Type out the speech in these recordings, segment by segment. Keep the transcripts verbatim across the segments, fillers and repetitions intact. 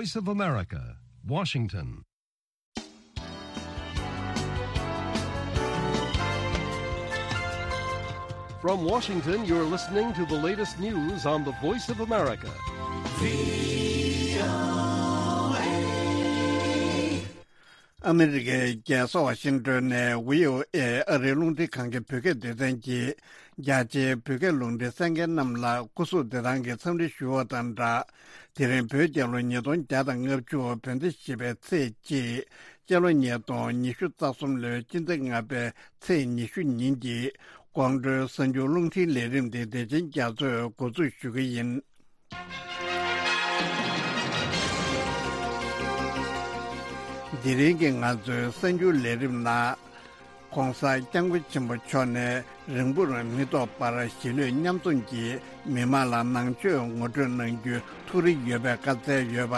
Voice of America, Washington. From Washington, you're listening to the latest news on the Voice of America. ཨ་མི་རི་ཀའི་རྒྱལ་ས་ཝ་ཤིང་ཏོན་ནས་བྷི་ཨོ་ཨེ་ཨ་རིའི་རླུང་འཕྲིན་ཁང་གི་བོད་སྐད་སྡེ་ཚན་གྱིས་རྒྱ་ཆེའི་བོད་སྐད་རླུང་འཕྲིན་གསན་མཁན་རྣམས་ལ་སྐུ་གཟུགས་བདེ་ཐང་གི་འཚམས་འདྲི་ཞུ་བ་དང་སྦྲགས། དེ་རིང་བོད་རྒྱལ་ལོ་ཉིས་སྟོང་བརྒྱ་དང་ལྔ་བཅུ་བོད་ཟླ་བཞི་པའི་ཚེས་གཅིག་སྤྱི་ལོ་ཉིས་སྟོང་ཉི་ཤུ་རྩ་གསུམ་ལོའི་སྤྱི་ཟླ་ལྔ་པའི་ཚེས་ཉི་ཤུ་ཉིན་གྱི་དགོང་དྲོའི་གསར་འགྱུར་རླུང་འཕྲིན་ལས་རིམ་དེ་བདེ་ཆེན་རྒྱ་མཚོས་འགོ་འཛུགས་ཞུ་གི་ཡིན། དེ་རིང་གི་ང་ཚོའི་གསར་འགྱུར་ལས་རིམ་ནང་། ༸གོང་ས་༸སྐྱབས་མགོན་ཆེན་པོ་མཆོག་ནས་རིང་པོར་མི་ཐོགས་པར་གཞིས་ལུས་མཉམ་འཛོམས་ཀྱིས་མི་མང་ལ་ནང་ཆོས་ངོ་སྤྲོད་གནང་རྒྱུའི་ཐུགས་རེ་ཡོད་པའི་བཀའ་སྩལ་ཡོད་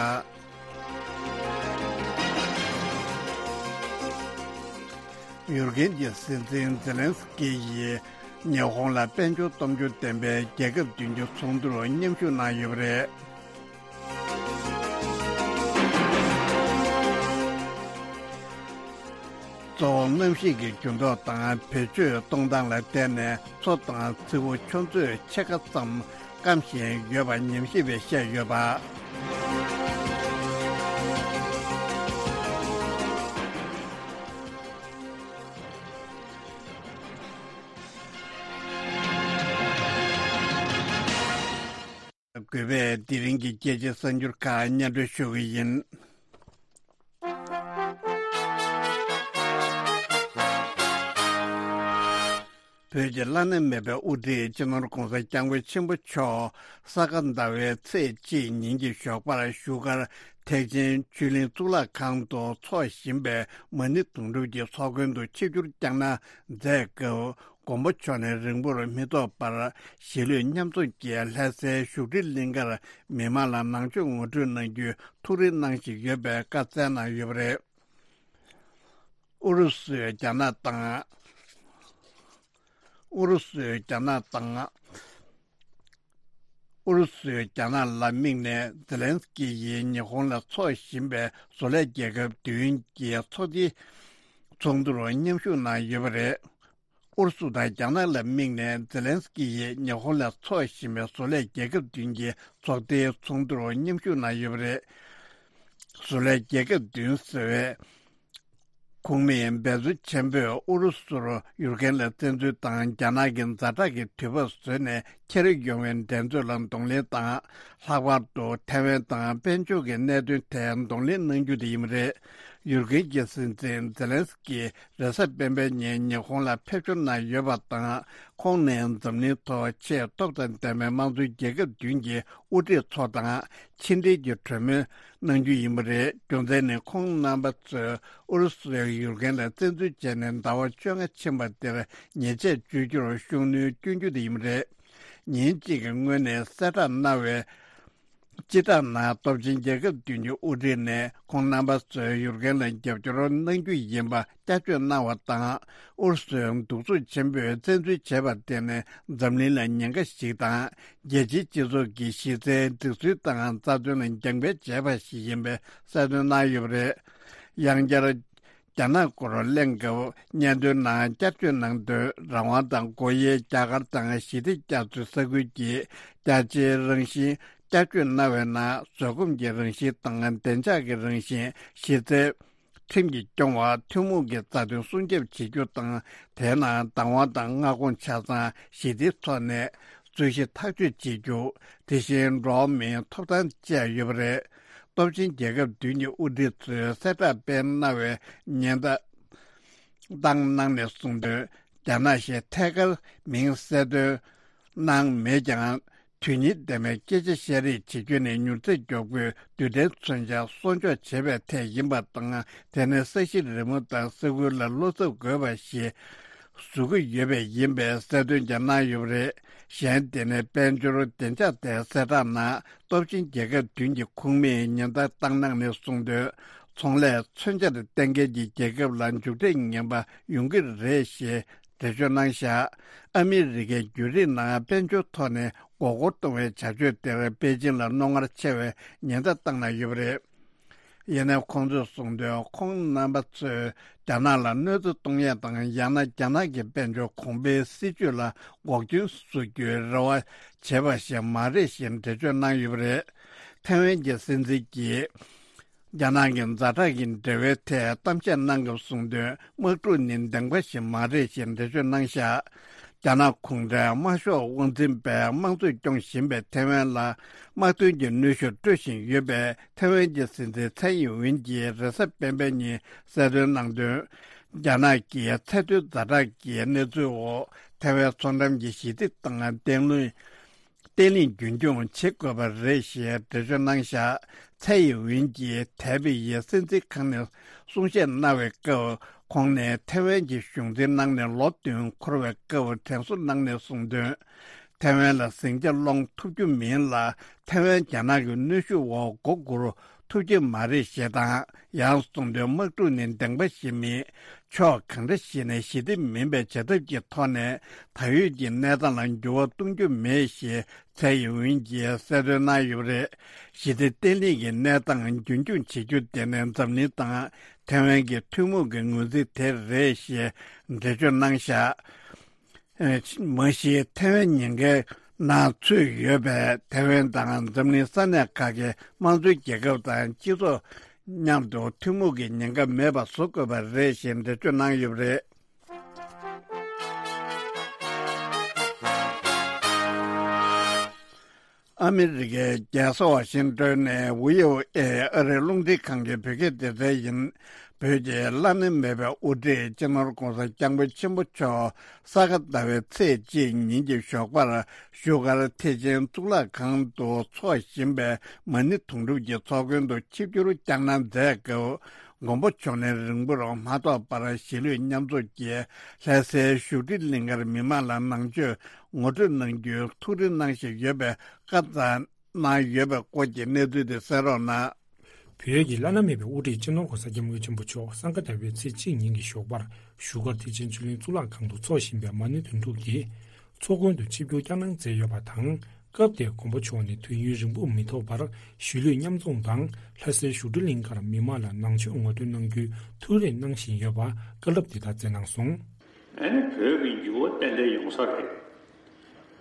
པ། ཡུཀ་རེན་གྱི་སྲིད་འཛིན་ཛེ་ལན་སི་ཀི་ཡིས་ཉི་ཧོང་ལ་དཔལ་འབྱོར་སྟོབས་འབྱོར་ལྡན་པའི་རྒྱལ་ཁབ་བདུན་གྱི་ཚོགས་འདུར་མཉམ་ཞུགས་གནང་ཡོད་པ་རེད། གཙོ་བོ་གནམ་གཤིས་ཀྱི་འགྱུར་ལྡོག་དང་བེད་སྤྱོད་གཏོང་སྟངས་ལ་བརྟེན་ནས་མཚོ་དང་མཚེའུ་ཆུ་མཛོད་ཕྱེད་ཀ་ཙམ་སྐམ་བཞིན་ཡོད་པ་ཉམས་ཞིབ་པས་བཤད་ཡོད་པ། དགོས་པས་དེ་རིང་གི་རྒྱལ་སྤྱིའི་གསར་འགྱུར་ཁག་སྙན་སྒྲོན་ཞུ་གི་ཡིན། བོད་ཀྱི་བླ་ན་མེད་པའི་དབུ་ཁྲིད་སྤྱི་ནོར་༸གོང་ས་༸སྐྱབས་མགོན་ཆེན་པོ་མཆོག་ས་ག་ཟླ་བའི་ཚེས་གཅིག་ཉིན་གྱི་ཞོགས་པར་བཞུགས་སྒར་ཐེག་ཆེན་ཆོས་གླིང་གཙུག་ལག་ཁང་དུ་འཚོགས་བཞིན་པའི་མ་ཎི་དུང་སྒྲུབ་ཀྱི་ཚོགས་མགོན་དུ་ཆིབས་བསྒྱུར་བསྐྱངས་གནང་མཛད་སྐབས། མགོན་པོ་མཆོག་ནས་རིང་པོར་མི་ཐོགས་པར་གཞིས་ལུས་མཉམ་འཛོམས་ཀྱིས་ལྷ་སའི་བཞུགས་ཁྲི་གླིང་གར་མི་མང་ལ་ནང་ཆོས་ངོ་སྤྲོད་གནང་རྒྱུའི་ཐུགས་རེ་གནང་བཞིན་ཡོད་པའི་བཀའ་སྩལ་གནང་ཡོད་པ་རེད། ཨུ་རུ་སུས་རྒྱ་ནག་དང་། ཨུ་རུ་སུས་རྒྱ་ནག་དང་། ཨུ་རུ་སུས་རྒྱ་ནག་ལ་དམིགས་ནས་ཛེ་ལན་སི་ཀི་ཡིས་ཉི་ཧོང་ལ་འཚོགས་བཞིན་པའི་བཟོ་ལས་རྒྱལ་ཁབ་བདུན་གྱི་ཚོགས་སྡེའི་ཚོགས་འདུར་མཉམ་ཞུགས་གནང་ཡོད་པ་རེད། ཨུ་རུ་སུ་དང་རྒྱ་ནག་ལ་དམིགས་ནས་ཛེ་ལན་སི་ཀི་ཡིས་ཉི་ཧོང་ལ་འཚོགས་བཞིན་པའི་བཟོ་ལས་རྒྱལ་ཁབ་བདུན་གྱི་ཚོགས་སྡེའི་ཚོགས་འདུར་མཉམ་ཞུགས་གནང་ཡོད་པ་རེད། བཟོ་ལས་རྒྱལ་ཁབ་བདུན་ཟེར་བའི་ཁོངས་མིས་འབད་བརྩོན་ཆེན་པོས་ཨུ་རུ་སུར་ཡུཀ་རེན་ལ་བཙན་འཛུལ་དང་རྒྱ་ནག་གི་ཛ་དྲག་གི་དུས་བབ་བཟོས་ནས་འཁྱེར་ཡོང་བའི་འགྲན་རྩོད་ལ་གདོང་ལེན་དང་། ལྷག་པར་དུ་ཐའེ་ཝན་དང་དཔལ་འབྱོར་གྱི་གནད་དོན་ཐད་གདོང་ལེན་གནང་རྒྱུ་དེ་ཡིན་པ་རེད། ཡུཀ་རེན་གྱི་སྲིད་འཛིན་ཛེ་ལན་སི་ཀི་རེས་གཟའ་སྤེན་པའི་ཉིན་ཉི་ཧོང་ལ་ཕེབས་འབྱོར་གནང་ཡོད་པ་དང་། ཁོང་ནས་འཛམ་གླིང་ཐོག་ཆེས་སྟོབས་དང་ལྡན་པའི་དམངས་གཙོའི་རྒྱལ་ཁབ་བདུན་གྱི་དབུ་ཁྲིད་ཚོ་དང་ཕྱི་འབྲེལ་གྱི་གྲོས་མོལ་གནང་རྒྱུ་ཡིན་པ་རེད། རྒྱུ་མཚན་ནི་ཁོང་རྣམ་པ་ཚོས་ཨུ་རུ་སུས་ཡུཀ་རེན་ལ་བཙན་འཛུལ་བྱས་ནས་ཟླ་བ་བཅོ་ལྔ་ཕྱིན་པ་དེར་ཉེས་ཆད་གཅོད་རྒྱུར་ཤུགས་སྣོན་སྐྱོན་རྒྱུ་དེ་ཡིན་པ་རེད། ཉིན་གཅིག་གི་སྔོན་ནས་གསལ་བསྒྲགས་གནང་བའི། སྤྱི་བསྒྲགས་ནང་སྟོབས་ཆེན་རྒྱལ་ཁབ་བདུན་གྱི་དབུ་ཁྲིད་ནས་ཁོང་རྣམ་པ་ཚོས་ཡུཀ་རེན་ལ་རྒྱབ་སྐྱོར་གནང་རྒྱུ་ཡིན་པ་བསྐྱར་བརྗོད་གནང་བ་དང་། ཨུ་རུ་སུས་གདུག་རྩུབ་ཆེན་པོས་བཙན་འཛུལ་བྱས་པར་བརྟེན་ནས་འཛམ་གླིང་ལ་ཉེན་ཁ་ཞིག་དང་། རྒྱལ་སྤྱིའི་སྤྱི་ཚོགས་ཀྱི་གཞི་རྩའི་སྒྲིག་སྲོལ་དང་རྩ་དོན་ལ་རྒྱང་འཕེན་བྱས་པ་ཞིག་ཡིན་པའི་གསལ་སྟོན་གནང་ཡོད་པ་རེད། ཡང་བསྐྱར། རྒྱ་ནག་སྐོར་གླེང་སྐབས་སྙན་ཐོའི་ནང་བསྐྱར་བརྗོད་གནང་དོན། རང་དབང་དང་སྒོ་དབྱེའི་རྒྱ་གར་དང་ཞི་བདེ་རྒྱ་མཚོའི་ས་ཁུལ་གྱི་རྒྱ་ཆེའི་རང་བཞིན་བསྐྱར་བརྗོད་གནང་བའི་ནང་། བཟོད་སྒོམ་གྱི་རང་བཞིན་དང་བདེ་འཇགས་ཀྱི་རང་བཞིན། གཞི་རྩའི་ཁྲིམས་ཀྱིས་སྐྱོང་བ། ཐུན་མོང་གི་རྩ་དོན་སྲུང་སྐྱོབ་བྱེད་རྒྱུ་དང་། དེའི་ནང་བདག་དབང་དང་མངའ་ཁོངས་ཆ་ཚང་ཞི་བདེའི་ཐོག་ནས་རྩོད་གཞི་ཐག་གཅོད་བྱེད་རྒྱུ། དེ་བཞིན་འགྲོ་བ་མིའི་ཐོབ་ཐང་བཅས་ཡོད་པ་རེད། སྟོབས་ཆེན་རྒྱལ་ཁབ་བདུན་གྱི་དབུ་ཁྲིད་ཚོས་གསལ་བསྒྲགས་སྤེལ་གནང་བའི་ཉེན་བརྡ་བཏང་གནང་ནས་གསུངས་དོན། རྒྱ་ནག་ཞེས་ཐད་ཀར་མིང་གསལ་སྟོན་གནང་མེད་ཀྱང་། དོན་སྙིང་ལྡན་པའི་སྐད་ཆ་བཤད་རེས་བྱེད་རྒྱུ་ནི་མྱུར་ཚད་མགྱོགས་པོའི་རྡུལ་ཕྲན་མཚོན་ཆ་གསོག་འཇོག་བྱེད་པའི་ཐད་ཡིན་པ་དང་། དེ་ནི་ས་གཞི་རི་མོ་དང་ས་ཁུལ་ལ་བློ་འཚབ་དགོས་པ་ཞིག་བཟོ་གི་ཡོད་པས་ཡིན་པའི་གསལ་སྟོན་ཀྱང་གནང་ཡོད་པ་རེད། གཞན་དེ་ནི་དཔལ་འབྱོར་བདེ་འཇགས་ཐད་གསལ་བསྒྲགས་ནང་། སྟོབས་ཆེན་རྒྱལ་ཁབ་བདུན་གྱི་ཁོངས་མིས་ཉེན་བརྡ་བཏང་གནང་ནས་གསུངས་དོན། ཚོང་ལས་མཚོན་ཆར་གཏན་འཁེལ་གྱི་རྒྱལ་ཁབ་ལ་མཇུག་འབྲས་ངན་པ་ཡོང་གི་རེད་ཞེས་འགྲེལ་བརྗོད་གནང་བཞག་ཨ་མི་རི་ཀའི་བརྒྱུད་རིམ་ནང་དཔལ་འབྱོར་ཐོག་ནས་མགོ་སྐོར་གཏོང་བའི་བྱ་སྤྱོད་དེར་པེ་ཅིང་ལ་རྣོ་ངར་ཆེ་བའི་ཉེན་བརྡ་བཏང་གནང་ཡོད་པ་རེད། ཡིན་ནའི་ཁོང་ཚོས་གསུངས་དོན། ཁོང་རྣམ་པ་ཚོས་རྒྱ་ནག་ལ་གནོད་འཚེ་གཏོང་ཡས་དང་། ཡང་ན་རྒྱ་ནག་གི་དཔལ་འབྱོར་གོང་འཕེལ་སྲིད་ཇུས་ལ་འགོག་རྐྱེན་བཟོ་རྒྱུའི་རེ་བ་བྱེད་པ་ཞིག་མ་རེད་ཞེས་འགྲེལ་བརྗོད་གནང་ཡོད་པ་རེད། ཐའེ་ཝན་གྱི་སྲིད་འཛིན་གྱིས་རྒྱ་ནག་གི་ཛ་དྲག་གི་འབྲེལ་བའི་ཐད་གཏམ་བཤད་གནང་སྐབས་གསུངས་དོན། དམག་འཁྲུག་ནི་བདེན་པ་ཞིག་མ་རེད་ཞེས་འགྲེལ་བརྗོད་གནང་བཞག་རྒྱ་ནག་གུང་ཁྲན་དམར་ཤོག་དབང་འཛིན་པས་དམངས་གཙོས་སྐྱོང་བཞིན་པའི་ཐའེ་ཝན་ལ་དམག་དོན་གྱི་གནོན་ཤུགས་སྤྲོད་བཞིན་ཡོད་པས། ཐའེ་ཝན་གྱི་སྲིད་འཛིན་ཚའེ་ཡིན་ཝིན་གྱིས་རེས་གཟའ་སྤེན་པའི་ཉིན་གསལ་སྟོན་གནང་དོན། རྒྱ་ནག་གིས་ཚད་མཐོའི་ཛ་དྲག་གི་གནས་ཚུལ་འོག་ཐའེ་ཝན་མཚོ་འགྲམ་གྱི་ཞི་བདེ་དང་བརྟན་ལྷིང་བརྟན་ལྷིང་རྒྱུན་འཁྱོངས་བྱེད་དགོས་པ་རེད་ཞེས་འགྲེལ་བརྗོད་གནང་བཞག་ཚའེ་ཡིན་ཝིན་གྱིས་ཐའེ་པེ་ཡི་སྲིད་འཛིན་ཁང་ནས་གསུང་བཤད་གནང་བའི་སྐབས། ཁོང་ནས་ཐའེ་ཝན་གྱི་གཞུང་འཛིན་གནང་ནས་ལོ་བདུན་འཁོར་བའི་སྐབས་དྲན་གསོ་གནང་ནས་གསུངས་དོན། ཐའེ་ཝན་ལ་ཟིང་ཆ་སློང་ཐུབ་རྒྱུ་མིན་ལ། ཐའེ་ཝན་རྒྱ་ནག་གི་གནོན་ཤུགས་འོག་མགོ་སྒུར་ཐུབ་ཀྱི་མ་རེད་ཞེས་དང་། ཡང་གསུངས་དོན། དམག་འཁྲུག་ནི་བདེན་པ་ཞིག་མིན། ཕྱོགས་གང་འདྲ་ཞིག་ནས་ཞི་བདེ་མིན་པའི་བྱ་ཐབས་ཀྱི་ཐོག་ནས་ད་ཡོད་ཀྱི་གནས་སྟངས་ལ་འགྱུར་བ་གཏོང་རྒྱུ་མེད་ཞེས་ཚའེ་ཡིན་ཝིན་གྱིས་གསལ་སྟོན་གནང་ཡོད་པ་རེད། ཞི་བདེ་བརྟན་ལྷིང་གི་གནས་སྟངས་རྒྱུན་འཁྱོངས་བྱེད་རྒྱུ་དེ་ནི་འཛམ་གླིང་དང་ཐའེ་ཝན་གྱི་ཐུན་མོང་གི་ངོས་འཛིན་དེ་རེད་ཞེས་འགྲེལ་བརྗོད་གནང་བཞག་མ་གཞི་ཐའེ་ཝན་ཉེན་ཁའི་ནང་ཚུད་ཡོད་པས། ཐའེ་ཝན་དང་འཛམ་གླིང་ས་གནས་ཁག་གི་དམངས་གཙོའི་རྒྱལ་ཁབ་དང་སྤྱི་ཚོགས་མཉམ་དུ་ཐུན་མོང་གི་ཉེན་ཁ་མེད་པ་བཟོ་དགོས་པ་རེད་ཞེས་འགྲེལ་བརྗོད་གནང་ཡོད་པ་རེད། ཨ་མི་རི་ཀའི་རྒྱལ་ས་ཝ་ཤིང་ཏོན་ནས་ཝི་ཨོ་ཨེ་ཨ་རིའི་རླུང་འཕྲིན་ཁང་གི་བོད་སྐད་སྡེ་ཚན་ཡིན། བོད་ཀྱི་བླ་ན་མེད་པའི་དབུ་ཁྲིད་སྤྱི་ནོར་༧གོང་ས་༧སྐྱབས་མགོན་ཆེན་པོ་མཆོག་ས་ག་ཟླ་བའི་ཚེས་གཅིག་ཉིན་གྱི་ཞོགས་པར་བཞུགས་སྒར་ཐེག་ཆེན་གཙུག་ལག་ཁང་དུ་འཚོགས་བཞིན་པའི་མ་ཎི་དུང་སྒྲུབ་ཀྱི་ཚོགས་མགོན་དུ་ཆིབས་བསྒྱུར་བསྐྱངས་གནང་མཛད་སྐབས། མགོན་པོ་མཆོག་ནས་རིང་པོར་མ་ཐོགས་པར་གཞིས་ལུས་མཉམ་འཛོམས་ཀྱིས་ལྷ་སའི་བཞུགས་ཁྲི་གླིང་ཁར་མི་མང་ལ་ནང་ཆོས་ངོ་སྤྲོད་གནང་རྒྱུའི་ཐུགས་རེ་གནང་བཞིན་ཡོད་པའི་བཀའ་བསྩལ་གནང་ཡོད་པའི་སྐོར་གྱི་གནས་ཚུལ་དེ་གསན་རོགས་གནང་། བོད་ཀྱི་བླ་ན་མེད་པའི་དབུ་ཁྲིད་སྤྱི་ནོར་༧གོང་ས་༧སྐྱབས་མགོན་ཆེན་པོ་མཆོག་སང་ག་ཟླ་བའི་ཚེས་གཅིག་ཉིན་གྱི་ཞོགས་པར་བཞུགས་སྒར་ཐེག་ཆེན་ཆོས་གླིང་གཙུག་ལག་ཁང་དུ་འཚོགས་བཞིན་པའི་མ་ཎི་དོན་གྲུབ་ཀྱི་ཚོགས་མགོན་དུ་ཆིབས་བསྒྱུར་བསྐྱངས་གནང་མཛད་ཡོད་པ་དང་། སྐབས་དེར་མགོན་པོ་མཆོག་ནས་དུས་ཡུན་རིང་པོ་མི་ཐོགས་པར་གཞིས་ལུས་མཉམ་འཛོམས་དང་ལྷ་སའི་བཞུགས་ཁྲི་གླིང་ཁར་མི་མང་ལ་ནང་ཆོས་ངོ་སྤྲོད་གནང་རྒྱུའི་ཐུགས་རེ་གནང་བཞིན་ཡོད་པ་བཀའ་སློབ་འདི་ལྟར་སྩལ་གནང་སོང་། ཨ་ནི་བོད་ཀྱི་འགྱུར་བ་ཏན་ཏན་ཡོང་ས་རེད།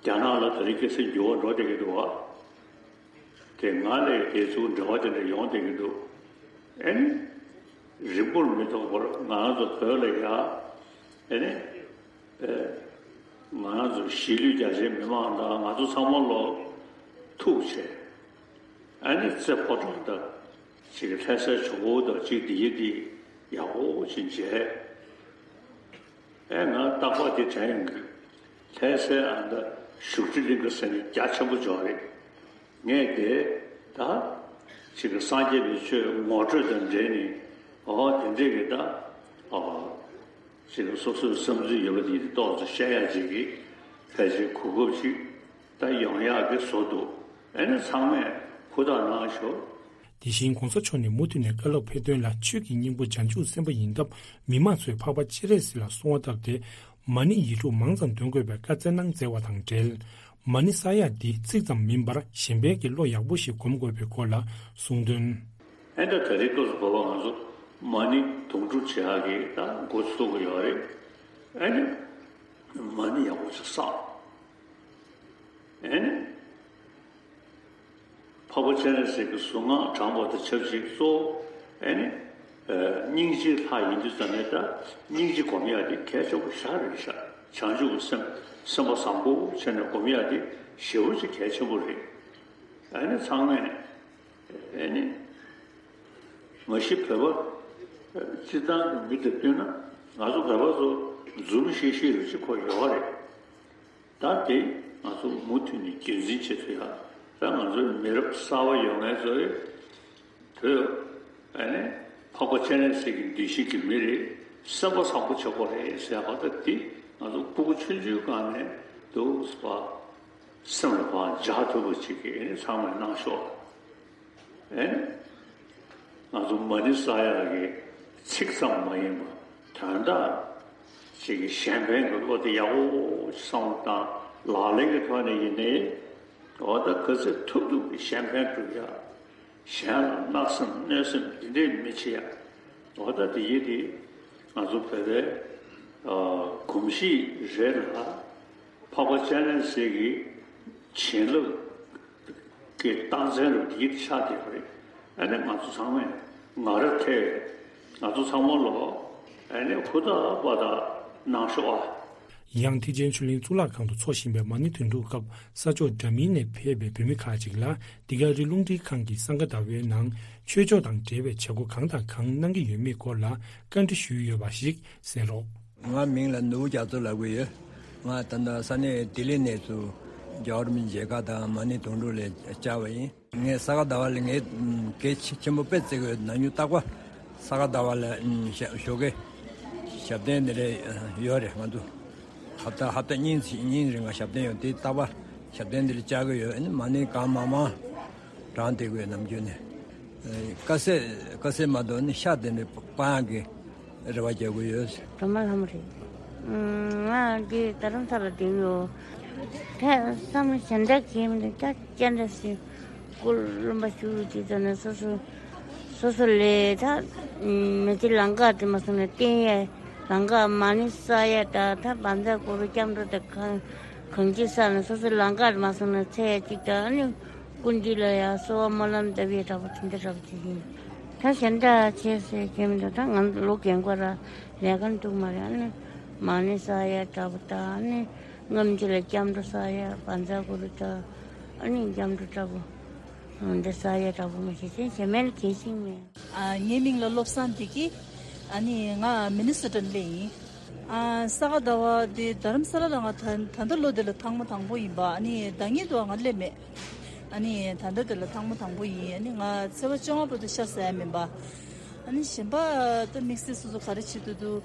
རྒྱ་ནག་ལ་ད་རེས་ཁ་སང་འགྱུར་བ་འགྲོ་བསྡད་ཀྱི་འདུག་བ། དེ་སྔ་ལས་དེ་ཚོ་འབྲེལ་བ་དེ་འདྲ་ཡོང་བསྡད་ཀྱི་འདུག་ཨ་ནི། རིང་པོར་མི་ཐོགས་པར་ང་རང་ཚོ་བོད་ལ་ཡ། ཨ་ནི། ཨེ། ང་རང་ཚོ་གཞིས་ལུས་རྒྱ་ཆེའི་མི་མང་དང་ང་ཚོ་ཚང་མ་ལོ་ཐུག་བྱས། ཨ་ནི་རྩེ་ཕོ་བྲང་དང་ཅིག་ལྷ་སའི་ཇོ་བོ་དང་ཅིག་འདི་ཡི་འདི་ཡག་པོ་ཅིག་མཇལ། ཨེ་ང་རྟག་པར་འདི་དྲན་ཡོང་གི། ལྷ་སའི་ཨ་མདའ་བཞུགས་ཁྲི་གླིང་ག་ཟེར་ནས་རྒྱ་ཆེན་པོ་འཇོག་རེད། ངས་དེ་ད་ཅིག་གི་སངས་རྒྱས་པའི་ཆོས་ངོ་སྤྲོད་དང་འབྲེལ་ནས་ཨོ་དེ་འདྲས་ཀྱི་ད་ཨོ་ཅིག་གི་སོ་སོའི་བསམ་ཚུལ་ཡོད་པ་དེ་ཏོག་ཙམ་བཤད་ཡག་ཅིག་གི་ཕལ་ཆེར་གོ་སྐབས་ཅིག་ད་ཡོང་ཡག་གི་བཟོ་འདུག་ཨ་ནི་ཚང་མས་ཧུར་ཐག་གནང་ཤོག་དེ་བཞིན་གོང་ས་མཆོག་ནས་མུ་མཐུད་ནས་བཀའ་སློབ་ཕེབས་དོན་ལ་ཆོས་ཀྱི་སྙིང་པོ་བྱང་ཆུབ་སེམས་དཔའ་ཡིན་སྟབས་མི་མང་ཚོས་འཕགས་པ་སྤྱན་རས་གཟིགས་ལ་གསོལ་བ་བཏབ་སྟེ་མ་ཎི་ཡིག་དྲུག་མང་ཙམ་འདོན་དགོས་པའི་བཀའ་སྩལ་གནང་མཛད་པ་དང་འབྲེལ། མ་ཎི་བསགས་ཡག་འདི་ཚིག་ཙམ་མིན་པར་གཞན་ཕན་གྱི་བློ་ཡག་པོ་ཞིག་སྒོམ་དགོས་པའི་སྐོར་ལ་གསུངས་དོན། ཨེ་འདྲ་ད་རེས་སྐབས་སུ་བབ་པ་ང་ཚོ་མ་ཎི་དུང་སྒྲུབ་བྱེད་ཡག་གི་ད་འགོ་ཚུགས་ཀྱི་ཡོད་རེད། ཨེ་ནི་མ་ཎི་ཡག་པོ་ཞིག་བསགས། ཨེ་ནི། འཕགས་པ་སྤྱན་རས་གཟིགས་ཀྱི་གཟུངས་སྔགས་བགྲངས་པ་དང་ཆབས་ཅིག་གཙོ་བོ་ཨེ་ནི། སྙིང་རྗེའི་ལྷ་ཡིན་དུས་ཙམ་ནས་ད་སྙིང་རྗེ་སྒོམ་ཡག་དེ་གལ་ཆེན་པོ་ཞེ་དྲག་རེད་ཤག་བྱང་ཆུབ་ཀྱི་སེམས་སེམས་པ་བཟང་པོ་བྱས་ནས་སྒོམ་ཡག་དེ་ཞེ་པོ་ཅིག་གལ་ཆེན་པོ་རེད། ཨེ་ནི་ཚང་མས་ཨེ་ནི། མ་གཞི་བོད་པ་སྤྱིར་བཏང་གི་མི་དང་བསྟུན་ན་ང་ཚོ་བོད་པ་ཚོ་འཛུམ་ཤིག་ཤིག་རུ་ཅིག་གོ་ཡོད་རེད། ད་དེ་ང་ཚོ་མུ་མཐུད་ནས་རྒྱུན་འཛིན་བྱེད་ཐུབ་ཡ། ད་ང་ཚོའི་མི་རབས་གསར་པ་ཡོང་མཁན་ཚོས་བོད་ཨ་ནི་འཕགས་པ་སྤྱན་རས་གཟིགས་ཀྱི་གདུལ་ཞིང་གི་མི་རེད། སེམས་པ་བཟང་པོ་བྱེད་དགོས་རེད་ཟེར་བ་ད་དེ་ང་ཚོ་སྤུ་གུ་ཆུང་ཆུང་སྒང་ནས་འདུག་ཟེར་བ་སེམས་ལ་ཕར་འཇགས་ཐུབ་པ་ཅིག་གི་ཨ་ནི་ཚང་མས་གནང་ཤོག་ཨེ། ང་ཚོ་མ་ཎི་བསགས་ཡག་གི་ཚིག་ཙམ་མ་ཡིན་པ་དོན་དག་ཅིག་གི་གཞན་ཕན་གྱི་བློ་དེ་ཡག་པོ་བསམ་བློ་བཏང་ལག་ལེན་གྱི་ཐོག་ནས་ཡིན་ནའི་འོ་ད་ག་ཚོད་ཐུབ་ཐུབ་ཀྱི་གཞན་ཕན་སྒྲུབ་ཡག་གཞན་ལ་བརྣག་སེམས་གནོད་སེམས་འདི་འདྲས་མི་བྱེད་ཡ། འོ་ད་དེ་ཡིན་དེ། ང་ཚོ་བོད་པའི་ཨ་གོམས་གཤིས་རེད་ལ། འཕགས་པ་སྤྱན་རས་གཟིགས་ཀྱི་བྱིན་རླབས་ཀྱི་རྟགས་མཚན་རུ་འདི་ཆགས་བསྡད་པ་རེད། ཨ་ནི་ང་ཚོ་ཚང་མས་ང་ར་ཐེ་ང་ཚོ་ཚང་མ་ལོ། ཨ་ནི་ཧུར་ཐག་པ་དག་གནང་ཤོག་ཨ། ཡང་ཐེག་ཆེན་ཆོས་གླིང་གཙུག་ལག་ཁང་དུ་འཚོགས་བཞིན་པའི་མ་ཎི་དོན་གྲུབ་སྐབས་ས་ཕྱོགས་འདྲ་མིན་ནས་ཕེབས་པའི་བོད་མི་ཁག་ཅིག་ལ་འདི་ག་རི་རླུང་འཕྲིན་ཁང་གིས་སང་ག་ཟླ་བའི་ནང་ཆོས་ཕྱོགས་དང་འབྲེལ་བའི་བྱེད་སྒོ་གང་དང་གང་གནང་གི་ཡོད་མེད་སྐོར་ལ་བཀའ་འདྲི་ཞུས་ཡོད་པ་ཞིག་གསན་རོགས། ང་མིང་ལ་ནོར་བུ་རྒྱ་མཚོ་ལབ་ཀྱི་ཡོད། ང་ད་ལྟ་ས་གནས་ལྡི་ལི་ནས་ཚུར་རྒྱལ་བ་རིན་པོ་ཆེའི་མཇལ་ཁ་དང་མ་ཎི་དོན་གྲུབ་ལ་བཅར་བ་ཡིན། ངས་ས་ག་ཟླ་བ་ལ་ངས་གལ་ཆེ་ཆེན་པོ་དཔེ་བརྩི་གི་ཡོད། ན་ཉུང་རྟག་པར་ས་ག་ཟླ་བ་ལ་ཞོགས་ཀས་ཞབས་བརྟན་འདི་རེད་ཡོད་རེད། ང་ཚོ་ཧབ་ཏ་ཧབ་ཏ་གཉིས་གཉིས་རིང་ང་ཞབས་བརྟན་ཡོད་དེ། རྟག་པར་ཞབས་བརྟན་འདི་ལ་བཅར་གི་ཡོད། ཨ་ནི་མ་ཎི་གང་མང་མང་བགྲངས་བསྡད་གི་ཡོད་ནམ་རྒྱུན་ནས། དཀའ་ཟས་དཀའ་ཟས་མ་གཏོགས་ནི་ཤ་དེ་འདྲ་སྤང་ཡག་གི་རེ་བ་རྒྱག་གི་ཡོད། སྒྲོལ་མ་ལྷ་མོ་རེད། ང་འདི་རྡ་རམ་ས་ལ་བསྡད་ཡོད། ད་བསམ་བློ་གཞན་དག་གིས་མི་འདུག་ད་སྤྱན་རས་གཟིགས་སྐུ་རློན་པ་བཞུགས་དུས་ཙམ་ནས་སོ་སོ་སོ་སོ་ལས་ད་མི་ཚེ་ལམ་ཁ་དེ་མ་སོང་ནས་བསྟན་ཡས་ལམ་ཁ་མ་ཎི་བསགས་ཡས་ད་ད་བཛྲ་གུ་རུ་སྐྱབས་འགྲོ་དང་གང་གང་ཅི་བསགས་ནས་སོ་སོ་ལམ་ཁ་དེ་མ་སོང་ནས་ཚེ་ཡས་གཅིག་ད་ཨ་ནི། ཀུན་འདུས་ལ་ཡང་གསོལ་བ་སྨོན་ལམ་བཏབ་ཡས་འདྲ་པོ་དེ་འདྲ་འདྲ་པོ་ཅིག་ཡིན། ད་གཞན་དག་བྱས་ཟེར་མཁན་མི་འདུག་ད་ང་ལོ་རྒན་གོག་ར་ལས་ཀ་འདུག་མ་རེད། ཨ་ནི་མ་ཎི་བསགས་ཡས་འདྲ་པོ་དང་ཨ་ནི་སྔ་ཕྱི་ལ་སྐྱབས་འགྲོ་བསགས་ཡས་བཛྲ་གུ་རུ་དང་ཨ་ནི་སྐྱབས་འགྲོ་འདྲ་པོ་འདི་བསགས་ཡས་འདྲ་པོ་མ་གཞི་ཅན་གཞན་མེད་ལ་གལ་ཤིང་མེད། ཨ་ངའི་མིང་ལ་བློ་བཟང་བདེ་སྐྱིད། ཨ་ནི་ང་མི་ནི་སོ་ཊ་ནས་སླེབས་ཡིན། ཨ་ས་ག་ཟླ་བ་འདི་རྡ་རམ་ས་ལ་ལ་ང་ད་ད་ལྟ་ལོ་འདི་ལ་ཐེངས་མ་དང་པོ་ཡིན་པ། ཨ་ནི་ཟླ་ཉིན་དུ་ང་སླེབས་མེད། ཨ་ནི་ད་ལྟ་འདི་ལ་ཐེངས་མ་དང་པོ་ཡིན། ཨ་ནི་ང་ཚེས་པ་བཅོ་ལྔ་བར་དུ་ཤ་ཟ་ཡ་མིན་པ། ཨ་ནི་གཞན་པ་ད་དམིགས་བསལ་སོ་སོ་ག་རེ་བྱེད་དུ་འདུག་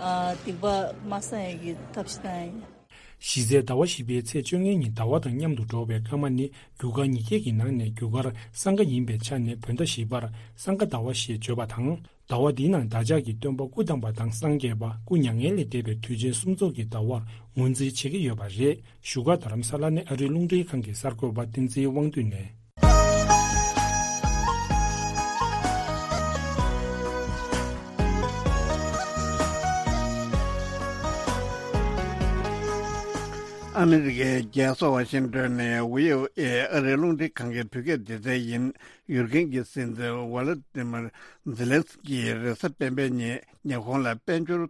ཨ་སྡིག་པ་མ་བསགས་ཡ་གི་ཐབས་ཤེས་བཏང་ཡ་ཡིན། གཞི་རྩའི་ཟླ་བ་བཞི་པའི་ཚེས་བཅོ་ལྔའི་ཉིན་ཟླ་བ་དང་མཉམ་དུ་འགྲོ་བའི་སྐར་མ་ནི་རྒྱུ་སྐར་ཉིས་བརྒྱ་གི་ནང་ནས་རྒྱུ་སྐར་སང་ག་ཡིན་པའི་ཆ་ནས་བོད་ཟླ་བཞི་པར་སང་ག་ཟླ་བ་ཞེས་བརྗོད་པ་དང་། ཟླ་བ་འདིའི་ནང་བདག་ཅག་གི་སྟོན་པ་སྐུ་བལྟམས་པ་དང་སངས་རྒྱས་པ་སྐུ་མྱ་ངན་ལས་འདས་པའི་དུས་ཆེན་གསུམ་ཚོགས་ཀྱི་ཟླ་བར་ངོས་འཛིན་བྱེད་ཀྱི་ཡོད་པ་རེད། བཞུགས་སྒར་རྡ་རམ་ས་ལ་ནས་ཨ་རིའི་རླུང་འཕྲིན་ཁང་གི་གསར་འགོད་པ་བསྟན་འཛིན་དབང་འདུས་ནས། ཨ་མི་རི་ཀའི་རྒྱལ་ས་ཝ་ཤིང་ཏོན་ནས་བྷི་ཨོ་ཨེ་ཨ་རིའི་རླུང་འཕྲིན་ཁང་གི་བོད་སྐད་སྡེ་ཚན་ཡིན། ཡུཀ་རེན་གྱི་སྲིད་འཛིན་ཝ་ལ་ཏི་མིར་ཛེ་ལན་སི་ཀི་རེས་གཟའ་སྤེན་པའི་ཉིན་ཉི་ཧོང་ལ་དཔལ་འབྱོར་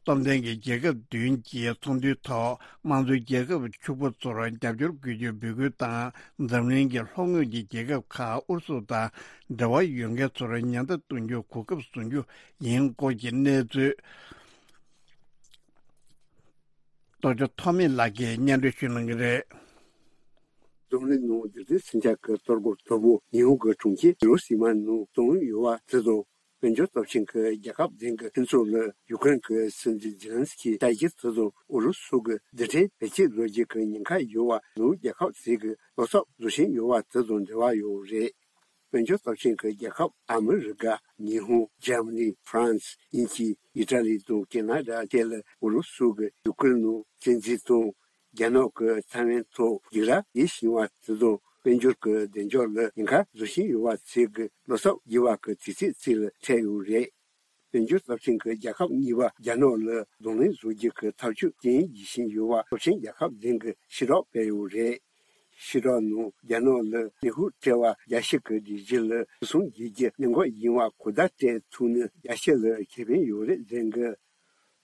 སྟོབས་ལྡན་གྱི་རྒྱལ་ཁབ་བདུན་གྱི་ཚོགས་འདུའི་ཐོག་དམངས་གཙོའི་རྒྱལ་ཁབ་ཕྱུག་པོ་ཚོར་རྒྱབ་སྐྱོར་དགོས་རྒྱུའི་འབོད་སྐུལ་དང་། འཛམ་གླིང་གི་ལྷོ་ངོས་ཀྱི་རྒྱལ་ཁབ་ཁག་ཨུ་རུ་སུ་དང་འབྲེལ་བ་ཡོད་མཁན་ཚོར་ཉེན་བརྡ་གཏོང་རྒྱུ་གོ་སྐབས་བཟོ་རྒྱུ་ཡིན་སྐོར་གྱི་གནས་ཚུལ། རྟོགས་བརྗོད་ཐོགས་མེད་ལགས་ཀྱིས་སྙན་སྒྲོན་ཞུ་གནང་གི་རེད། རྫོང་རིམ་ནང་འདི་ལྟའི་སེམས་ཆགས་ཀྱི་གཏོར་རྒོལ་དོ་པོ་ཉི་ཧོང་གི་གྲོང་ཁྱེར་ཧི་རོ་ཤི་མ་ནང་བཙོན་ཡོད་པ་དེ་དང་། དཔལ་འབྱོར་སྟོབས་ཆེན་གྱི་རྒྱལ་ཁབ་ལྡན་གྱི་ཕུན་ཚོགས་ལ་ཡུ་ཀེ་རེན་གྱི་སྲིད་འཛིན་ཛེ་ལན་སི་ཀི་ལྟ་རྒྱུ་དེ་དང་ཨུ་རུ་སུ་གི་རྡུལ་ཕྲན་བེད་སྤྱད་བཟོ་རྒྱུ་གི་ཉེན་ཁ་ཡོད་པ་ནུབ་རྒྱལ་ཁབ་ཞིག་གི་བློ་འཚབ་བཟོ་བཞིན་ཡོད་པ་དེ་དང་འབྲེལ་བ་ཡོད་རེད། དཔལ་འབྱོར་སྟོབས་ཆེན་གྱི་རྒྱལ་ཁབ་ཨ་མི་རི་ཀ། ཉི་ཧོང་། འཇར་མ་ནི། ཧྥ་རན་སི། དབྱིན་ཇི། ཨི་ཊ་ལི་དང་ཀེ་ན་ཌ་བཅས་ལ་ཨུ་རུ་སུ་གིས་ཡུ་ཀེ་རེན་ནང་བཙན་འཛུལ་དང་རྒྱ་ནག་གི་ཐའེ་ཝན་ཐོག་སྡིགས་ར་ཡེ་བཞིན་པ་དེ་དང་དཔལ་འབྱོར་གྱི་བདེ་འཇགས་ལ་ཉེན་ཁ་བཟོ་བཞིན་ཡོད་པ་བཅས་ཀྱི་བློ་འཚབ་རྒྱས་པ་གི་དུས་ཚོད་ཅིག་ལ་འཕྲད་ཡོད་རེད། དཔལ་འབྱོར་སྟོབས་ཆེན་གྱི་རྒྱལ་ཁབ་གཉིས་པ་རྒྱ་ནག་ལ་གདོང་ལེན་བཟོ་རྒྱུ་གི་ཐབས་ཇུས་སྐྱོན་བཞིན་ཡོད་པ་སྟོབས་ཆེན་རྒྱལ་ཁབ་ལྡན་གྱི་ཕྱིར་བསྒྲགས་སྤེལ་ཡོད་རེད། ཕྱིར་བསྒྲགས་ནང་རྒྱ་ནག་ལ་ནུས་ཤུགས་སྤྲད་པ་རྒྱ་ཕྱི་གི་སྒྲིག་གཞི་ལ་ཕྱིར་ཚོང་བྱེད་རྒྱུ་གནད་འགག་ཡིན་པ་གོ་བརྡ་སྤྲད་ཐུབ་ན་རྒྱ་ཕྱི་ལ་ཁེ་ཕན་ཡོད་རེད་ཟེར་གི།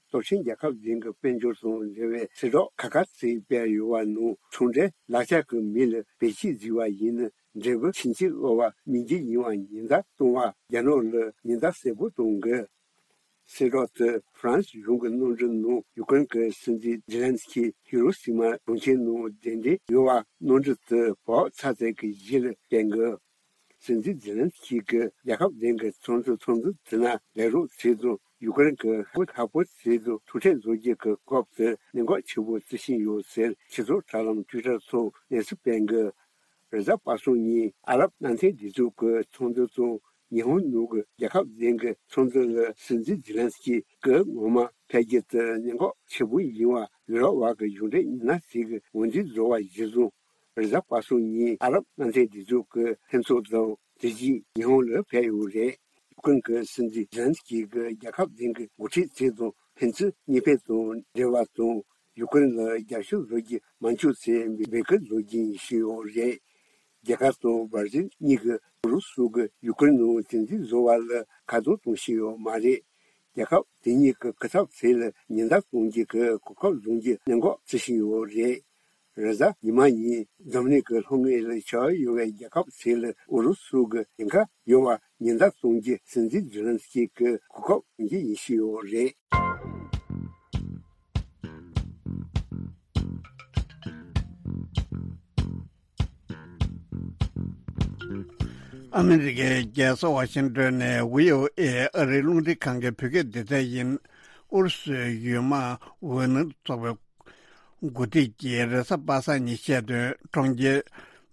སྟོབས་ཆེན་རྒྱལ་ཁབ་ལྡན་གྱི་དཔལ་འབྱོར་དང་འབྲེལ་བའི་ཕྱིར་བསྒྲགས་ཁ་ཁ་ཚིག་སྤེལ་ཡོད་པ་ནང་ཚོང་འབྲེལ་ལག་ཆ་གི་མི་ལ་བེད་སྤྱད་བཟོས་པ་ཡིན་ན་འབྲས་བུ་ཕྱིན་ཅི་ལོག་པ་སྨིན་རྒྱུ་ཡིན་པ་ཉེན་བརྡ་གཏོང་བར་རྒྱ་ནག་ལ་ཉེན་བརྡ་གསལ་པོ་གཏོང་གི། ཕྱིར་བསྒྲགས་དེ་ཧྥ་རན་སི་གཞུང་གི་གནམ་གྲུ་ནང་ཡུ་ཀེ་རེན་གྱི་སྲིད་འཛིན་ཛེ་ལན་སི་ཀི་ཧི་རོ་ཤི་མ་གྲོང་ཁྱེར་ནང་གདན་འདྲེན་ཡོད་པ་གནམ་གྲུ་དེ་བབས་ཚར་ཚར་གྱི་གཞི་ལ་བསྟན་གི། སྲིད་འཛིན་ཛེ་ལན་སི་ཀི་གིས་རྒྱལ་ཁབ་གཞན་གྱི་ཚོང་འབྲེལ་ཚོང་འབྲེལ་དེ་ན་ལས་རོགས་བྱས་ཙང་ཡུ་ཀེ་རེན་གྱི་ཧ་ཧ་པོ་བྱས་ཙང་ཐུག་འཕྲད་བཟོ་རྒྱུ་གི་སྐབས་དེ་གནད་འགག་ཆེ་པོ་བརྩི་བཞིན་ཡོད་ཟེར་ཕྱི་ཚོགས་དྲ་ལམ་ཊུའི་ཊར་ཐོག་གནས་ཚུལ་སྤེལ་གི། རེས་གཟའ་པ་སངས་ཉིན་ཨ་རབ་མནའ་མཐུན་སྡེ་ཚོགས་ཀྱི་ཚོགས་འདུ་དང་ཉི་ཧོང་ནང་གི་རྒྱལ་ཁབ་གཞན་གྱི་ཚོགས་འདུ་ལ་སྲིད་འཛིན་ཛེ་ལན་སི་ཀི་སྐུ་ངོ་མ་ཕེབས་རྒྱུ་དེ་གནད་འགག་ཆེ་པོ་ཡིན་པ་ཡུ་རོབ་བར་གྱི་གཞུང་འབྲེལ་མི་སྣ་ཞིག་གིས་འོས་འདེམས་བཟོ་བ་གཞིར་བཟུང་། རེས་གཟའ་པ་སངས་ཉིན་ཨ་རབ་མནའ་མཐུན་སྡེ་ཚོགས་ཀྱི་ལྷན་ཚོགས་དང་ དེ་རྗེས་ཉི་ཧོང་ལ་ཕེབས་ཡོད་རེད། ཡུ་ཀེ་རེན་གྱི་སྲིད་འཛིན་ཛེ་ལན་སི་ཀི་གིས་རྒྱལ་ཁབ་གཞན་གྱི་འགོ་ཁྲིད་ཚོ་དང་ཕན་ཚུན་གཉིས་ཕན་དང་འབྲེལ་བ་དང་ཡུ་ཀེ་རེན་ལ་རྒྱབ་སྐྱོར་བཟོ་རྒྱུ་མ་འཁྱོངས་ཚེ་འབོད་སྐུལ་བཟོ་རྒྱུ་ཡིན་ཞུས་ཡོད་རེད། རྒྱ་གར་དང་བར་ཛིལ་གཉིས་ཀྱིས་ཨུ་རུ་སུ་གིས་ཡུ་ཀེ་རེན་ནང་དོན་ཚན་བཟོ་བ་ལ་ཁ་རྡུང་གཏོང་བཞིན་ཡོད་མ་རེད། རྒྱལ་ཁབ་དེ་གཉིས་ཀྱི་སྐུ་ཚབ་ཚོ་ལ་ཉེན་བརྡ་གཏོང་རྒྱུ་གི་གོ་སྐབས་བཟུང་རྒྱུ་གནད་འགག་བརྩི་བཞིན་ཡོད་རེད། རེས་གཟའ་ཉི་མ་ཉིན་འཛམ་གླིང་གི་ལྷོ་ངོས་ལ་ཆགས་ཡོད་པའི་རྒྱལ་ཁབ་ཚོ་ལ་ཨུ་རུ་སུ་གི་ཉེན་ཁ་ཡོད་པ་ཉེན་བརྡ་གཏོང་རྒྱུ་སྲིད་འཛིན་ཛེ་ལན་སི་ཀི་གི་གོ་སྐབས་ཡིན་ཞུས་ཡོད་རེད། ཨ་མི་རི་ཀའི་རྒྱལ་ས་ཝ་ཤིང་ཏོན་ནས་བྷི་ཨོ་ཨེ་ཨ་རིའི་རླུང་འཕྲིན་ཁང་གི་བོད་སྐད་སྡེ་ཚན་ཡིན། ཨུ་རུ་སུའི་ཡུལ་དམག་ཝེ་ནེར་ཚོགས་པའི་འགོ་ཁྲིད་ཀྱིས་རེས་གཟའ་པ་སངས་ཉིན་བཤད་དོན། གྲོང་ཁྱེར་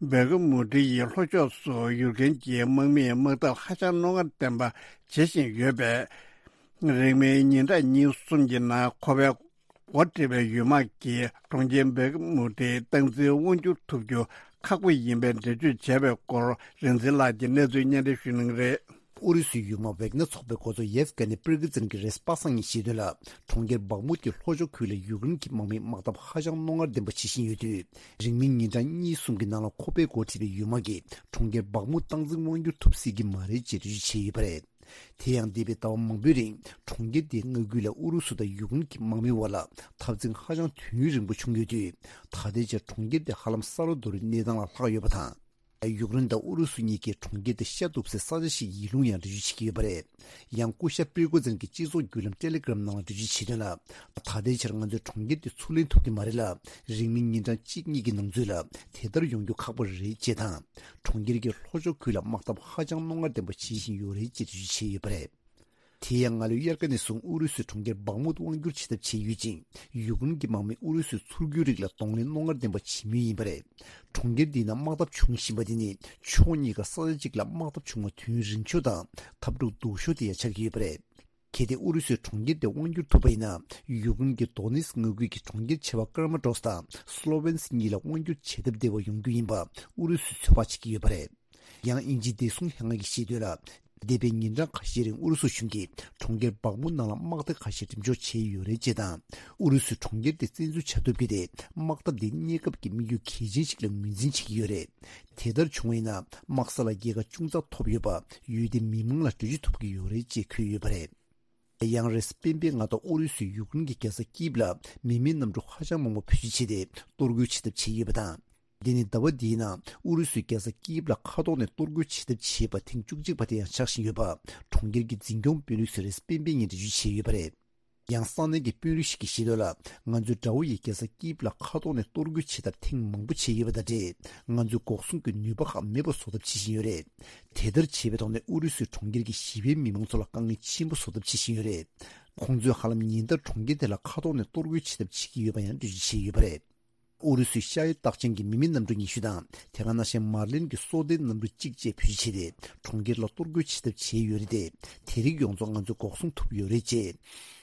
སྦེལ་ཀ་མུ་ཏི་ཡི་ལྷོ་ཕྱོགས་སུ་ཡུལ་ཁན་གྱི་དམག་མིས་དམག་འཐབ་ཧ་ཅང་རྣོ་ངར་ལྡན་པ་བྱེད་བཞིན་ཡོད་པས། རིང་མིན་ཉིན་གྲངས་གཉིས་གསུམ་གྱི་ནང་ཁོ་པའི་འགོ་ཁྲིད་པའི་ཡུལ་དམག་གིས་གྲོང་ཁྱེར་སྦེལ་ཀ་མུ་ཏི་སྟངས་འཛིན་དབང་སྒྱུར་ཐུབ་རྒྱུ་ཁག་པོ་ཡིན་པའི་འགྲེལ་བརྗོད་བྱས་པའི་སྐོར་རིག་འཛིན་ལགས་ཀྱིས་གནས་ཚུལ་སྙན་སྒྲོན་ཞུ་གནང་གི་རེད། ཨུ་རུ་སུའི་ཡུལ་དམག་ཝེག་ནེ་ཚོགས་པའི་འགོ་གཙོ་ཡེབ་ག་ནི་པིར་གི་ཛིན་གྱིས་རེས་གཟའ་པ་སངས་ཉིན་བཤད་དོན་ལ། གྲོང་ཁྱེར་བག་མུད་ཀྱི་ལྷོ་ཕྱོགས་ཁུལ་ལ་ཡུཀ་རེན་གྱི་དམག་མིས་དམག་འཐབ་ཧ་ཅང་རྣོ་ངར་ལྡན་པ་བྱེད་བཞིན་ཡོད་དུས། རིང་མིན་ཉིན་གྲངས་གཉིས་གསུམ་གྱི་ནང་ལ་ཁོ་པས་འགོ་ཁྲིད་པའི་ཡུལ་དམག་གིས་གྲོང་ཁྱེར་བག་མུད་སྟངས་འཛིན་དབང་སྒྱུར་ཐུབ་སྲིད་ཀྱི་མ་རེད་ཅེས་འགྲེལ་བརྗོད་བྱས་ཡོད་པ་རེད། དེ་ཡང་འདས་པའི་ཟླ་བ་མང་པོའི་རིང་གྲོང་ཁྱེར་དེའི་མངའ་ཁུལ་ལ་ཨུ་རུ་སུ་དང་ཡུཀ་རེན་གྱི་དམག་མི་བར་ལ་འཐབ་འཛིང་ཧ་ཅང་དུས་ཡུན་རིང་པོ་བྱུང་ཡོད་དུས། ད་ལྟའི་ཆར་གྲོང་ཁྱེར་དེ་ཧ་ལམ་ས་རོ་རྡོ་རིང་གནས་སྟངས་ལ་ལྷག་ཡོད་པ་དང་། ཡུཀ་རེན་དང་ཨུ་རུ་སུ་གཉིས་ཀྱིས་གྲོང་ཁྱེར་དེ་ཤ་གཏུབ་སའི་ས་ཆ་ཞིག་ཡིན་ལུགས་ཡང་འགྲེལ་བརྗོད་བྱེད་ཀྱི་ཡོད་པ་རེད། ཡང་སྐུ་ཞབས་པིར་གོ་ཛིན་གྱིས་སྤྱི་ཚོགས་བརྒྱུད་ལམ་ཊེ་ལེ་གྷི་རམ་ནང་ལ་འགྲེལ་བརྗོད་བྱས་དོན་ལ། ད་ལྟའི་ཆར་ང་ཚོས་གྲོང་ཁྱེར་དེ་ཚུར་ལེན་ཐུབ་ཀྱི་མ་རེད་ལ། རིང་མིན་ཉིན་གྲངས་གཅིག་གཉིས་ཀྱི་ནང་ཚུད་ལ་དེ་ལྟར་ཡོང་རྒྱུ་ཁག་པོ་རེད་ཅེས་དང་། གྲོང་ཁྱེར་གྱི་ལྷོ་ཕྱོགས་ཁུལ་ལ་དམག་འཐབ་ཧ་ཅང་རྣོ་ངར་ལྡན་པ་བྱེད་བཞིན་ཡོད་རེད་ཅེས་འགྲེལ་བརྗོད་བྱས་ཡོད་པ་རེད། དེ་ཡང་སྔ་ལོའི་དབྱར་ཁ་ནས་བཟུང་ཨུ་རུ་སུས་གྲོང་ཁྱེར་བག་མུད་དབང་བསྒྱུར་བྱེད་ཐབས་བྱས་ཡོད་ཅིང་། ཡུཀ་རེན་གྱི་དམག་མིས་ཨུ་རུ་སུའི་ཚུར་རྒོལ་རིགས་ལ་གདོང་ལེན་རྣོ་ངར་ལྡན་པ་བྱེད་མུས་ཡིན་པ་རེད། གྲོང་ཁྱེར་འདིའི་ནང་དམག་འཐབ་འབྱུང་བཞིན་པ་དེ་ནི་ཕྱོགས་གཉིས་ཀ་ས་ཆ་གཅིག་ལ་དམག་འཐབ་བྱུང་བ་དུས་ཡུན་རིང་ཤོས་དང་འཐབ་འཁྲུག་སྡུག་ཤོས་དེ་ཡང་ཆགས་ཀྱི་ཡོད་པ་རེད། གལ་ཏེ་ཨུ་རུ་སུས་གྲོང་ཁྱེར་དེ་དབང་བསྒྱུར་ཐུབ་པ་ཡིན་ན། ཡུཀ་རེན་གྱི་དོ་ནེ་སི་མངའ་ཁུལ་གྱི་གྲོང་ཁྱེར་ཆེ་བ་ཀར་མ་ཊོ་སི་དང་སློ་ཝེན་སི་གཉིས་ལ་དབང་བསྒྱུར་བྱེད་ཐབས་བདེ་བ་ཡོང་རྒྱུ་ཡིན་པ་ཨུ་རུ་སུས་ཚོད་དཔག་བྱེད་ཀྱི་ཡོད་པ་རེད། ཡང་དབྱིན་ཇིའི་བདེ་སྲུང་ལྷན་ཁང་གིས་བཤད་དོན་ལ། འདས་པའི་ཉིན་གྲངས་ཁ་ཤས་རིང་ཨུ་རུ་སུ་གཞུང་གིས་གྲོང་ཁྱེར་བག་མུད་ནང་ལ་དམག་སྡེ་ཁ་ཤས་འགྲེམས་འཇོག་བྱས་ཡོད་རེད་ཅེས་དང་། ཨུ་རུ་སུས་གྲོང་ཁྱེར་དེ་བཙན་འཛུལ་བྱ་ཐུབ་རྒྱུ་དེ་དམག་འཐབ་འདིའི་གནས་སྐབས་ཀྱི་དམིགས་ཡུལ་གལ་ཆེན་ཞིག་ལ་ངོས་འཛིན་བྱེད་ཀྱི་ཡོད་རེད། དེ་ལྟར་བྱུང་བ་ཡིན་ན་དམག་ས་ལ་རྒྱལ་ཁ་ཅུང་ཙག་ཐོབ་ཡོད་པ་ཡུལ་དེའི་མི་མང་ལ་འགྲེལ་བརྗོད་ཐུབ་ཀྱི་ཡོད་རེད་ཅེས་འཁོད་ཡོད་པ་རེད། ཡང་རེས་སྤེན་པའི་མངའ་སྡེ་ཨུ་རུ་སུས་ཡུཀ་རེན་གྱི་རྒྱལ་ས་ཀིབ་ལ་མི་མེད་གནམ་གྲུ་ཧ་ཅང་མང་པོ་བེད་སྤྱོད་བྱས་ཏེ་གཏོར་རྒོལ་བྱེད་ཐབས་བྱས་ཡོད་པ་དང་། འདི་ནི་ཟླ་བ་འདིའི་ནང་ཨུ་རུ་སུའི་རྒྱལ་ས་ཀིབ་ལ་མཁའ་ཐོག་ནས་གཏོར་རྒོལ་བྱེད་ཐབས་བྱས་པ་ཐེངས་བཅུ་གཅིག་པ་དེ་ཡང་ཆགས་བཞིན་ཡོད་པ་གྲོང་ཁྱེར་གྱི་འཛིན་སྐྱོང་དཔོན་རིགས་ཚོས་རེས་སྤེན་པའི་ཉིན་འགྲེལ་བརྗོད་བྱས་ཡོད་པ་རེད། ཡང་ས་གནས་ཀྱི་དཔོན་རིགས་ཤིག་གིས་བཤད་དོན་ལ། ང་ཚོས་དགྲ་བོ་ཡི་རྒྱལ་ས་ཀིབ་ལ་མཁའ་ཐོག་ནས་གཏོར་རྒོལ་བྱེད་ཐབས་ཐེངས་མང་པོ་བྱས་ཡོད་པ་དང་འབྲེལ། ང་ཚོས་འགོག་སྲུང་གི་ནུས་པ་ཁག་མེད་པ་བཟོ་ཐབས་བྱེད་བཞིན་ཡོད་རེད། དེ་ལྟར་བྱས་པའི་ཐོག་ནས་ཨུ་རུ་སུས་གྲོང་ཁྱེར་གྱི་ཞི་བའི་མི་མང་ཚོ་ལ་དཀའ་ངལ་ཆེན་པོ་བཟོ་ཐབས་བྱེད་བཞིན་ཡོད་རེད། ཁོང་ཚོས་ཧ་ལམ་ཉིན་ལྟར་གྲོང་ཁྱེར་དེ་ལ་མཁའ་ཐོག་ནས་གཏོར་རྒོལ་བྱེད་ཐབས་བྱེད་ཀྱི་ཡོད་པ་ཡང་འགྲེལ་བརྗོད་བྱས་ཡོད་པ་རེད། ཨུ་རུ་སུའི་ཤ་ཡི་རྟགས་ཅན་གྱི་མི་མེད་གནམ་གྲུ་ཉི་ཤུ་དང་། དེ་ག་ནང་བཞིན་མར་ལིན་གྱི་སོ་ལྡན་གནམ་གྲུ་གཅིག་བཅས་བེད་སྤྱོད་བྱས་ཏེ། གྲོང་ཁྱེར་ལ་གཏོར་རྒོལ་བྱེད་ཐབས་བྱས་ཡོད་རེད་དེ། དེ་རིགས་ཡོངས་རྫོགས་ང་ཚོས་འགོག་སྲུང་ཐུབ་ཡོད་རེད་ཅེས།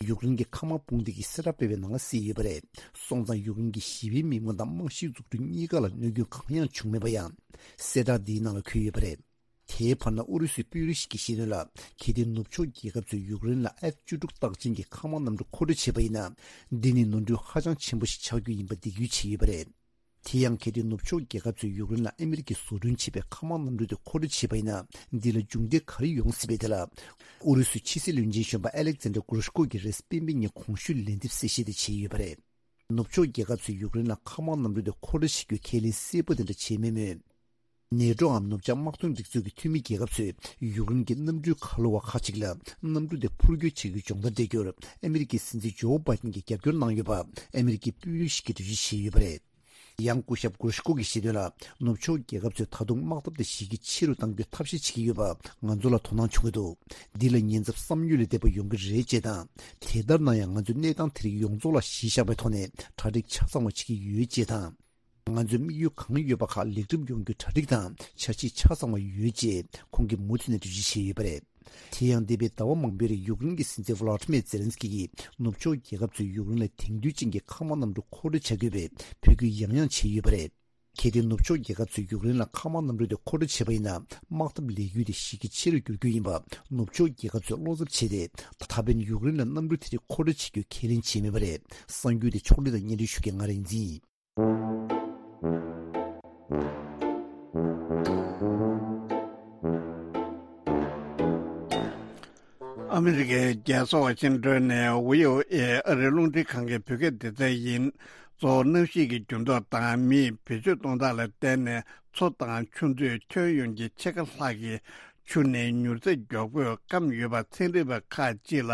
ཡུཀ་རེན་གྱི་མཁའ་དམག་དཔུང་སྡེ་གིས་གསལ་བསྒྲགས་སྤེལ་བའི་ནང་ལ་གསལ་ཡོད་པ་རེད། སོང་ཙང་ཡུཀ་རེན་གྱི་ཞི་བའི་མི་མང་དང་རྨང་གཞིའི་འཛུགས་སྐྲུན་གཉིས་ཀ་ལ་གནོད་སྐྱོན་གང་ཡང་བྱུང་མེད་པ་ཡང་། གསལ་བསྒྲགས་འདིའི་ནང་ལ་འཁོད་ཡོད་པ་རེད། དེའི་བར་ན་ཨུ་རུ་སུའི་དཔོན་རིགས་ཤིག་གིས་བཤད་དོན་ལ། གལ་ཏེ་ནུབ་ཕྱོགས་རྒྱལ་ཁབ་ཚོས་ཡུཀ་རེན་ལ་ཨེཕ་བཅུ་དྲུག་རྟགས་ཅན་གྱི་མཁའ་དམག་གནམ་གྲུ་མཁོ་སྤྲོད་བྱས་པ་ཡིན་ན། འདི་ནི་ནོར་འཁྲུལ་ཧ་ཅང་ཆེན་པོ་ཞིག་ཆགས་རྒྱུ་ཡིན་པ་འདེད་སྐུལ་བྱས་ཡོད་པ་རེད། དེ་ཡང་གལ་ཏེ་ནུབ་ཕྱོགས་རྒྱལ་ཁབ་ཚོས་ཡུཀ་རེན་ལ་ཨ་མི་རི་ཀས་བཟོ་སྐྲུན་བྱས་པའི་མཁའ་དམག་གནམ་གྲུ་དེ་མཁོ་སྤྲོད་བྱས་པ་ཡིན་ན། འདི་ལ་མཇུག་འབྲས་ག་རེ་ཡོང་སྲིད་པའི་ཐད་ལ། ཨུ་རུ་སུའི་ཕྱི་སྲིད་བློན་ཆེན་གཞོན་པ་ཨ་ལེག་ཛན་ཌར་གུ་རུ་ཤ་ཀོ་གིས་རེས་སྤེན་པའི་ཉིན་གོང་ཞུས་ལན་འདེབས་གསལ་བཤད་དེ་བྱས་ཡོད་པ་རེད། ནུབ་ཕྱོགས་རྒྱལ་ཁབ་ཚོས་ཡུཀ་རེན་ལ་མཁའ་དམག་གནམ་གྲུ་དེ་མཁོ་སྤྲོད་བྱེད་རྒྱུའི་ཁས་ལེན་གསལ་པོ་དེ་འདྲ་བྱས་མེད་མོད། ནེ་ཏྲོའམ་ནུབ་བྱང་དམག་དོན་སྒྲིག་འཛུགས་ཀྱི་འཐུས་མི་རྒྱལ་ཁབ་ཚོས་ཡུཀ་རེན་གྱི་གནམ་གྲུའི་ཁ་ལོ་བ་ཁག་ཅིག་ལ་གནམ་གྲུ་དེ་འཕུར་སྐྱོད་བྱེད་རྒྱུའི་སྦྱོང་བརྡར་སྤྲད་རྒྱུར་ཨ་མི་རི་ཀའི་སྲིད་འཛིན་ཇོ་བྷའི་ཏིན་གྱིས་རྒྱབ་སྐྱོར་གནང་ཡོད་པ་ཨ་མི་རི་ཀའི་དཔོན་རིགས་ཤིག་གིས་འགྲེལ་བརྗོད་བྱས་ཡོད་པ་རེད། ཡང་སྐུ་ཞབས་གུ་རུ་ཤ་ཀོ་གིས་བཤད་དོན་ལ། ནུབ་ཕྱོགས་རྒྱལ་ཁབ་ཚོས་ད་དུང་དམག་འཐབ་དེ་ཞེ་གི་ཆེ་རུ་གཏང་རྒྱུའི་ཐབས་ཤེས་བྱེད་ཀྱི་ཡོད་པ་ང་ཚོ་ལ་དོ་སྣང་བྱུང་གི་འདུག་འདི་ལ་ཉེན་ཚབས་བསམ་ཡུལ་ལས་འདས་པ་ཡོང་གི་རེད་ཅེས་དང་། དེ་ལྟར་ན་ཡང་ང་ཚོས་གནས་སྟངས་དེ་རིགས་ཡོངས་རྫོགས་ལ་གཞི་བཞག་པའི་ཐོག་ནས་གྲ་སྒྲིག་ཆ་ཚང་བ་བྱེད་ཀྱི་ཡོད་ཅེས་དང་། ང་ཚོའི་དམིགས་ཡུལ་གང་ཡོད་པ་ཁག་ལེགས་འགྲུབ་ཡོང་རྒྱུའི་གྲ་སྒྲིག་དང་འཆར་གཞི་ཆ་ཚང་བ་ཡོད་ཅེས་ཁོང་གིས་མུ་མཐུད་ནས་འགྲེལ་བརྗོད་བྱས་ཡོད་པ་རེད། དེ་ཡང་འདས་པའི་ཟླ་བ་མང་པོའི་རིང་ཡུཀ་རེན་གྱི་སྲིད་འཛིན་ཝ་ལ་ཏི་མེར་ཛེ་ལན་སི་ཀི་ཡིས་ནུབ་ཕྱོགས་རྒྱལ་ཁབ་ཚོས་ཡུཀ་རེན་ལ་དེང་དུས་ཅན་གྱི་མཁའ་དམག་གནམ་གྲུ་མཁོ་སྤྲོད་བྱ་དགོས་པའི་འབོད་སྐུལ་ཡང་ཡང་བྱས་ཡོད་པ་རེད། གལ་ཏེ་ནུབ་ཕྱོགས་རྒྱལ་ཁབ་ཚོས་ཡུཀ་རེན་ལ་མཁའ་དམག་གནམ་གྲུ་དེ་མཁོ་སྤྲོད་བྱས་པ་ཡིན་ན། དམག་འཐབ་ལས་འགུལ་དེ་ཞིག་གི་ཆེ་རུ་འགྱུར་རྒྱུ་ཡིན་པ་ནུབ་ཕྱོགས་རྒྱལ་ཁབ་ཚོས་བློ་འཚབ་བྱས་ཏེ། ད་ཕན་ཡུཀ་རེན་ལ་གནམ་གྲུ་དེ་རིགས་མཁོ་སྤྲོད་བྱེད་རྒྱུ་ཁས་ལེན་བྱས་མེད་པ་རེད། གསར་འགྱུར་དེ་ཕྱོགས་སྒྲིག་དང་སྙན་སྒྲོན་ཞུ་མཁན་ང་རང་ཡིན་ཟིན། ཨ་མི་རི་ཀའི་རྒྱལ་ས་ཝ་ཤིང་ཏོན་ནས་ཝི་ཨོ་ཨེ་ཨ་རིའི་རླུང་འཕྲིན་ཁང་གི་བོད་སྐད་སྡེ་ཚན་ཡིན། གཙོ་བོ་གནམ་གཤིས་ཀྱི་འགྱུར་ལྡོག་དང་མིས་བེད་སྤྱོད་གཏོང་སྟངས་ལ་བརྟེན་ནས་མཚོ་དང་ཆུ་མཛོད་ཁྱོན་ཡོངས་ཀྱི་ཕྱེད་ཀ་ལྷག་གི་ཆུ་ནི་མྱུར་ཚད་མགྱོགས་པོས་སྐམ་ཡོད་པ་ཚན་རིག་པ་ཁག་ཅིག་ལ་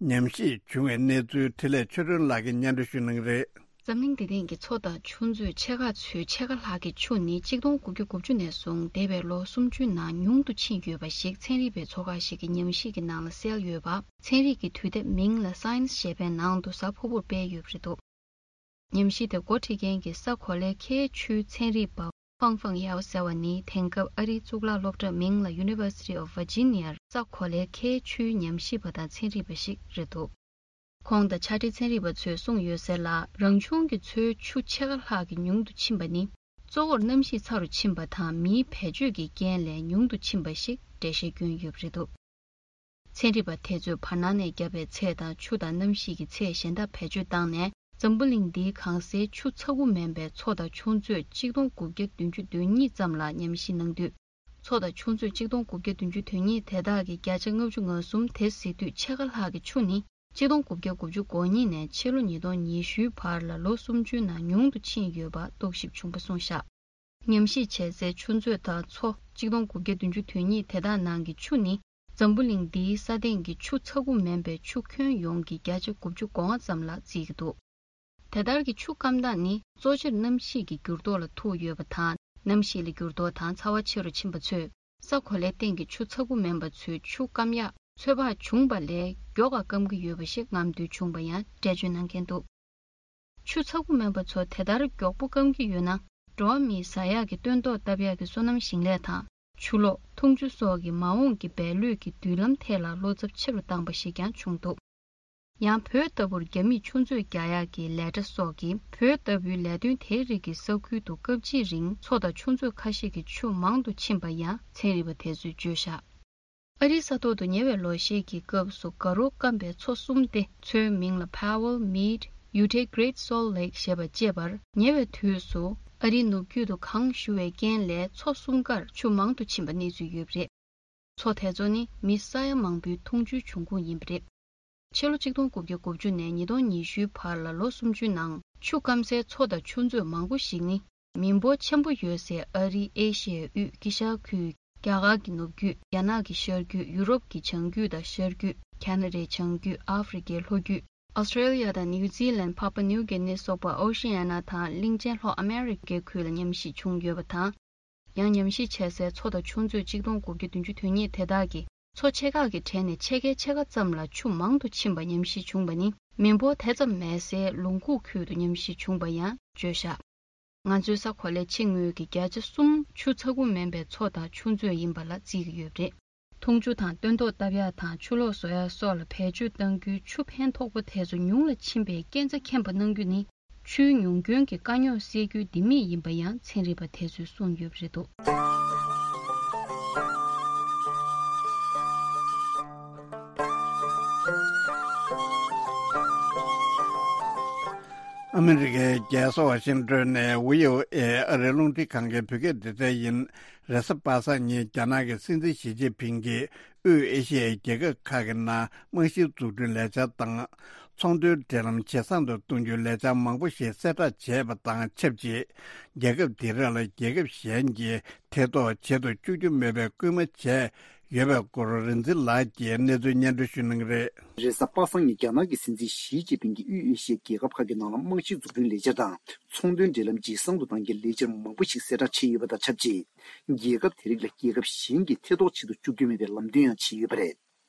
ཉམས་ཞིབ་བྱུང་བའི་གནས་ཚུལ་འཕྲིན་ལས་ཆོས་སྒྲོན་ལགས་ཀྱིས་སྙན་སྒྲོན་ཞུ་གནང་གི་རེད། འཛམ་གླིང་འདིའི་སྟེང་གི་མཚོ་དང་ཆུ་མཛོད་ཕྱེད་ཀ་ཚོའི་ཕྱེད་ཀ་ལྷག་གི་ཆུ་ནི་གཅིག་སྟོང་དགུ་བརྒྱ་དགུ་བཅུ་ནས་བཟུང་འདས་པའི་ལོ་སུམ་ཅུའི་ནང་ཉུང་དུ་ཕྱིན་ཡོད་པ་ཞིག་ཚན་རིག་པའི་ཚོགས་ཁག་ཞིག་གི་ཉམས་ཞིབ་ཀྱི་ནང་ལ་གསལ་ཡོད་པ། ཚན་རིག་གི་དུས་དེབ་མིང་ལ་Science ཞེས་པའི་ནང་དུ་གཟའ་ཕུར་བུར་སྤེལ་ཡོད་པ་རེད་འདུག་ཉམས་ཞིབ་དེ་འགོ་ཁྲིད་མཁན་གྱི་ས་གོ་ལའི་ཁའི་ཆུའི་ཚན་རིག་པ་ཧྥང་ཧྥང་ཡའོ་ཟེར་བ་ནི་དེང་སྐབས་ཨ་རིའི་གཙུག་ལག་སློབ་གྲྭ་མིང་ལ་University of Virginia ས་གོ་ལའི་ཁའི་ཆུའི་ཉམས་ཞིབ་པ་དང་ཚན་རིག་པ་ཞིག་རེད་འདུག་ཁོང་དང་ཕྱག་སྦྲེལ་ཚན་རིག་པ་ཚོས་གསུངས་ཡོད་ཟེར་ལ། རང་བྱུང་གི་མཚོའི་ཆུ་ཕྱེད་ཀ་ལྷག་གི་ཉུང་དུ་ཕྱིན་པ་ནི་གཙོ་བོར་གནམ་གཤིས་ཚ་རུ་ཕྱིན་པ་དང་མིའི་བེད་སྤྱོད་ཀྱི་རྐྱེན་ལས་ཉུང་དུ་ཕྱིན་པ་ཞིག་འགྲེལ་བཤད་བསྐྱོན་ཡོད་པ་རེད་འདུག་ཚན་རིག་པ་དེ་ཚོས་བར་སྣང་ནས་བརྒྱབ་པའི་ཚད་དང་ཆུ་དང་གནམ་གཤིས་ཀྱི་ཚད་གཞན་དག་བེད་སྤྱོད་བཏང་ནས། འཛམ་བུ་གླིང་འདིའི་གང་སའི་ཆུ་ཚ་ཁུ་མིན་པའི་མཚོ་དང་ཆུ་མཛོད་གཅིག་སྟོང་དགུ་བརྒྱ་བདུན་ཅུ་དོན་གཉིས་ཙམ་ལ་ཉམས་ཞིབ་གནང་དུས། མཚོ་དང་ཆུ་མཛོད་གཅིག་སྟོང་དགུ་བརྒྱ་བདུན་ཅུ་དོན་གཉིས་དེ་དག་གི་བརྒྱ་ཆ་ལྔ་བཅུ་ང་གསུམ་དེ་གཟིགས་དུས་ཕྱེད་ཀ་ལྷག་གི་ཆུ་ནི་གཅིག་སྟོང་དགུ་བརྒྱ་དགུ་བཅུ་གོ་གཉིས་ནས་ཕྱི་ལོ་ཉིས་སྟོང་ཉི་ཤུའི་བར་ལ་ལོ་སུམ་ཅུའི་ནང་ཉུང་དུ་ཕྱིན་ཡོད་པ་རྟོག་ཞིབ་བྱུང་བ་གསུངས་བཞག་ཉམས་ཞིབ་བྱས་སའི་ཆུ་མཛོད་དང་མཚོ་གཅིག་སྟོང་དགུ་བརྒྱ་བདུན་ཅུ་དོན་གཉིས་དེ་དག་ནང་གི་ཆུ་ནི་འཛམ་བུ་གླིང་འདིའི་ས་སྟེང་གི་ཆུ་ཚ་ཁུ་མིན་པའི་ཆུ་ཁྱོན་ཡོངས་ཀྱི་བརྒྱ་ཆ་དགུ་བཅུ་གོ་ལྔ་ཙམ་ལ་བརྩིས་ཀྱི་འདུག་དེ་ལྟར་གྱི་ཆུ་སྐམ་སྟངས་ནི་གཙོ་ཆེར་གནམ་གཤིས་ཀྱི་འགྱུར་ལྡོག་ལ་ཐུག་ཡོད་པ་དང་། གནམ་གཤིས་ལ་འགྱུར་ལྡོག་དང་ཚ་བ་ཆེ་རུ་ཕྱིན་པ་ཚོས་ས་གོ་ལའི་སྟེང་གི་ཆུ་ཚ་ཁུ་མིན་པ་ཚོའི་ཆུ་སྐམ་ཡག་ཚོད་དཔག་བྱུང་བ་ལས་མགྱོགས་པ་སྐམ་གྱི་ཡོད་པ་ཞིག་རྔམ་སྟོན་བྱུང་བ་ཡང་འགྲེལ་བརྗོད་གནང་མཁན་འདུག་ཆུ་ཚ་ཁུ་མིན་པ་ཚོ་དེ་ལྟར་མགྱོགས་པོ་སྐམ་གྱི་ཡོད་ན། འགྲོ་བ་མིས་ཟ་ཡག་གི་སྟོན་ཐོག་བཏབ་ཡག་གི་སོ་ནམ་ཞིང་ལས་དང་། ཆུ་ལོག་འཐུང་ཆུ་སོགས་ཀྱི་མ་འོངས་ཀྱི་འབད་ལུས་ཀྱི་མདུན་ལམ་ཐད་ལ་བློ་འཚབ་ཆེ་རུ་བཏང་པ་ཞིག་ཀྱང་བྱུང་འདུག་ཡང་བོད་ལྟ་བུར་རྒྱ་མིས་ཆུ་མཛོད་རྒྱག་ཡག་གི་ལས་གྲྭ་སོགས་ཀྱིས་བོད་ལྟ་བུའི་ལས་དོན་དེའི་རིགས་ཀྱི་ས་ཁུལ་དུ་སྐབས་གཅིག་རིང་མཚོ་དང་ཆུ་མཛོད་ཁ་ཤས་ཀྱི་ཆུ་མང་དུ་ཕྱིན་པ་ཡང་ཚན་རིག་པ་དེ་ཚོས་བརྗོད་བཞག་ཨ་རིའི་ས་ཐོག་ཏུ་ཉེ་བའི་ལོ་ཤས་ཀྱི་སྐབས་སུ་དགའ་རབ་སྐམ་པའི་མཚོ་གསུམ་སྟེ། མཚོའི་མིང་ལ་Powell, Mead, Uinta, Great Salt Lake ཞེས་པ་བཅས་པར། ཉེ་བའི་དུས་སུ་ཨ་རིའི་ནུབ་རྒྱུད་དུ་གངས་ཞུ་བའི་རྐྱེན་ལས་མཚོ་གསུམ་ཀར་ཆུ་མང་དུ་ཕྱིན་པ་གནས་ཚུལ་ཡོད་པ་རེད། མཚོ་དེ་ཚོ་ནི་མི་ས་ཡ་མང་པོའི་འཐུང་ཆུའི་འབྱུང་ཁུངས་ཡིན་པ་རེད། ཕྱི་ལོ་གཅིག་སྟོང་དགུ་བརྒྱ་དགུ་བཅུ་ནས་ཉིས་སྟོང་ཉི་ཤུའི་བར་ལ་ལོ་སུམ་ཅུའི་ནང་ཆུ་སྐམ་སའི་མཚོ་དང་ཆུ་མཛོད་མང་པོ་ཞིག་ནི་མི་འབོར་ཆེན་པོ་ཡོད་སའི་ཨ་རི། ཨེ་ཤི་ཡའི་དབུས། དཀྱིལ་ཤར་ཁུལ། རྒྱ་གར་གྱི་ནུབ་རྒྱུད། རྒྱ་ནག་གི་ཤར་རྒྱུད། ཡུ་རོབ་ཀྱི་བྱང་རྒྱུད་དང་ཤར་རྒྱུད། ཁ་ན་ཌའི་བྱང་རྒྱུད། ཨ་ཧྥེ་རི་ཁའི་ལྷོ་རྒྱུད། ཨོ་སི་ཁྲེ་ལི་ཡ་དང་ནིའུ་ཛི་ལན། པཱ་པཱ་ནིའུ་གི་ནི་སོགས་པ་ཨོ་ཤི་ཡ་ན་དང་གླིང་ཆེན་ལྷོ་ཨ་མེ་རི་ཁའི་ཁུལ་ལ་ཉམས་ཞིབ་བྱུང་ཡོད་པ་དང་། ཡང་ཉམས་ཞིབ་བྱས་སའི་མཚོ་དང་ཆུ་མཛོད་གཅིག་སྟོང་དགུ་བརྒྱ་བདུན་ཅུ་དོན་གཉིས་དེ་དག་གིས་མཚོ་ཆེ་ཁག་གི་གྲས་ནས་ཕྱེད་ཀའི་ཕྱེད་ཀ་ཙམ་ལ་ཆུ་མང་དུ་ཕྱིན་པ་ཉམས་ཞིབ་བྱུང་བ་ནི་མི་འབོར་དེ་ཙམ་མེད་སའི་ལུང་ཁུག་ཁུལ་དུ་ཉམས་ཞིབ་བྱུང་བ་ཡང་བརྗོད་བཞག་ང་ཚོའི་ས་གོ་ལའི་ཕྱི་ངོས་ཀྱི་བརྒྱ་ཆ་གསུམ་ཆུ་ཚ་ཁུ་མིན་པའི་མཚོ་དང་ཆུ་མཛོད་ཡིན་པ་ལ་བརྩི་གི་ཡོད་པ་རེད། འཐུང་ཆུ་དང་སྟོན་ཐོག་བཏབ་ཡག་དང་ཆུ་ལོག་བཟོ་ཡག་སོགས་ལ་བེད་སྤྱོད་གཏང་རྒྱུའི་ཆུ་ཕན་ཐོགས་པ་དེ་ཚོ་ཉུང་ལ་ཕྱིན་པའི་རྐྱེན་རྩ་ཁེངས་པ་གནང་རྒྱུ་ནི་ཆུའི་ཉུང་སྐྱོན་གྱི་དཀའ་རྙོག་སེལ་རྒྱུའི་ལྡེ་མིག་ཡིན་པ་ཡང་ཚན་རིག་པ་དེ་ཚོས་གསུངས་ཡོད་པ་རེད་འདུག་ཨ་མི་རི་ཀའི་རྒྱལ་ས་ཝ་ཤིང་ཏོན་ནས་ཝི་ཨོ་ཨེ་ཨ་རིའི་རླུང་འཕྲིན་ཁང་གི་བོད་སྐད་སྡེ་ཚན་ཡིན། རེས་གཟའ་པ་སངས་ཉིན་རྒྱ་ནག་གི་སྲིད་འཛིན་ཞི་ཅིན་ཕིང་གིས་དབུས་ཨེ་ཤི་ཡའི་རྒྱལ་ཁབ་ཁག་གི་ནང་རྨང་གཞིའི་འཛུགས་སྐྲུན་ལས་འཆར་དང་། ཚོང་དོན་འབྲེལ་ལམ་ཇེ་བཟང་དུ་གཏོང་རྒྱུའི་ལས་འཆར་མང་པོ་ཞིག་གསལ་བསྒྲགས་བྱས་པ་དང་ཆབས་ཅིག་རྒྱལ་ཁབ་དེ་རིགས་ལ་རྒྱལ་ཁབ་གཞན་གྱིས་ཐེ་གཏོགས་བྱེད་དུ་བཅུག་རྒྱུ་མེད་པའི་སྐུལ་མ་བྱས་ཡོད་པའི་སྐོར་རིག་འཛིན་ལགས་ཀྱིས་གནས་ཚུལ་སྙན་སྒྲོན་ཞུ་གནང་གི་རེད། རེས་གཟའ་པ་སངས་ཉིན་རྒྱ་ནག་གི་སྲིད་འཛིན་ཞི་ཅིན་ཕིང་གིས་དབུས་ཨེ་ཤི་ཡའི་རྒྱལ་ཁབ་ཁག་གི་ནང་ལ་རྨང་གཞི་འཛུགས་སྐྲུན་ལས་འཆར་དང་ཚོང་དོན་འབྲེལ་ལམ་ཇེ་བཟང་དུ་གཏང་རྒྱུའི་ལས་འཆར་མང་པོ་ཞིག་གསལ་བསྒྲགས་བྱས་ཡོད་པ་དང་ཆབས་ཅིག་རྒྱལ་ཁབ་དེ་རིགས་ལ་རྒྱལ་ཁབ་གཞན་གྱིས་ཐེ་གཏོགས་བྱེད་དུ་བཅུག་རྒྱུ་མེད་པའི་ལམ་སྟོན་ཡང་བྱས་ཡོད་པ་རེད།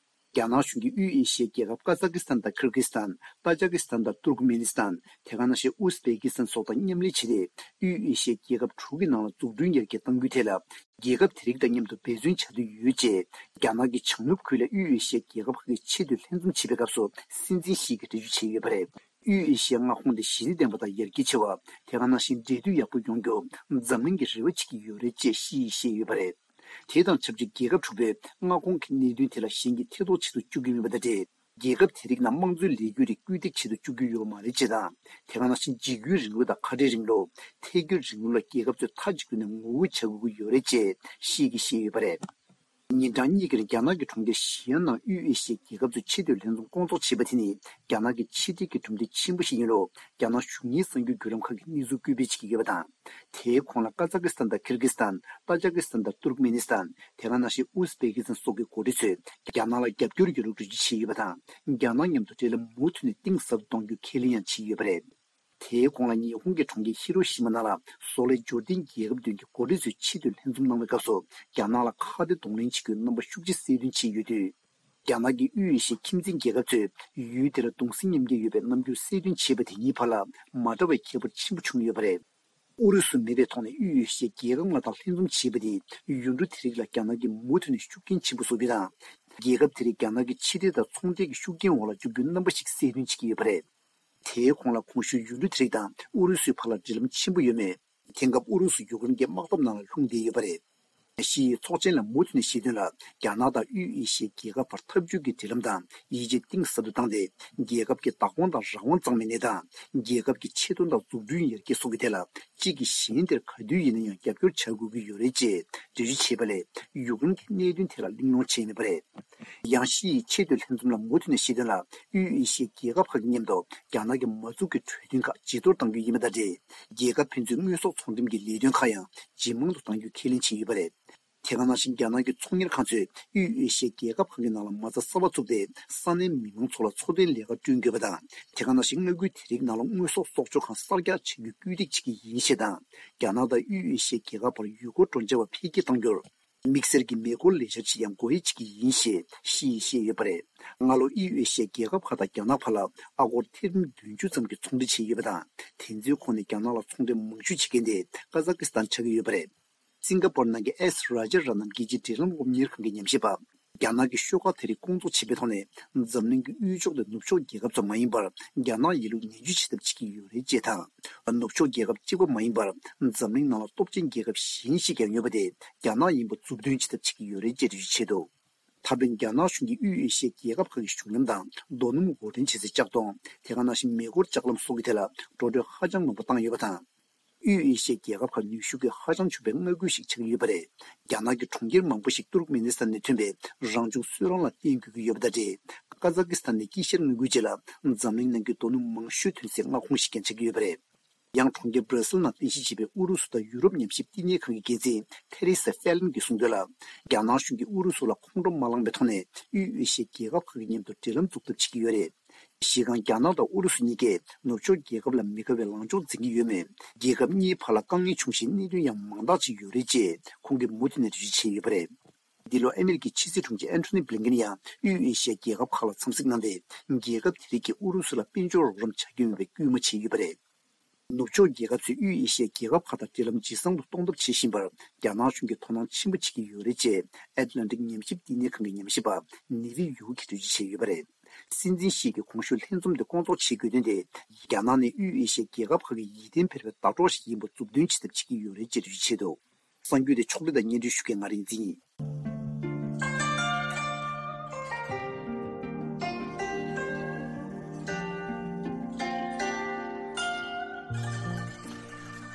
རྒྱ་ནག་གཞུང་གིས་དབུས་ཨེ་ཤི་ཡའི་རྒྱལ་ཁབ་ཀ་ཛ་ཀི་སི་ཐན་དང་ཁིར་གི་སི་ཐན། ཏཱ་ཇ་ཀི་སི་ཐན་དང་ཏུར་ཀི་མེ་ནི་སི་ཐན། དེ་ག་ནང་བཞིན་ཨུ་ཟ་བེ་ཀི་སི་ཐན་སོགས་དང་མཉམ་ལས་བྱས་ཏེ། དབུས་ཨེ་ཤི་ཡའི་རྒྱལ་ཁབ་དྲུག་གི་ནང་ལ་འཛུགས་སྐྲུན་ཡར་རྒྱས་གཏང་རྒྱུའི་ཐད་ལ། རྒྱལ་ཁབ་དེ་རིགས་དང་མཉམ་དུ་འབད་བརྩོན་བྱ་འདོད་ཡོད་ཅེས། རྒྱ་ནག་གི་བྱང་ནུབ་ཁུལ་ལ་དབུས་ཨེ་ཤི་ཡའི་རྒྱལ་ཁབ་ཁག་གི་ཆེས་མཐོའི་ལྷན་འཛོམས་བྱེད་པའི་སྐབས་སུ། སྲིད་འཛིན་ཞི་གིས་འགྲེལ་བརྗོད་བྱས་ཡོད་པ་རེད། དབུས་ཨེ་ཤི་ཡའི་མངའ་ཁོངས་དེ་ཞི་བདེ་ལྡན་པ་དང་ཡར་རྒྱས་ཆེ་བ། དེ་ག་ནང་བཞིན་འབྲེལ་མཐུད་ཡག་པོ་ཡོང་རྒྱུ་འཛམ་གླིང་གིས་རེ་བ་བྱེད་ཀྱི་ཡོད་རེད་ཅེས་ཤི་ཡིས་བཤད་ཡོད་པ་རེད། དེ་དང་ཆབས་ཅིག་རྒྱལ་ཁབ་དྲུག་པའི་མངའ་ཁོངས་ཀྱི་གནད་དོན་དེ་ལ་གཞན་གྱིས་ཐེ་གཏོགས་བྱེད་དུ་བཅུག་གི་མིན་པ་དང་འབྲེལ། རྒྱལ་ཁབ་དེ་རིགས་ནང་དམངས་གཙོའི་ལས་འགུལ་རིགས་སྐུལ་འདེད་བྱེད་དུ་བཅུག་རྒྱུ་ཡོད་པ་མ་རེད་ཅེས་དང་། དེ་ག་ནང་བཞིན་འཇིགས་སྐུལ་རིང་ལུགས་དང་ཁ་བྲལ་རིང་ལུགས། ཐད་སྐྱོད་རིང་ལུགས་ལ་རྒྱལ་ཁབ་ཚོས་མཐའ་གཅིག་ཏུ་ནས་ངོ་རྒོལ་བྱ་དགོས་ཀྱི་ཡོད་རེད་ཅེས་ཤི་ཡིས་བཤད་ཡོད་པ་རེད། ཉིན་གྲངས་གཉིས་ཀྱི་རིང་རྒྱ་ནག་གི་གྲོང་ཁྱེར་ཞི་ཨན་ནང་དབུས་ཨེ་ཤི་ཡའི་རྒྱལ་ཁབ་ཚོས་ཆེས་མཐོའི་ལྷན་འཛོམས་སྐོང་ཚོགས་བྱས་པ་དེ་ནི་རྒྱ་ནག་གི་ཕྱི་འབྲེལ་གྱི་གྲུབ་འབྲས་ཆེན་པོ་ཞིག་ཡིན་ལུགས་རྒྱ་ནག་གཞུང་གཉེར་གསར་འགྱུར་བརྒྱུད་ལམ་ཁག་གིས་གནས་ཚུལ་སྐད་འབོད་བྱེད་ཀྱི་ཡོད་པ་དང་། དེའི་ཁོངས་ལ་ཀ་ཛ་ཀི་སི་ཐན་དང་ཁིར་གི་སི་ཐན། ཏཱ་ཇ་ཀི་སི་ཐན་དང་ཏུར་ཀི་མེ་ནི་སི་ཐན། དེ་ག་ནང་བཞིན་ཨུ་སི་བེ་ཀི་སི་ཐན་སོགས་ཀྱི་འགོ་ཁྲིད་ཚོས་རྒྱ་ནག་ལ་རྒྱབ་སྐྱོར་ཡོད་ལུགས་འགྲེལ་བརྗོད་བྱས་ཡོད་པ་དང་། རྒྱ་ནག་མཉམ་དུ་འབྲེལ་ལམ་མུ་མཐུད་ནས་གཏིང་ཟབ་ཏུ་གཏོང་རྒྱུ་ཁས་ལེན་ཡང་བྱས་ཡོད་པ་རེད། དེའི་གོང་ལ་ཉི་ཧོང་གི་གྲོང་ཁྱེར་ཧི་རོ་ཤི་མ་ནང་ལ་བཟོ་ལས་འབྱོར་ལྡན་རྒྱལ་ཁབ་བདུན་གྱི་འགོ་ཁྲིད་ཚོས་ཆེས་མཐོའི་ལྷན་འཛོམས་གནང་བའི་སྐབས་སུ་རྒྱ་ནག་ལ་ཁ་གཏད་གདོང་ལེན་བྱེད་རྒྱུའི་རྣམ་པ་ཤུགས་ཆེ་གསལ་སྟོན་བྱས་ཡོད་དུས། རྒྱ་ནག་གིས་དབུས་ཨེ་ཤི་ཡའི་ཁྱིམ་མཚེས་རྒྱལ་ཁབ་ཚོས་ཡུལ་དེ་ལ་གདུང་སེམས་མཉམ་སྐྱེད་ཡོད་པའི་རྣམ་འགྱུར་གསལ་སྟོན་བྱས་པ་དེ་གཉིས་བར་ལ་མ་འདྲ་བའི་ཁྱད་པར་ཆེན་པོ་བྱུང་ཡོད་པ་རེད། ཨུ་རུ་སུ་མེད་པའི་ཐོག་ནས་དབུས་ཨེ་ཤི་ཡའི་རྒྱལ་ཁབ་ལྔ་དང་ལྷན་འཛོམས་བྱས་པ་དེས་ཡུལ་གྲུ་དེ་རིགས་ལ་རྒྱ་ནག་གིས་མུ་མཐུད་ནས་ཤུགས་རྐྱེན་ཆེན་པོ་བཟོ་རྒྱུ་དང་། རྒྱལ་ཁབ་དེ་རིགས་རྒྱ་ནག་གི་ཕྱི་འབྲེལ་དང་ཚོང་འབྲེལ་གྱི་ཤུགས་རྐྱེན་འོག་ལ་འཇུག་རྒྱུའི་རྣམ་པ་ཞིག་གསལ་སྟོན་བྱེད་ཀྱི་ཡོད་པ་རེད། དེའི་གོང་ལ་གོང་ཞུས་ཡུལ་གྲུ་དེ་རིགས་དང་ཨུ་རུ་སུའི་བར་ལ་འབྲེལ་ལམ་ཆེན་པོ་ཡོད་མོད། དེང་སྐབས་ཨུ་རུ་སུ་ཡུ་ཀེ་རེན་དམག་འཐབ་ནང་ལ་ལྷུང་བསྡད་ཡོད་པ་རེད། ཞི་ཡིས་ཚོགས་ཆེན་ལ་མུ་མཐུད་ནས་བཤད་དོན་ལ། རྒྱ་ནག་དང་དབུས་ཨེ་ཤི་ཡའི་རྒྱལ་ཁབ་བར་འཐབ་ཇུས་ཀྱི་འབྲེལ་ལམ་དང་ཡིད་ཆེས་གཏིང་ཟབ་ཏུ་བཏང་སྟེ། རྒྱལ་ཁབ་ཀྱི་བདག་དབང་དང་རང་དབང་གཙང་མའི་གནས་སྟངས། རྒྱལ་ཁབ་ཀྱི་ཆེད་དོན་དང་འཛུགས་སྐྲུན་ཡར་རྒྱས་སོགས་ཀྱི་ཐད་ལ་གཅིག་གིས་གཞན་དེར་ག་དུས་ཡིན་ན་ཡང་རྒྱབ་སྐྱོར་བྱ་དགོས་ཀྱི་ཡོད་རེད་ཅེས་འགྲེལ་བརྗོད་བྱས་པ་ལས་ཡུཀ་རེན་གྱི་གནད་དོན་ཐད་ལ་གླེང་སློང་བྱས་མེད་པ་རེད། ཡང་ཞི་ཡིས་ཆེས་མཐོའི་ལྷན་འཛོམས་ལ་མུ་མཐུད་ནས་བཤད་དོན་ལ། དབུས་ཨེ་ཤི་ཡའི་རྒྱལ་ཁབ་ཁག་གི་མཉམ་དུ་རྒྱ་ནག་གི་མ་འཛུགས་ཀྱི་གྲོས་མཐུན་ཁག་བརྗེ་གཏོར་གཏང་རྒྱུ་ཡིན་པ་དང་འབྲེལ། རྒྱལ་ཁབ་ཕན་ཚུན་དངོས་ཟོག་ཚོང་འགྲེམས་ཀྱི་ལས་དོན་ཁག་ཡང་ཇེ་མང་དུ་གཏང་རྒྱུའི་ཁས་ལེན་བྱས་ཡོད་པ་རེད། དེ་ག་ནང་བཞིན་རྒྱ་ནག་གི་ཚོང་གཉེར་ཁང་ཚོས་དབུས་ཨེ་ཤི་ཡའི་རྒྱལ་ཁབ་ཁག་གི་ནང་ལ་མ་རྩ་གསར་པ་བཙུགས་ཏེ་ས་གནས་མི་མང་ཚོ་ལ་འཚོ་རྟེན་ལས་ཀ་བསྐྲུན་དགོས་པ་དང་། དེ་ག་ནང་བཞིན་མངའ་ཁུལ་དེ་རིགས་ནང་ལ་དངོས་ཟོག་གསོག་འཇོག་ཁང་གསར་རྒྱག་བྱ་རྒྱུ་སྐུལ་འདེད་བྱེད་ཀྱི་ཡིན་ཞེས་དང་། རྒྱ་ནག་དང་དབུས་ཨེ་ཤི་ཡའི་རྒྱལ་ཁབ་བར་ཡུལ་སྐོར་འགྲོ་འཆར་བ་འཕེལ་རྒྱས་གཏང་རྒྱུར། དམིགས་བསལ་གྱི་མེ་འཁོར་ལས་འཆར་ཅིག་ཡང་སྒོ་དབྱེ་བྱེད་ཀྱི་ཡིན་ཞེས་ཞི་ཡིས་བཤད་ཡོད་པ་རེད། སྔ་ལོ་དབུས་ཨེ་ཤི་ཡའི་རྒྱལ་ཁབ་ཁག་དང་རྒྱ་ནག་བར་ལ་ཨ་སྒོར་ཐེར་འབུམ་བདུན་ཅུ་ཙམ་གྱི་ཚོང་འབྲེལ་བྱས་ཡོད་པ་དང་། དེ་ཚོའི་ཁོངས་ནས་རྒྱ་ནག་ལ་ཚོང་འབྲེལ་མང་ཤོས་བྱེད་མཁན་དེ་ཀ་ཛ་ཀི་སི་ཐན་ཆགས་ཀྱི་ཡོད་པ་རེད། སིང་ག་པོར་ནང་གི་ཨེས་རཱ་ཇ་ར་ནམ་རྒྱལ་སྤྱིའི་འབྲེལ་ལམ་སློབ་གཉེར་ཁང་གི་ཉམས་ཞིབ་པ། རྒྱ་ནག་གི་ཤོག་ཁག་དེ་རིགས་སྐོང་ཚོགས་བྱེད་པའི་ཐོག་ནས་འཛམ་གླིང་གི་དབུས་ཕྱོགས་དང་ནུབ་ཕྱོགས་རྒྱལ་ཁབ་ཚོ་མ་ཡིན་པར་རྒྱ་ནག་ཡིན་ལུགས་ནན་བརྗོད་བྱེད་ཐབས་བྱེད་ཀྱི་ཡོད་རེད་ཅེས་དང་། ནུབ་ཕྱོགས་རྒྱལ་ཁབ་གཅིག་པ་མ་ཡིན་པར་འཛམ་གླིང་ནང་ལ་སྟོབས་ཆེན་རྒྱལ་ཁབ་གཞན་ཞིག་ཀྱང་ཡོད་པ་དེ་རྒྱ་ནག་ཡིན་པ་མཛུབ་སྟོན་བྱེད་ཐབས་བྱེད་ཀྱི་ཡོད་རེད་ཅེས་འགྲེལ་བརྗོད་བྱས་འདུག་ད་ཕན་རྒྱ་ནག་གཞུང་གིས་དབུས་ཨེ་ཤི་ཡའི་རྒྱལ་ཁབ་ཁག་གི་གཞུང་ལམ་དང་རྡོ་སྣུམ་འོར་འདྲེན་བྱེད་སའི་ལྕགས་དོང་། དེ་ག་ནང་བཞིན་མེ་འཁོར་ལྕགས་ལམ་སོགས་ཀྱི་ཐད་ལ་འགྲོ་གྲོན་ཧ་ཅང་མང་པོ་བཏང་ཡོད་པ་དང་། དབུས་ཨེ་ཤི་ཡའི་རྒྱལ་ཁབ་ཁག་ནུས་ཤུགས་ཀྱིས་ཧ་ཅང་ཕྱུག་པའི་མངའ་ཁུལ་ཞིག་ཆགས་ཀྱི་ཡོད་པ་རེད། རྒྱ་ནག་གི་གྲོང་ཁྱེར་མང་པོ་ཞིག་ཏུར་ཀ་མེ་ནི་སི་ཐན་ནས་ཐོན་པའི་རང་བྱུང་སོལ་རླངས་ལ་བརྟེན་དགོས་ཀྱི་ཡོད་པ་དང་འབྲེལ། ཀ་ཛ་ཀི་སི་ཐན་ནས་དཀྱིལ་ཤར་མངའ་ཁུལ་བཅས་ལ་འཛམ་གླིང་ནང་གི་རྡོ་སྣུམ་མང་ཤོས་ཐོན་སའི་མངའ་ཁོངས་ཤིག་ཀྱང་ཆགས་ཀྱི་ཡོད་པ་རེད། ཡང་གྲོང་ཁྱེར་སྦྲ་སིལ་ནང་རྟེན་གཞི་བྱས་པའི་ཨུ་རུ་སུ་དང་ཡུ་རོབ་ཉམས་ཞིབ་བསྟི་གནས་ཁང་གི་འགན་འཛིན་ཐེ་རེ་ས་ཧྥེ་ལན་གྱིས་གསུངས་དོན་ལ། རྒྱ་ནག་གཞུང་གིས་ཨུ་རུ་སུ་ལ་ཁོང་ཁྲོ་མ་ལངས་པའི་ཐོག་ནས་དབུས་ཨེ་ཤི་ཡའི་རྒྱལ་ཁབ་ཁག་གི་མཉམ་དུ་འབྲེལ་ལམ་འཛུགས་ཐབས་བྱེད་ཀྱི་ཡོད་རེད། གཞི་རྐང་རྒྱ་ནག་དང་ཨུ་རུ་སུ་གཉིས་ཀས་ནུབ་ཕྱོགས་རྒྱལ་ཁབ་ལ་མི་དགའ་བའི་ལངས་ཕྱོགས་འཛིན་གྱི་ཡོད་མོད། རྒྱལ་ཁབ་གཉིས་བར་ལ་དཀའ་ངལ་བྱུང་ཞིང་གནད་དོན་ཡང་མང་དག་ཅིག་ཡོད་རེད་ཅེས་ཁོང་གིས་མུ་མཐུད་ནས་འགྲེལ་བརྗོད་བྱས་ཡོད་པ་རེད། འདི་ལོ་ཨ་མི་རི་ཀའི་ཕྱི་སྲིད་དྲུང་ཆེ་ཨན་ཐོ་ནི་བྷི་ལིན་ཀེན་ཡང་དབུས་ཨེ་ཤི་ཡའི་རྒྱལ་ཁབ་ཁག་ལ་འཚམས་གཟིགས་གནང་སྟེ། རྒྱལ་ཁབ་དེ་རིགས་ཀྱིས་ཨུ་རུ་སུ་ལ་དཔལ་འབྱོར་རོགས་རམ་བྱ་རྒྱུ་ཡིན་པའི་སྐུལ་མ་བྱས་ཡོད་པ་རེད། ནུབ་ཕྱོགས་རྒྱལ་ཁབ་ཚོས་དབུས་ཨེ་ཤི་ཡའི་རྒྱལ་ཁབ་ཁག་དང་འབྲེལ་ལམ་ཇེ་བཟང་དུ་གཏོང་ཐབས་བྱེད་བཞིན་པར་རྒྱ་ནག་གཞུང་གིས་དོ་སྣང་ཆེན་པོ་བྱེད་ཀྱི་ཡོད་རེད་ཅེས་ཨེཊ་ལན་ཊིག་ཉམས་ཞིབ་བསྟི་གནས་ཁང་གི་ཉམས་ཞིབ་པ་ནེ་ཝི་ཡུའུ་གིས་འགྲེལ་བརྗོད་བྱས་ཡོད་པ་རེད། སྲིད་འཛིན་ཞི་གིས་གོང་ཞུས་ལྷན་འཛོམས་དེ་སྐོང་ཚོགས་བྱེད་དགོས་དོན་དེ། རྒྱ་ནག་ནི་དབུས་ཨེ་ཤི་ཡའི་རྒྱལ་ཁབ་ཁག་གི་ཡིད་བརྟན་འཕེར་བའི་ཟླ་གྲོགས་ཤིག་ཡིན་པ་མཛུབ་སྟོན་བྱེད་ཐབས་བྱེད་ཀྱི་ཡོད་རེད་ཅེས་འགྲེལ་བརྗོད་བྱས་འདུག་གསར་འགྱུར་དེ་ཕྱོགས་སྒྲིག་དང་སྙན་སྒྲོན་ཞུ་མཁན་ང་རིག་འཛིན་ཡིན།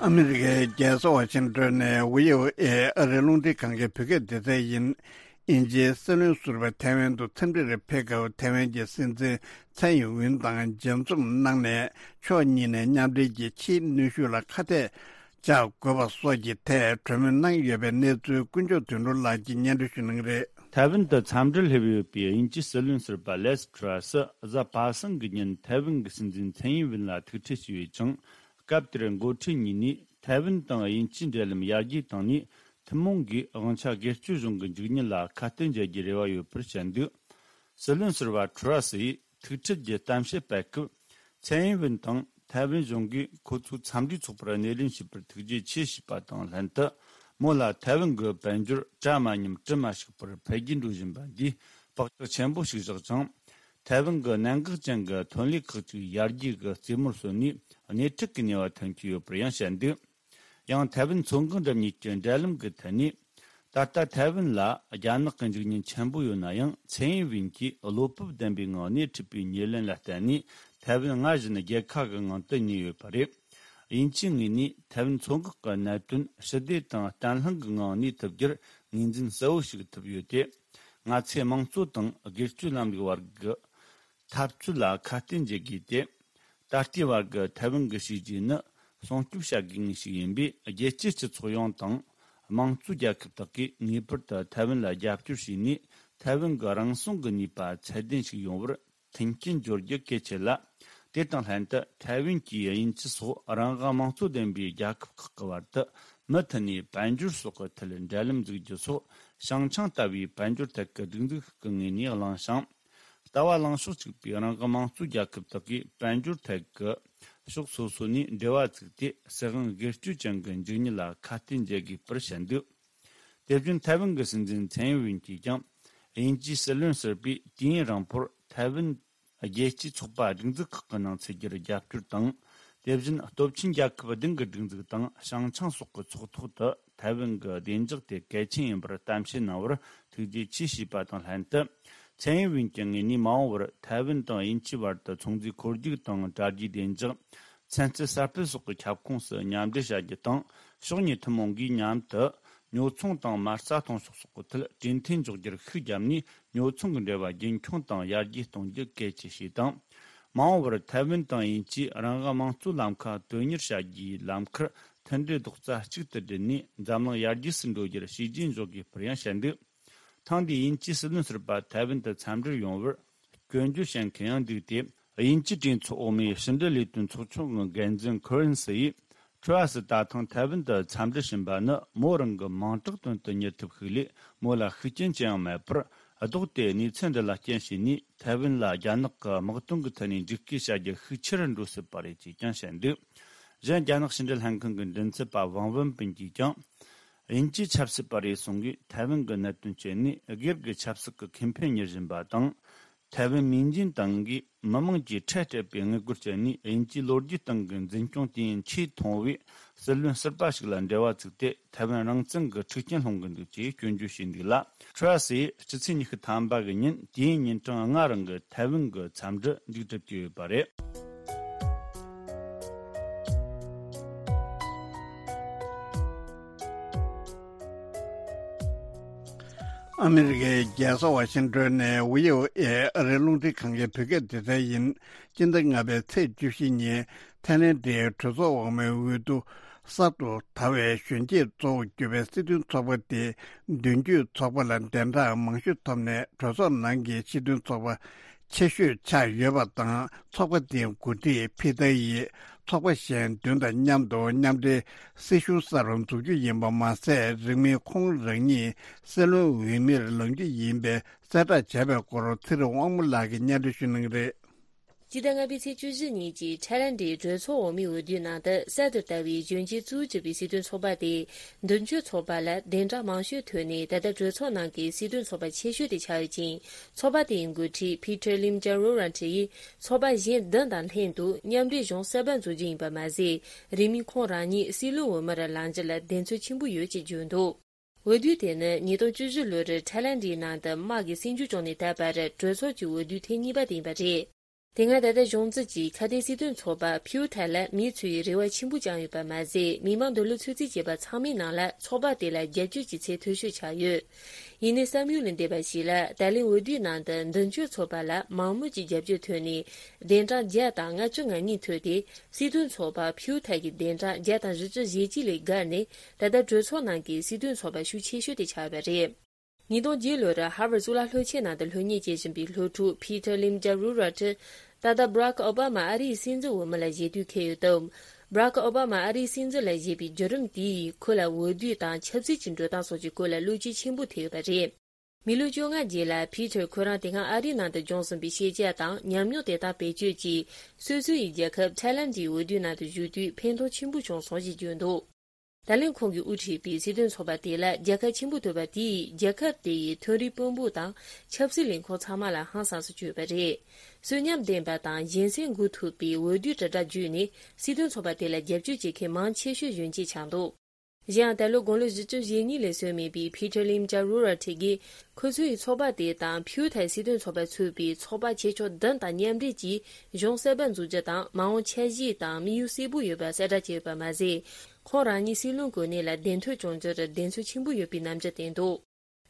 ཨ་མི་རི་ཀའི་རྒྱལ་ས་ཝ་ཤིང་ཏོན་ནས་ཝི་ཨོ་ཨེ་ཨ་རིའི་རླུང་འཕྲིན་ཁང་གི་བོད་སྐད་སྡེ་ཚན་ཡིན། དབྱིན་ཇིའི་སྲིད་བློན་ཟུར་པ་ཐའེ་ཝན་དུ་འཚམས་འདྲིར་ཕེབས་སྐབས་ཐའེ་ཝན་གྱི་སྲིད་འཛིན་ཚའེ་ཡིན་ཝིན་དང་མཇལ་འཛོམས་གནང་ནས་ཕྱོགས་གཉིས་ནས་མཉམ་འབྲེལ་གྱིས་ཕྱིའི་གནོན་ཤུགས་ལ་ཁ་གཏད་བཅག་དགོས་པ་སོགས་ཀྱི་ཐད་གྲོས་མོལ་གནང་ཡོད་པའི་གནས་ཚུལ་ཀུན་མཆོག་དོན་གྲུབ་ལགས་ཀྱིས་སྙན་སྒྲོན་ཞུ་གནང་གི་རེད། ཐའེ་ཝན་དུ་འཚམས་འདྲིར་སླེབས་ཡོད་པའི་དབྱིན་ཇིའི་སྲིད་བློན་ཟུར་པ་ལེས་ཁྲ་སི་གཟའ་པ་སངས་ཀྱི་ཉིན་ཐའེ་ཝན་གྱི་སྲིད་འཛིན་ཚའེ་ཡིན་ཝིན་ལ་ཐུག་འཕྲད་བྱས་ཡོད་ཅིང་། སྐབས་དེར་འགོ་ཁྲིད་གཉིས་ནས་ཐའེ་ཝན་དང་དབྱིན་ཇིའི་འབྲེལ་ལམ་ཡར་རྒྱས་བཏང་ནས། ཐུན་མོང་གིས་དབང་ཆ་སྒེར་གཅོད་གཞུང་གི་འཇིག་ཉེན་ལ་ཁ་གཏད་འཇལ་རྒྱུའི་རེ་བ་ཡོད་པར་བཤད་འདུག་སྲིད་བློན་ཟུར་པ་ཁྲ་སི་ཡིས་ཐུག་འཕྲད་ཀྱི་གཏམ་བཤད་སྤེལ་སྐབས། ཚའེ་ཡིན་ཝིན་དང་ཐའེ་ཝན་གཞུང་གིས་ཁོ་ཚོའི་འཚམས་འདྲིའི་ཚོགས་པར་སྣེ་ལེན་བྱས་པར་ཐུགས་རྗེ་ཆེ་ཞུས་པ་དང་ལྷན་དུ། མོ་ལ་ཐའེ་ཝན་གྱི་དཔལ་འབྱོར་གྲ་མ་ཉམས་གྲི་མ་ཞིག་པར་འཕེལ་རྒྱས་འགྲོ་བཞིན་པ་འདིས་བག་ཆགས་ཆེན་པོ་ཞིག་བཞག་ཅིང་། ཐའེ་ཝན་གྱི་གནད་འགག་ཅན་གྱི་ཐོན་ལས་ཁག་ཅིག་ཡར་རྒྱས་ཀྱི་རྩེ་མོར་སོན་ནས་སྣེ་ཁྲིད་ཀྱི་ནུས་པ་ཐོན་གྱི་ཡོད་པར་ཡང་བཤད་འདུག་ཡང་ཐའེ་ཝན་མཚོ་འགག་འགྲམ་གཉིས་ཀྱི་འབྲེལ་ལམ་གྱི་ཐད་ནས། ད་ལྟ་ཐའེ་ཝན་ལ་རྒྱ་ནག་གི་འཇིགས་ཉེན་ཆེན་པོ་ཡོད་ན་ཡང་། ཚེ་ཡིན་ཝིན་གྱིས་བློ་སྤོབས་ལྡན་པའི་ངང་སྣེ་ཁྲིད་པའི་ཉེར་ལེན་ལ་བརྟེན་ནས། ཐའེ་ཝན་སྔར་བཞིན་རྒྱལ་ཁ་གི་ངང་དུ་གནས་ཡོད་པ་རེད། དབྱིན་ཇིའི་ངོས་ནས་ཐའེ་ཝན་མཚོ་འགག་གི་གནད་དོན་ཞི་བདེ་དང་བརྟན་ལྷིང་གི་ངང་གནས་ཐུབ་རྒྱུར་ངོས་འཛིན་གསལ་བོ་ཞིག་ཐུབ་ཡོད་དེ། ང་ཚོས་དམངས་གཙོ་དང་སྒེར་གཅོད་ལམ་ལུགས་བར་གྱི་འཐབ་རྩོད་ལ་ཁ་གཏད་འཇལ་དགོས་ཏེ། ད་ལྟའི་བར་གྱི་ཐའེ་ཝན་གྱི་བྱས་རྗེས་ནི་སྲུང་སྐྱོབ་བྱ་དགོས་ངེས་ཤིག་ཡིན་པས། རྒྱལ་སྤྱིའི་སྤྱི་ཚོགས་ཡོངས་དང་། དམངས་གཙོའི་རྒྱལ་ཁབ་དག་གིས་ངེས་པར་དུ་ཐའེ་ཝན་ལ་རྒྱབ་སྐྱོར་བྱས་ནས། ཐའེ་ཝན་གྱི་རང་སྲུང་གི་ནུས་པ་ཚད་ལྡན་ཞིག་ཡོང་བར་མཐུན་རྐྱེན་སྦྱོར་རྒྱུ་གལ་ཆེ་ལ། དེ་དང་ལྷན་དུ་ཐའེ་ཝན་གྱིས་དབྱིན་ཇི་སོགས་རང་དབང་དམངས་གཙོ་ལྡན་པའི་རྒྱལ་ཁབ་ཁག་གི་བར་དུ་མུ་མཐུད་ནས་དཔལ་འབྱོར་སོགས་ཀྱི་ཐད་འབྲེལ་ལམ་འཛུགས་རྒྱུ་སོགས། ཞིང་ཆེན་ལྟ་བུའི་དཔལ་འབྱོར་ཐད་ཀྱི་སྒྲིག་འཛུགས་ཤིག་གི་ངོས་ནས་བླངས་ཤིང་། ལྟ་བ་ལངས་ཕྱོགས་གཅིག་པའི་རང་དབང་དམངས་གཙོའི་རྒྱལ་ཁབ་དག་གིས་དཔལ་འབྱོར་ཐད་ཀྱི་ཕྱོགས་སོ་སོ་ནས་འབྲེལ་བ་བཙུགས་ཏེ། སྲིད་དབང་སྒེར་གཅོད་ཅན་གྱི་འཇིགས་ཉེན་ལ་ཁ་གཏད་འཇལ་དགོས་པར་བཤད་འདུག་དེ་བཞིན་ཐའེ་ཝན་གྱི་སྲིད་འཛིན་ཚན་ཡིན་ཝིན་གྱིས་ཀྱང་། དབྱིན་ཇིའི་སྲིད་བློན་ཟུར་པས་དུས་ཡུན་རིང་པོར་ཐའེ་ཝན་རྒྱལ་སྤྱིའི་ཚོགས་པ་སྒྲིག་འཛུགས་ཁག་གི་ནང་ཚུད་རྒྱུར་རྒྱབ་སྐྱོར་དང་། དེ་བཞིན་སྟོབས་ཆེན་རྒྱལ་ཁབ་བདུན་གྱི་སྒྲིག་འཛུགས་དང་ཞིང་ཆེན་སོགས་ཀྱི་ཚོགས་ཐོག་ཏུ་ཐའེ་ཝན་གྱི་བདེ་འཇགས་དེ་གལ་ཆེན་ཡིན་པར་གཏམ་བཤད་གནང་བར་ཐུགས་རྗེ་ཆེ་ཞུས་པ་དང་ལྷན་དུ། ཚན་ཡིན་ཝིན་གྱི་ངོས་ནས་མ་འོངས་པར་ཐའེ་ཝན་དང་དབྱིན་ཇིའི་བར་དུ་ཚོང་རྫས་འཁོར་རྒྱུག་དང་། དྲ་རྒྱའི་བདེ་འཇགས། ཚན་རྩལ་གསར་སྤེལ་སོགས་ཀྱི་ཁྱབ་ཁོངས་སུ་མཉམ་འབྲེལ་བྱ་རྒྱུ་དང་། ཕྱོགས་གཉིས་ཐུན་མོང་སྒོས་མཉམ་དུ་ཉོ་ཚོང་དང་མ་རྩ་གཏོང་ཕྱོགས་སོགས་ཀྱི་ཐད་གྲོས་མཐུན་འཇོག་རྒྱུར་ཤུགས་བརྒྱབ་ནས། ཉོ་ཚོང་གི་འབྲེལ་བ་རྒྱུན་འཁྱོངས་དང་ཡར་རྒྱས་གཏོང་རྒྱུ་གལ་ཆེ་ཞེས་དང་། མ་འོངས་པར་ཐའེ་ཝན་དང་དབྱིན་ཇིས་རང་དབང་དམངས་གཙོའི་ལམ་ཁ་དོན་གཉེར་བྱ་རྒྱུའི་ལམ་ཁར་མཐུན་སྒྲིལ་རྡོག་རྩ་གཅིག་ཏུ་བསྒྲིལ་ནས། འཛམ་གླིང་ཡར་རྒྱས་སུ་འགྲོ་རྒྱུར་བྱས་རྗེས་འཇོག་དགོས་པར་ཡང་བཤད་འདུག་ཐེངས་འདིའི་དབྱིན་ཇིའི་སྲིད་བློན་ཟུར་པ་ཐའེ་ཝན་དུ་འཚམས་འདྲིར་ཡོང་བར་སྐྱོན་བརྗོད་བྱེད་མཁན་ཡང་འདུག་སྟེ། དབྱིན་ཇིའི་གྲོས་ཚོགས་འོག་མའི་ཕྱི་འབྲེལ་ལས་དོན་ཚོགས་ཆུང་གི་འགན་འཛིན་ཁོ་རན་སི་ཡིས། ཁྲོ་ཨ་སི་ད་ཐེངས་ཐའེ་ཝན་དུ་འཚམས་འདྲི་ཕྱིན་པ་ནི་མོ་རང་གི་མིང་གྲགས་དོན་དུ་གཉེར་ཐུབ་ཤུགས་ལས། མོ་ལ་ཤུགས་རྐྱེན་ཅི་ཡང་མེད་པར། ལྡོག་སྟེ་གནས་ཚུལ་འདི་ལ་རྐྱེན་བྱས་ནས། ཐའེ་ཝན་ལ་རྒྱ་ནག་གི་དམག་དོན་གྱི་ཐད་ནས་འཇིགས་སྐུལ་བྱ་རྒྱུ་ཤུགས་ཆེ་རུ་འགྲོ་སྲིད་པ་རེད་ཅེས་ཀྱང་བཤད་འདུག་གཞན། རྒྱ་ནག་ཕྱི་འབྲེལ་ལྷན་ཁང་གི་མགྲིན་ཚབ་པ་ཝང་ཝུན་པིན་གྱིས་ཀྱང་། དབྱིན་ཇིའི་ཆབ་སྲིད་པ་རེ་ཟུང་གིས་ཐའེ་ཝན་གྱི་གནད་དོན་སྤྱད་ནས། སྒེར་གྱི་ཆབ་སྲིད་ཀྱི་ཁེ་ཕན་གཉེར་བཞིན་པ་དང་། ཐའེ་ཝན་མིང་ཅན་ཏང་གིས་མི་དམངས་ཀྱིས་ཁྲལ་སྤྲད་པའི་དངུལ་སྒོར་སྤྱད་ནས། དབྱིན་ཇིའི་ལོ་རྒྱུས་སྟེང་གི་འཛིན་སྐྱོང་དུས་ཡུན་ཆེས་ཐུང་བའི་སྲིད་བློན་ཟུར་པ་ཞིག་ལ་འབྲེལ་བ་བཙུགས་ཏེ། ཐའེ་ཝན་རང་བཙན་གྱི་འཁྲུག་རྐྱེན་སློང་གི་འདུག་ཅེས་སྐྱོན་བརྗོད་བྱས་འདུག་ལ། ཁྲོ་ཨ་སིས་སྤྱི་ཚེས་ཉི་ཤུ་ཐམ་པ་གི་ཉིན། དུས་ཡུན་ཉིན་གྲངས་ལྔ་རིང་གི་ཐའེ་ཝན་གྱི་འཚམས་འདྲི་མཇུག་སྒྲིལ་གྱི་ཡོད་པ་རེད། ཨ་མི་རི་ཀའི་རྒྱལ་ས་ཝ་ཤིང་ཏོན་ནས་ཝི་ཨོ་ཨེ་ཨ་རིའི་རླུང་འཕྲིན་ཁང་གི་བོད་སྐད་སྡེ་ཚན་ཡིན། སྤྱི་ཟླ་ལྔ་པའི་ཚེས་བཅུ་བཞི་ཉིན་ཐའི་ལེན་ཌའི་གྲོས་ཚོགས་འོག་མའི་འོས་བསྡུ། གསར་དུ་དར་བའི་གཞོན་སྐྱེས་གཙོ་བོར་གྱུར་པའི་སྲིད་དོན་ཚོགས་པ་དེ་མདུན་སྐྱོད་ཚོགས་པ་ལ་གདན་གྲངས་མང་ཤོས་ཐོབ་ནས། གྲོས་ཚོགས་ནང་གི་སྲིད་དོན་ཚོགས་པ་ཆེ་ཤོས་ཆགས་ཡོད་པ་དང་། ཚོགས་པ་དེའི་འགོ་ཁྲིད་ཕི་ཏཱ་ཡིས་ཚོགས་པ་གཞན་བདུན་དང་མཉམ་དུ་མཉམ་འབྲེལ་སྲིད་གཞུང་གསར་པ་འཛུགས་རྒྱུ་ཡིན་པ་མ་ཟད། རིང་མིན་ཁོང་རང་ཉིད་སྲིད་བློན་འོས་མིར་ལངས་རྒྱུ་ཡིན་པའི་གསལ་བསྒྲགས་བྱས་པའི་སྐོར་ཚེ་རིང་དབང་མོ་ལགས་ཀྱིས་སྙན་སྒྲོན་ཞུ་གནང་གི་རེད། སྤྱི་ཟླ་ལྔ་པའི་ཚེས་བཅུ་བཞི་ཉིན་གྱི་ཐའི་ལེན་ཌའི་གྲོས་ཚོགས་འོག་མའི་འོས་བསྡུའི་ནང་དུ། གསར་དུ་དར་བའི་གཞོན་སྐྱེས་གཙོ་བོར་གྱུར་པའི་སྲིད་དོན་ཚོགས་པ་དེས་མདུན་སྐྱོད་ཚོགས་པ་ལ་གདན་གྲངས་མང་ཤོས་ཐོབ་ནས། ད་ལྟ་གྲོས་ཚོགས་ནང་གི་སྲིད་དོན་ཚོགས་པ་ཆེ་ཤོས་དེ་ཆགས་ཡོད་ཅིང་། ཚོགས་པ་དེའི་འགོ་ཁྲིད་Peter Limjaroenrat ཡིས་ཚོགས་པ་གཞན་བདུན་དང་ལྷན་དུ་མཉམ་འབྲེལ་གཞུང་གསར་པ་འཛུགས་རྒྱུ་ཡིན་པ་མ་ཟད། རིང་མིན་ཁོང་རང་ཉིད་སྲིད་བློན་འོས་མིར་ལངས་རྒྱུ་ལ་གདེང་ཚོད་ཆེན་པོ་ཡོད་ཅེས་བརྗོད་འདུག་འོས་བསྡུ་དེ་ནི་ཉིས་སྟོང་བཅུ་བཞི་ལོར་ཐའི་ལེན་ཌའི་ནང་དུ་དམག་གིས་སྲིད་འཇུག་བྱུང་ནས་ད་བར་གྲོས་ཚོགས་ཀྱི་འོས་བསྡུ་ཐེངས་གཉིས་པ་དེ་ཡིན་པ་རེད། དེ་སྔ་ད་ལྟ་གཞུང་འཛིན་གྱི་ཁ་གཏད་སྲིད་དོན་ཚོགས་པ་ཕིའུ་ཐའི་ལ་མིས་འཚོལ་བའི་རེ་བ་ཆེན་པོ་བཅངས་ཡོད་པ་མ་ཟད། མི་མང་འདོད་བློ་ཚོད་རྩིས་བྱས་པ་ཚང་མའི་ནང་ལ་ཚོགས་པ་དེ་ལ་རྒྱབ་སྐྱོར་གྱི་ཚད་མཐོ་ཤོས་ཆགས་ཡོད། ཡིན་ནའི་བསམ་ཡུལ་ལས་འདས་པ་ཞིག་ལ། ད་ལན་འོས་བསྡུའི་ནང་དུ་མདུན་སྐྱོད་ཚོགས་པ་ལ་མང་མོས་ཀྱི་རྒྱབ་སྐྱོར་ཐོན་ནས། གདན་གྲངས་བརྒྱ་དང་ལྔ་བཅུ་ང་གཉིས་ཐོབ་སྟེ། སྲིད་དོན་ཚོགས་པ་ཕིའུ་ཐའི་གི་གདན་གྲངས་བརྒྱ་དང་བཞི་བཅུ་ཞེ་གཅིག་ལས་བརྒལ་ནས། ད་ལྟ་གྲོས་ཚོགས་ནང་གི་སྲིད་དོན་ཚོགས་པ་ཤུགས་ཆེ་ཤོས་དེ་ཆགས་པ་རེད། ཉིས་སྟོང་བརྒྱད་ལོར་ཧར་ཝརཌ་གཙུག་ལག་སློབ་ཆེན་ནང་དུ་སློབ་གཉེར་བྱེད་བཞིན་པའི་སློབ་ཕྲུག་Peter Limjaroenrat ད་ལྟ་Barack Obama ཨ་རིའི་སྲིད་འཛིན་འོས་མི་ལ་བཞེས་དུས་འཁེལ་ཡོད་སྟབས། Barack Obama ཨ་རིའི་སྲིད་འཛིན་ལ་བཞེས་པའི་བརྒྱུད་རིམ་དེ་ཡིས་ཁོ་ལ་འོས་བསྡུ་དང་ཆབ་སྲིད་ཀྱི་འགྲོ་སྟངས་སོགས་ཀྱི་སྐོར་ལ་བློ་སྐྱེད་ཆེན་པོ་ཐེབས་ཡོད་པ་རེད། མི་ལོ་བཅོ་ལྔ་རྗེས་ལ་Peter ཁོ་རང་དེ་སྔ་ཨ་རིའི་ནང་དུ་སྦྱོང་ཟིན་པའི་ཤེས་བྱ་དང་ཉམས་མྱོང་དེ་དག་བེད་སྤྱོད་ཀྱིས། སོ་སོ་ཡི་རྒྱལ་ཁབ་ཐའི་ལེན་ཌའི་འོས་བསྡུའི་ནང་དུ་ཞུགས་དུས་ཕན་ཐོགས་ཆེན་པོ་བྱུང་སོང་ཞེས་བརྗོད་འདུག་ད་ལན་ཁོང་གིས་དབུ་ཁྲིད་པའི་སྲིད་དོན་ཚོགས་པ་དེ་ལ་རྒྱལ་ཁ་ཆེན་པོ་ཐོབ་པ་དེས་རྒྱལ་ཁབ་དེ་ཡི་མཐོ་རིམ་དཔོན་པོ་དང་ཆབ་སྲིད་ལས་ཁུངས་ཚང་མ་ལ་ཧང་སངས་སུ་བསྐྱོད་པ་རེད། གསོན་ཉམས་ལྡན་པ་དང་གཞན་སེམས་འགུག་ཐུབ་པའི་འོས་བསྡུའི་དྲིལ་བསྒྲགས་བརྒྱུད་ནས་སྲིད་དོན་ཚོགས་པ་དེ་ལ་རྒྱབ་སྐྱོར་བྱེད་མཁན་མང་ཆེ་ཤོས་གཞོན་སྐྱེས་ཆགས་འདུག་གཞན་ཡང་ད་ལོ་དགུང་ལོ་བཞི་བཅུ་ཞེ་གཉིས་ལ་སོན་མེད་པའི་ཕི་ཊར་ལིམ་ཅཱ་རུ་ར་ཁྲི་གིས་ཁོ་ཚོའི་ཚོགས་པ་དེ་དང་ཕིའུ་ཐའི་སྲིད་དོན་ཚོགས་པ་ཚུད་པའི་ཚོགས་པ་ཆེ་ཕྱོགས་བདུན་དང་མཉམ་འབྲེལ་གྱིས་གཞུང་གསར་པ་འཛུགས་རྒྱུ་དང་མ་འོངས་འཆར་གཞི་དང་དམིགས་ཡུལ་གསལ་པོ་ཡོད་པ་གསལ་བསྒྲགས་བྱས་ཡོད་པ་མ་ཟད། ཁོང་རང་ཉིད་སྲིད་བློན་གོ་གནས་ལ་གདན་ཐོན་བྱུང་རྒྱུར་གདེང་ཚོད་ཆེན་པོ་ཡོད་པའི་རྣམ་འགྱུར་བསྟན་འདུག་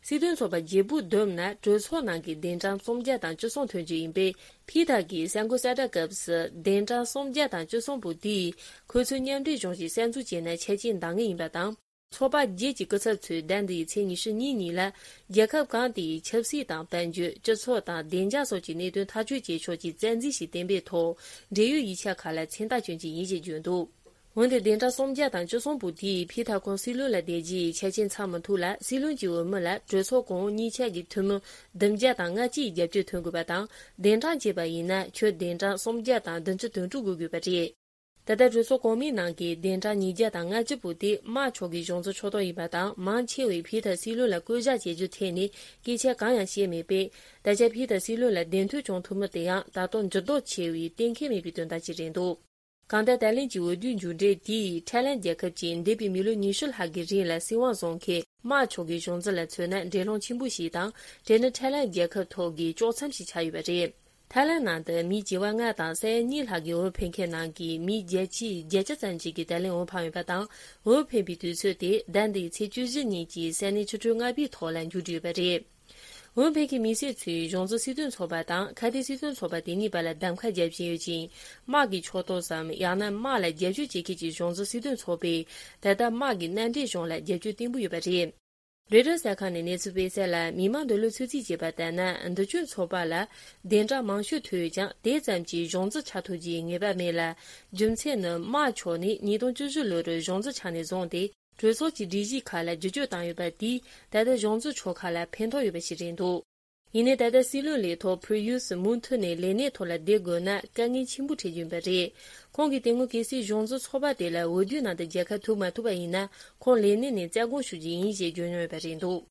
སྲིད་དོན་ཚོགས་པ་བརྗེ་པོ་བསྡོམས་ན་གྲོས་ཚོགས་ནང་གི་གདན་གྲངས་སུམ་བརྒྱ་དང་བཅུ་གསུམ་ཐོན་རྒྱུ་ཡིན་པས། ཕི་ཐ་གིས་གསར་འགོད་གསལ་བསྒྲགས་སྐབས་སུ་གདན་གྲངས་སུམ་བརྒྱ་དང་བཅུ་གསུམ་པོ་དེས་ཁོ་ཚོས་མཉམ་འབྲེལ་གཞུང་ཞིག་གསར་འཛུགས་བྱས་ན་ཆ་རྐྱེན་འདང་ངེས་ཡིན་པ་དང་། ཚོགས་པ་བརྒྱད་ཀྱི་སྐུ་ཚབ་ཚོས་ཟླ་འདིའི་ཚེས་ཉི་ཤུ་གཉིས་ཉིན་ལ་རྒྱལ་ཁབ་གང་དེའི་ཆབ་སྲིད་དང་དཔལ་འབྱོར། སྤྱི་ཚོགས་དང་བདེ་འཇགས་སོགས་ཀྱི་གནད་དོན་ཐག་གཅོད་བྱེད་ཕྱོགས་ཀྱི་རྩ་འཛིན་ཞིག་གཏན་འབེབས་ཐོག་འབྲེལ་ཡོད་ཡིག་ཆ་ཁག་ལ་མཚན་རྟགས་སྐྱོན་གྱི་ཡིན་ཞེས་བརྗོད་འདུག་འོན་ཏེ་གདན་གྲངས་སུམ་བརྒྱ་དང་བཅུ་གསུམ་པོ་དེས་ཕི་ཐ་ཁོང་སྲིད་བློན་ལ་བསྡད་རྒྱུའི་ཆ་རྐྱེན་ཚང་མི་ཐུབ་ལ། སྲིད་བློན་གྱི་འོས་མི་ལ་གྲོས་ཚོགས་གོང་འོག་གཉིས་ཆ་གི་འཐུས་མི་བདུན་བརྒྱ་དང་ལྔ་བཅུ་ཡི་རྒྱབ་སྐྱོར་ཐོན་དགོས་པ་དང་། གདན་གྲངས་བྱས་པ་ཡིན་ན་ཁྱོན་གདན་གྲངས་སུམ་བརྒྱ་དང་བདུན་ཅུ་དོན་དྲུག་དགོས་དགོས་པ་རེད། ད་ལྟ་གྲོས་ཚོགས་གོང་མའི་ནང་གི་གདན་གྲངས་ཉིས་བརྒྱ་དང་ལྔ་བཅུ་པོ་དེ་དམར་ཕྱོགས་ཀྱི་གཞུང་འཛིན་ཕྱོགས་གཏོགས་ཡིན་པ་དང་། མང་ཆེ་བས་ཕི་ཐ་སྲིད་བློན་ལ་བསྐོ་གཞག་བྱེད་རྒྱུ་ཐད་ནས་སྐད་ཆ་གང་ཡང་བཤད་མེད་པས། ད་ཆ་ཕི་ཐ་སྲིད་བློན་ལ་གདན་ཐོན་བྱུང་ཐུབ་མིན་དེ་ཡང་ད་དུང་འགྱུར་ལྡོག་ཆེ་བའི་གཏན་འཁེལ་མེད་པའི་དོན་དག་ཅིག་རེད་འདུག་གང་ལྟར་ད་ལན་གྱི་འོས་བསྡུའི་མཇུག་འབྲས་དེས་ཐའི་ལན་རྒྱལ་ཁབ་ཀྱི་འདས་པའི་མི་ལོ་ཉི་ཤུ་ལྷག་གི་རིང་ལ་སྲིད་དབང་བཟུང་མཁན་དམར་ཕྱོགས་ཀྱི་གཞུང་འཛིན་ལ་མཚོན་ན་འགྲན་སློང་ཆེན་པོ་ཞིག་དང་། དེ་ནི་ཐའི་ལན་རྒྱལ་ཁབ་ཐོག་གི་དཀྱོག་མཚམས་ཤིག་ཆགས་ཡོད་པ་རེད། ཐའི་ལན་ནང་དུ་མི་བྱེ་བ་ལྔ་དང་ས་ཡ་གཉིས་ལྷག་གི་འོས་འཕེན་མཁན་ནང་གི་མི་བརྒྱད་ཅུའི་བརྒྱད་ཅུ་ཙམ་ཞིག་གིས་ད་ལན་འོས་འཕངས་ཡོད་པ་དང་། འོས་འཕེན་པའི་དུས་ཚོད་དེ་ཟླ་འདིའི་ཚེས་བཅུ་བཞི་ཉིན་གྱི་ས་གནས་ཆུ་ཚོད་ལྔ་པའི་ཐོག་ལ་མཇུག་བསྒྲིལ་ཡོད་པ་རེད། འོས་འཕེན་མཁན་མི་སེར་ཚོས་གཞུང་འཛིན་སྲིད་དོན་ཚོགས་པ་དང་ཁ་གཏད་སྲིད་དོན་ཚོགས་པ་དེ་གཉིས་བར་ལ་གདམ་ཁ་རྒྱབ་བཞིན་ཡོད་ཅིང་། དམག་གི་ཕྱོགས་གཏོགས་སམ་ཡང་ན་དམག་ལ་རྒྱབ་སྐྱོར་བྱེད་མཁན་གྱི་གཞུང་འཛིན་སྲིད་དོན་ཚོགས་པས་ད་ལྟ་དམག་གི་མནའ་འབྲེལ་གཞུང་ལ་རྒྱབ་སྐྱོར་བརྟན་པོ་ཡོད་པ་རེད། རོའི་ཊར་གསར་ཁང་ནས་གནས་ཚུལ་སྤེལ་གསལ་ལ། མི་མང་འདོད་བློ་ཚོད་རྩིས་བྱས་པ་ལྟར་ན། འདི་གཅོད་ཚོགས་པ་ལ་གདན་གྲངས་མང་ཤོས་ཐོབ་ཡོད་ཀྱང་། དེ་ཙམ་གྱིས་གཞུང་འཛིན་ཆགས་ཐུབ་རྒྱུའི་ངེས་པ་མེད་ལ། རྒྱུ་མཚན་ནི་དམར་ཕྱོགས་ནས་ཉིས་སྟོང་བཅུ་བཞི་ལོར་གཞུང་འཛིན་ཆགས་ནས་བཟུང་སྟེ། གྲོས་ཚོགས་ཀྱི་སྒྲིག་གཞི་ཁག་ལ་བསྒྱུར་བཅོས་བཏང་ཡོད་པ་དེས་ད་ལྟ་གཞུང་འཛིན་ཕྱོགས་ཁག་ལ་ཕན་ཐོགས་ཡོད་པ་ཞིག་རེད་འདུག་ཡིན་ནའི་ད་ལྟ་སྲིད་བློན་ལས་ཐོག་ཕུར་ཡུས་མུ་མཐུད་ནས་ལས་གནས་ཐོག་ལ་བསྡད་དགོས་ན་དཀའ་ངལ་ཆེན་པོ་འཕྲད་རྒྱུ་ཡིན་པ་རེད། ཁོང་གིས་དེ་སྔོན་གལ་སྲིད་གཞུང་འཛིན་ཚོགས་པ་དེ་ལ་འོས་བསྡུའི་ནང་དུ་རྒྱལ་ཁ་ཐོབ་མ་ཐུབ་པ་ཡིན་ན། ཁོང་ལས་གནས་ནས་རྩ་དགོངས་ཞུ་རྒྱུ་ཡིན་ཞེས་བརྗོད་མྱོང་ཡོད་པ་རེད་འདུག་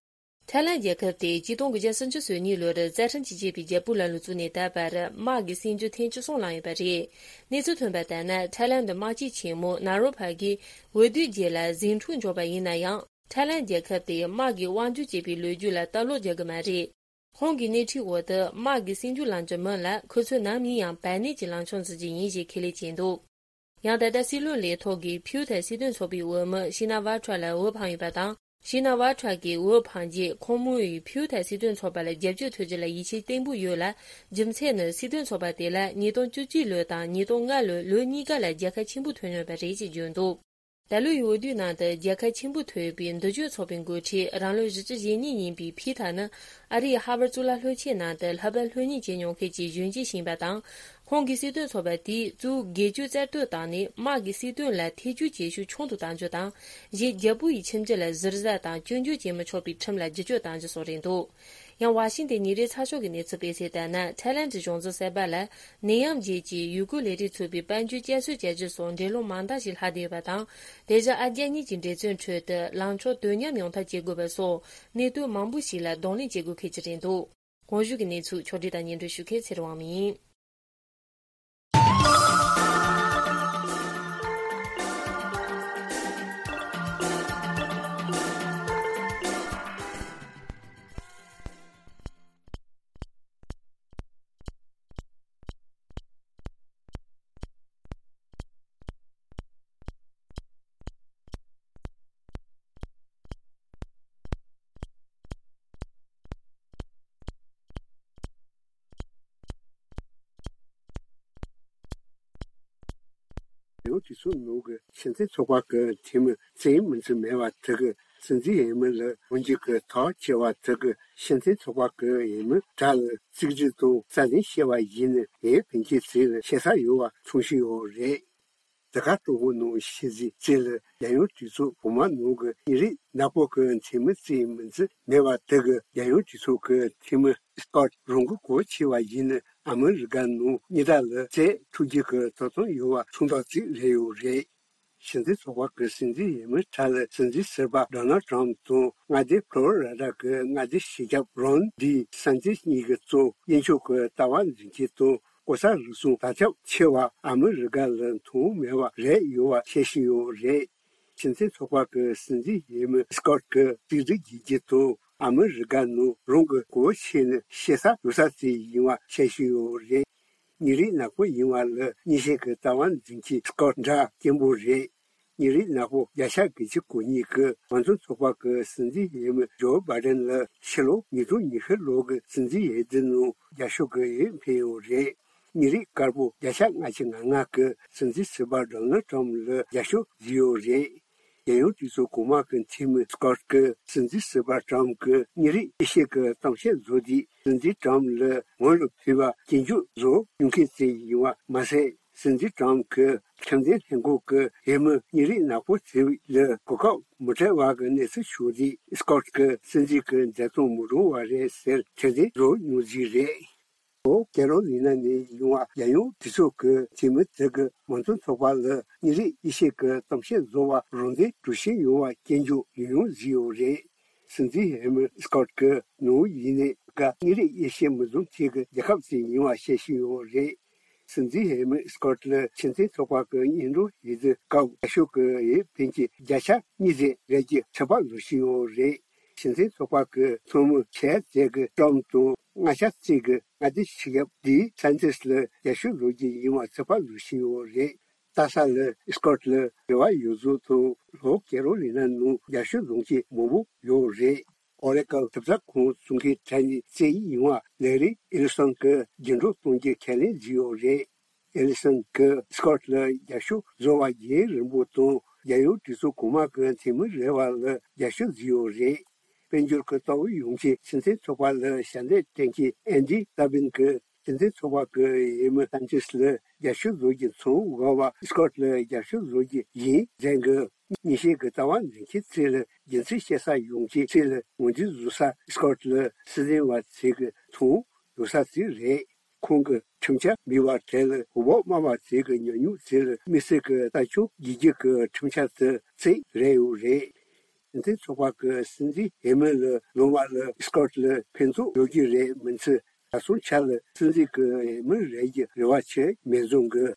ཐའི་ལན་རྒྱལ་ཁབ་དེ་ཆིག་སྟོང་དགུ་བརྒྱ་སུམ་ཅུ་སོ་གཉིས་ལོར་རྩ་ཁྲིམས་ཀྱིས་བཅད་པའི་རྒྱལ་པོའི་ལམ་ལུགས་བཙུགས་ནས་ད་བར་དམག་གི་སྲིད་འགྱུར་ཐེངས་བཅུ་གསུམ་བསླངས་ཡོད་པ་རེད། གནས་ཚུལ་ཐོན་པ་ལྟར་ན། ཐའི་ལན་དུ་དམག་སྤྱི་ཆེན་མོ་ནཱ་རོ་པ་གིས་འོས་བསྡུའི་རྗེས་ལ་ཟིང་འཁྲུག་འབྱུང་བ་ཡིན་ན་ཡང་། ཐའི་ལན་རྒྱལ་ཁབ་དེ་དམག་གིས་དབང་སྒྱུར་བྱེད་པའི་ལོ་རྒྱུས་ལ་ལྟ་ཀློག་རྒྱག་གི་མ་རེད། ཁོང་གི་སྣེ་ཁྲིད་འོག་ཏུ་དམག་གི་སྲིད་འགྱུར་ལངས་རྒྱུ་མིན་ལ། ཁོ་ཚོས་ནམ་ཡིན་ཡང་བར་གནས་ཀྱི་ལངས་ཕྱོགས་འཛིན་གྱི་ཡིན་ཞེས་ཁས་ལེན་བྱས་འདུག་ཡང་ད་ལྟ་སྲིད་བློན་ལས་ཐོག་གི་ཕིའུ་ཐའི་སྲིད་དོན་ཚོགས་པའི་འོས་མི་ཤི་ན་ཝ་ཁྲ་ལ་འོས་འཕངས་ཡོད་པ་དང་། ཤི་ན་ཝ་ཁྲ་གིས་འོས་འཕངས་རྗེས་ཁོང་མོ་ཡིས་ཕིའུ་ཐའི་སྲིད་དོན་ཚོགས་པ་ལ་རྒྱབ་སྐྱོར་ཐོབ་རྒྱུ་ལ་ཡིད་ཆེས་བརྟན་པོ་ཡོད་ལ། རྒྱུ་མཚན་ནི་སྲིད་དོན་ཚོགས་པ་དེ་ལ་ཉིས་སྟོང་བཅུ་གཅིག་ལོ་དང་ཉིས་སྟོང་ལྔ་ལོའི་ལོ་གཉིས་ཀ་ལ་རྒྱལ་ཁ་ཆེན་པོ་ཐོབ་མྱོང་བ་རེད་ཅེས་བརྗོད་འདུག་ད་ལོའི་འོས་བསྡུའི་ནང་དུ་རྒྱལ་ཁ་ཆེན་པོ་ཐོབ་པའི་མདུན་སྐྱོད་ཚོགས་པའི་འགོ་ཁྲིད་རང་ལོ་བཞི་བཅུ་ཞེ་གཉིས་ཡིན་པའི་ཕི་ཐ་ནི། ཨ་རིའི་ཧར་ཝར་གཙུག་ལག་སློབ་ཆེན་ནང་དུ་ལྷག་པར་སློབ་གཉེར་བྱེད་མྱོང་མཁན་གྱི་གཞོན་སྐྱེས་ཤིག་ཡིན་པ་དང་། ཁོང་གིས་སྲིད་དོན་ཚོགས་པ་དེས་གཙོ་བོ་སྒེར་གཅོད་རྩལ་གཏོད་བཏང་ནས། དམག་གི་སྲིད་དོན་ལ་ཐེ་བྱུས་བྱེད་ཤུགས་ཆུང་དུ་གཏང་རྒྱུ་དང་། གཞན་རྒྱལ་པོ་ཡི་ཁྱིམ་རྒྱུད་ལ་ཟུར་ཟ་དང་སྐྱོན་བརྗོད་བྱེད་མི་ཆོག་པའི་ཁྲིམས་ལ་བསྒྱུར་བཅོས་གཏང་རྒྱུ་སོགས་རེད་འདུག་ཡང་། ཝ་ཤིང་ཏན་ཉིན་རེའི་ཚགས་ཤོག་གི་གནས་ཚུལ་སྤེལ་གསལ་ལྟར་ན། ཐའི་ལན་གྱི་གཞུང་འཛིན་གསར་པ་ལ་ནད་ཡམས་རྗེས་ཀྱི་ཡུལ་སྐོར་ལས་རིགས་ཚུད་པའི་དཔལ་འབྱོར་བསྐྱར་གསོ་བྱ་རྒྱུ་སོགས་འགྲན་སློང་མང་དག་ཞིག་ལྷག་བསྡད་ཡོད་པ་དང་། དེ་བཞིན་ཨ་རྒྱ་གཉིས་ཀྱི་འབྲེལ་མཐུད་ཁྲོད་དུ་ལངས་ཕྱོགས་དོ་མཉམ་ཡོང་ཐབས་བྱེད་དགོས་པ་སོགས་གནད་དོན་མང་པོ་ཞིག་ལ་གདོང་ལེན་བྱེད་དགོས་ཁེལ་གྱི་རེད་འདུག་གོང་ཞུས་ཀྱི་གནས་ཚུལ་ཕྱོགས་སྒྲིག་དང་སྙན་སྒྲོན་ཞུ་མཁན་ཚེ་རིང་དབང་མོ་ཡིན། ཡང་དུས་ཚོད་ནང་གི་སྤྱི་མཐུན་ཚོགས་པ་གི་འཐུས་མི་བཙན་མི་འཛིན་མེད་པ་དེ་གི་སྲིད་འཛིན་འོས་མི་ལ་འོས་འགྱུར་གྱི་ཐག་བཅད་པ་དེ་གི་སྤྱི་མཐུན་ཚོགས་པ་གི་འོས་མི་དག་ལ་གཅིག་གྱུར་དུ་རྩ་འཛིན་བྱས་པ་ཡིན་ན། ཡང་ཕན་ཆད་ཚོས་ལ་ཤེས་ས་ཡོད་པ་ཐོན་བཞིན་ཡོད་རེད། དེ་ག་ཀྲུང་གོ་ནང་ཕྱི་ཟིག་ཙེ་ལ་རྒྱལ་ཡོངས་གྲོས་ཚོགས་གོང་མ་ནང་གི་ཉིན་རེའི་ནག་པོ་གི་འཐུས་མི་བཙན་མི་འཛིན་མེད་པ་དེ་གི་རྒྱལ་ཡོངས་གྲོས་ཚོགས་ཀྱི་འཐུས་མི་སྐོར་རང་གི་གོ་ཆེ་བ་ཡིན་ན། ཨ་མི་རི་ཀ་ནང་ཉི་ཟླ་ལ་ཙེ་འཁྲུག་རྒྱུ་གི་དོ་དམ་ཡོད་པ་མཚོན་རྟགས་ཅིག་རེད་ཡོད་རེད། གཞི་འཛིན་ཚོགས་པ་གི་སྲིད་འཛིན་འོས་མི་གྲས་ལ་སྲིད་འཛིན་ཟུར་པ་ཌོ་ནལ་ཊམ་དང་མངའ་སྡེ་ཕློ་རི་ཌ་གི་མངའ་སྡེ་སྤྱི་ཁྱབ་རོན་ཌི་སན་ཊི་ཛེས་གཉིས་ཀྱིས་གཙོས་དབྱིན་ཕྱུག་གི་ལྟ་བ་འཛིན་སྐྱོང་དང་ལྐོག་ཟ་རུལ་སུངས་དར་ཁྱབ་ཆེ་བ་ཨ་མི་རི་ཀ་ལ་མཐོང་མེད་པ་རེད་ཡོད་པ་བཤད་བཞིན་ཡོད་རེད། སྤྱི་མཐུན་ཚོགས་པ་གི་སྲིད་འཛིན་འོས་མི་སི་ཀོཊ་གིས་གཅིག་སྒྲིལ་རྒྱུད་རྒྱུ་དང་ཨ་མི་རི་ཀ་ནང་རང་གི་གོ་ཆེ་ནི་ཤེས་ས་ཡོད་ས་ཅིག་ཡིན་པ་བཤད་བཞིན་ཡོད་རེད། ཉིན་རེའི་ནག་པོ་ཡིན་པ་ལ་མཉེས་གཤིན་གྱི་ལྟ་བ་འཛིན་མཁན་སི་ཀོཊ་འདྲ་སྐྱེན་པོ་རེད། ཉིན་རེའི་ནག་པོ་བརྒྱ་ཆ་དགུ་བཅུ་གོ་གཉིས་ཀྱིས་མང་གཙོ་ཚོགས་པ་གི་སྲིད་འཛིན་འོས་མི་ཇོ་བྷའི་ཌེན་ལ་ཕྱི་ལོ་ཉིས་སྟོང་ཉི་ཤུ་ལོ་གི་སྲིད་འཛིན་འོས་བསྡུ་ནང་རྒྱབ་སྐྱོར་གྱི་འོས་འཕེན་ཡོད་རེད། ཉིན་རེའི་དཀར་པོ་བརྒྱ་ཆ་ལྔ་བཅུ་ང་ལྔ་གིས་སྲིད་འཛིན་ཟུར་པ་ཌོ་ནལ་ཊམ་ལ་རྒྱབ་སྐྱོར་བྱས་ཡོད་རེད། རྒྱལ་ཡོངས་གྲོས་ཚོགས་གོང་མ་གི་འཐུས་མི་སི་ཀོཊ་ཀྱིས་སྲིད་འཛིན་ཟུར་པ་ཊམ་གྱིས་མཉེས་རིགས་དབྱེ་ཞིབ་ཀྱི་གཏམ་བཤད་བཟོ་དུས་སྲིད་འཛིན་ཊམ་ལ་ངོ་ལ་ཕོད་པ་སྐྱོན་བརྗོད་བཟོ་མྱོང་མཁན་ཞིག་ཡིན་པ་མ་ཟད། སྲིད་འཛིན་ཊམ་གྱིས་ཁྲིམས་འཛིན་ལྷན་ཁང་གི་འོས་མི་མཉེས་རིགས་ནག་པོ་དེ་ལ་གོ་སྐབས་མི་སྤྲད་པ་གི་གནས་ཚུལ་བྱུང་དུས་སི་ཀོཊ་ཀྱིས་སྲིད་འཛིན་གྱི་མཛད་རྗེས་མི་རུང་བ་རེད་ཟེར་ཁྲལ་འཛིན་བཟོ་མྱོང་རྩིས་རེད། ལྷོ་ཀེ་རོ་ལི་ན་ནས་ཡོང་བ་རྒྱལ་ཡོངས་གྲོས་ཚོགས་ཀྱི་འཐུས་མི་དེ་གིས་མང་གཙོ་ཚོགས་པ་ལ་མཉེས་རིགས་དབྱེ་ཞིབ་ཀྱི་གཏམ་བཤད་བཟོ་བར་རོགས་འདེགས་གྲོས་ཆོད་ཡོང་བ་སྐྱོན་བརྗོད་ཡང་ཡང་བཟོས་ཡོད་རེད། སྲིད་འཛིན་འོས་མི་སི་ཀོཊ་ཀྱིས་ནོར་ཡིན་ནའི་ག་མཉེས་རིགས་དབྱེ་ཞིབ་མི་བཟོ་མཁན་གྱི་རྒྱལ་ཁབ་ཅིག་ཡིན་པ་བཤད་བཞིན་ཡོད་རེད། སྲིད་འཛིན་འོས་མི་སི་ཀོཊ་ལ་སྤྱི་མཐུན་ཚོགས་པ་གི་སྙན་སྒྲོན་ཡི་གེ་སྐབས་རྒྱབ་སྐྱོར་གྱི་འོས་འཕེན་གྱི་བརྒྱ་ཆ་གཉིས་ཙམ་རེད་ཀྱི་ཁྲལ་པ་བཟོ་བཞིན་ཡོད་རེད། སྤྱི་མཐུན་ཚོགས་པ་གི་ཚོགས་མི་ཁྲལ་ཙམ་གྱི་ཊམ་དང་ལྔ་ཆ་གཅིག་གི་མངའ་སྡེ་སྤྱི་ཁྱབ་ཌི་སན་ཊི་ཛེས་ལ་རྒྱབ་སྐྱོར་བཟོ་རྒྱུ་ཡིན་པ་ཚོད་དཔག་བཟོ་བཞིན་ཡོད་རེད། ལྟ་ས་ལ་སི་ཀོཊ་ལ་རེ་བ་ཡོད་ཚུལ་དང་ལྷོ་ཀེ་རོ་ལི་ན་ནང་རྒྱབ་སྐྱོར་བཟོ་མཁན་མང་པོ་ཡོད་རེད། ཨོ་རེ་ཀལ་གྲུབ་ཆ་ཁང་བཙུགས་མཁན་གྲས་ནས་རྩེད་ཡིག་ཡོང་བ་ལེ་རི་ཨེ་ལི་སོན་གྱིས་རྒྱུན་སྒྲོག་གཏོང་རྒྱུ་ཁས་ལེན་བྱས་ཡོད་རེད། ཨེ་ལི་སོན་གྱིས་སི་ཀོཊ་ལ་རྒྱབ་སྐྱོར་བཟོ་བ་རྒྱུན་རིང་པོ་དང་རྒྱལ་ཡོངས་གྲོས་ཚོགས་གོང་མ་གི་འཐུས་མི་རེ་བ་ལ་རྒྱབ་སྐྱོར་བྱས་ཡོད་རེད། དཔལ་འབྱོར་གྱི་ལྟ་བ་ཡོང་མཁན་སྤྱི་མཐུན་ཚོགས་པ་ལ་ཞབས་འདེགས་སྤྲད་མཁན་ཨན་ཌི་ཏཱ་བིན་གྱིས་སྤྱི་མཐུན་ཚོགས་པ་གི་འོས་མི་སན་ཆེས་ལ་རྒྱབ་སྐྱོར་བཟོ་རྒྱུ་མཚོན་དགོས་པ་སི་ཀོཊ་ལ་རྒྱབ་སྐྱོར་བཟོ་རྒྱུ་ཡིན་ཟེར་གི། མཉེས་གཤིན་གྱི་ལྟ་བ་འཛིན་མཁན་ཚོ་ལ་རྒྱུ་མཚན་བཤད་ས་ཡོང་མཁན་ཚོ་ལ་ངོས་འཛིན་བཟོ་ས་སི་ཀོཊ་ལ་སྲིད་འཛིན་པ་ཚོས་གི་མཐོང་ཡོད་ས་ཚོ་རེད། ཁོང་གི་ཁྲིམས་འཆར་མེད་པ་དེ་ལ་འོས་འབབ་དམའ་བ་ཚོས་གི་ཉམས་མྱོང་ཚོ་ལ་དམིགས་བསལ་གི་ལྟ་སྐྱོང་རྒྱག་རྒྱུ་གི་ཁྲིམས་འཆར་དེ་ཚོ་རེད་ཡོད་རེད། སྤྱི་མཐུན་ཚོགས་པ་གི་སྲིད་འཛིན་འོས་མི་ལ་ལོངས་པ་ལ་སི་ཀོཊ་ལ་ཕན་ཐོགས་ཡོད་རྒྱུ་རེད་མིན་ཚེ། ད་སོང་ཆ་ལ་སྲིད་འཛིན་གྱི་འོས་མི་རེད་ཀྱི་རེ་བ་ཆེ་མེད་བཟོ་གི།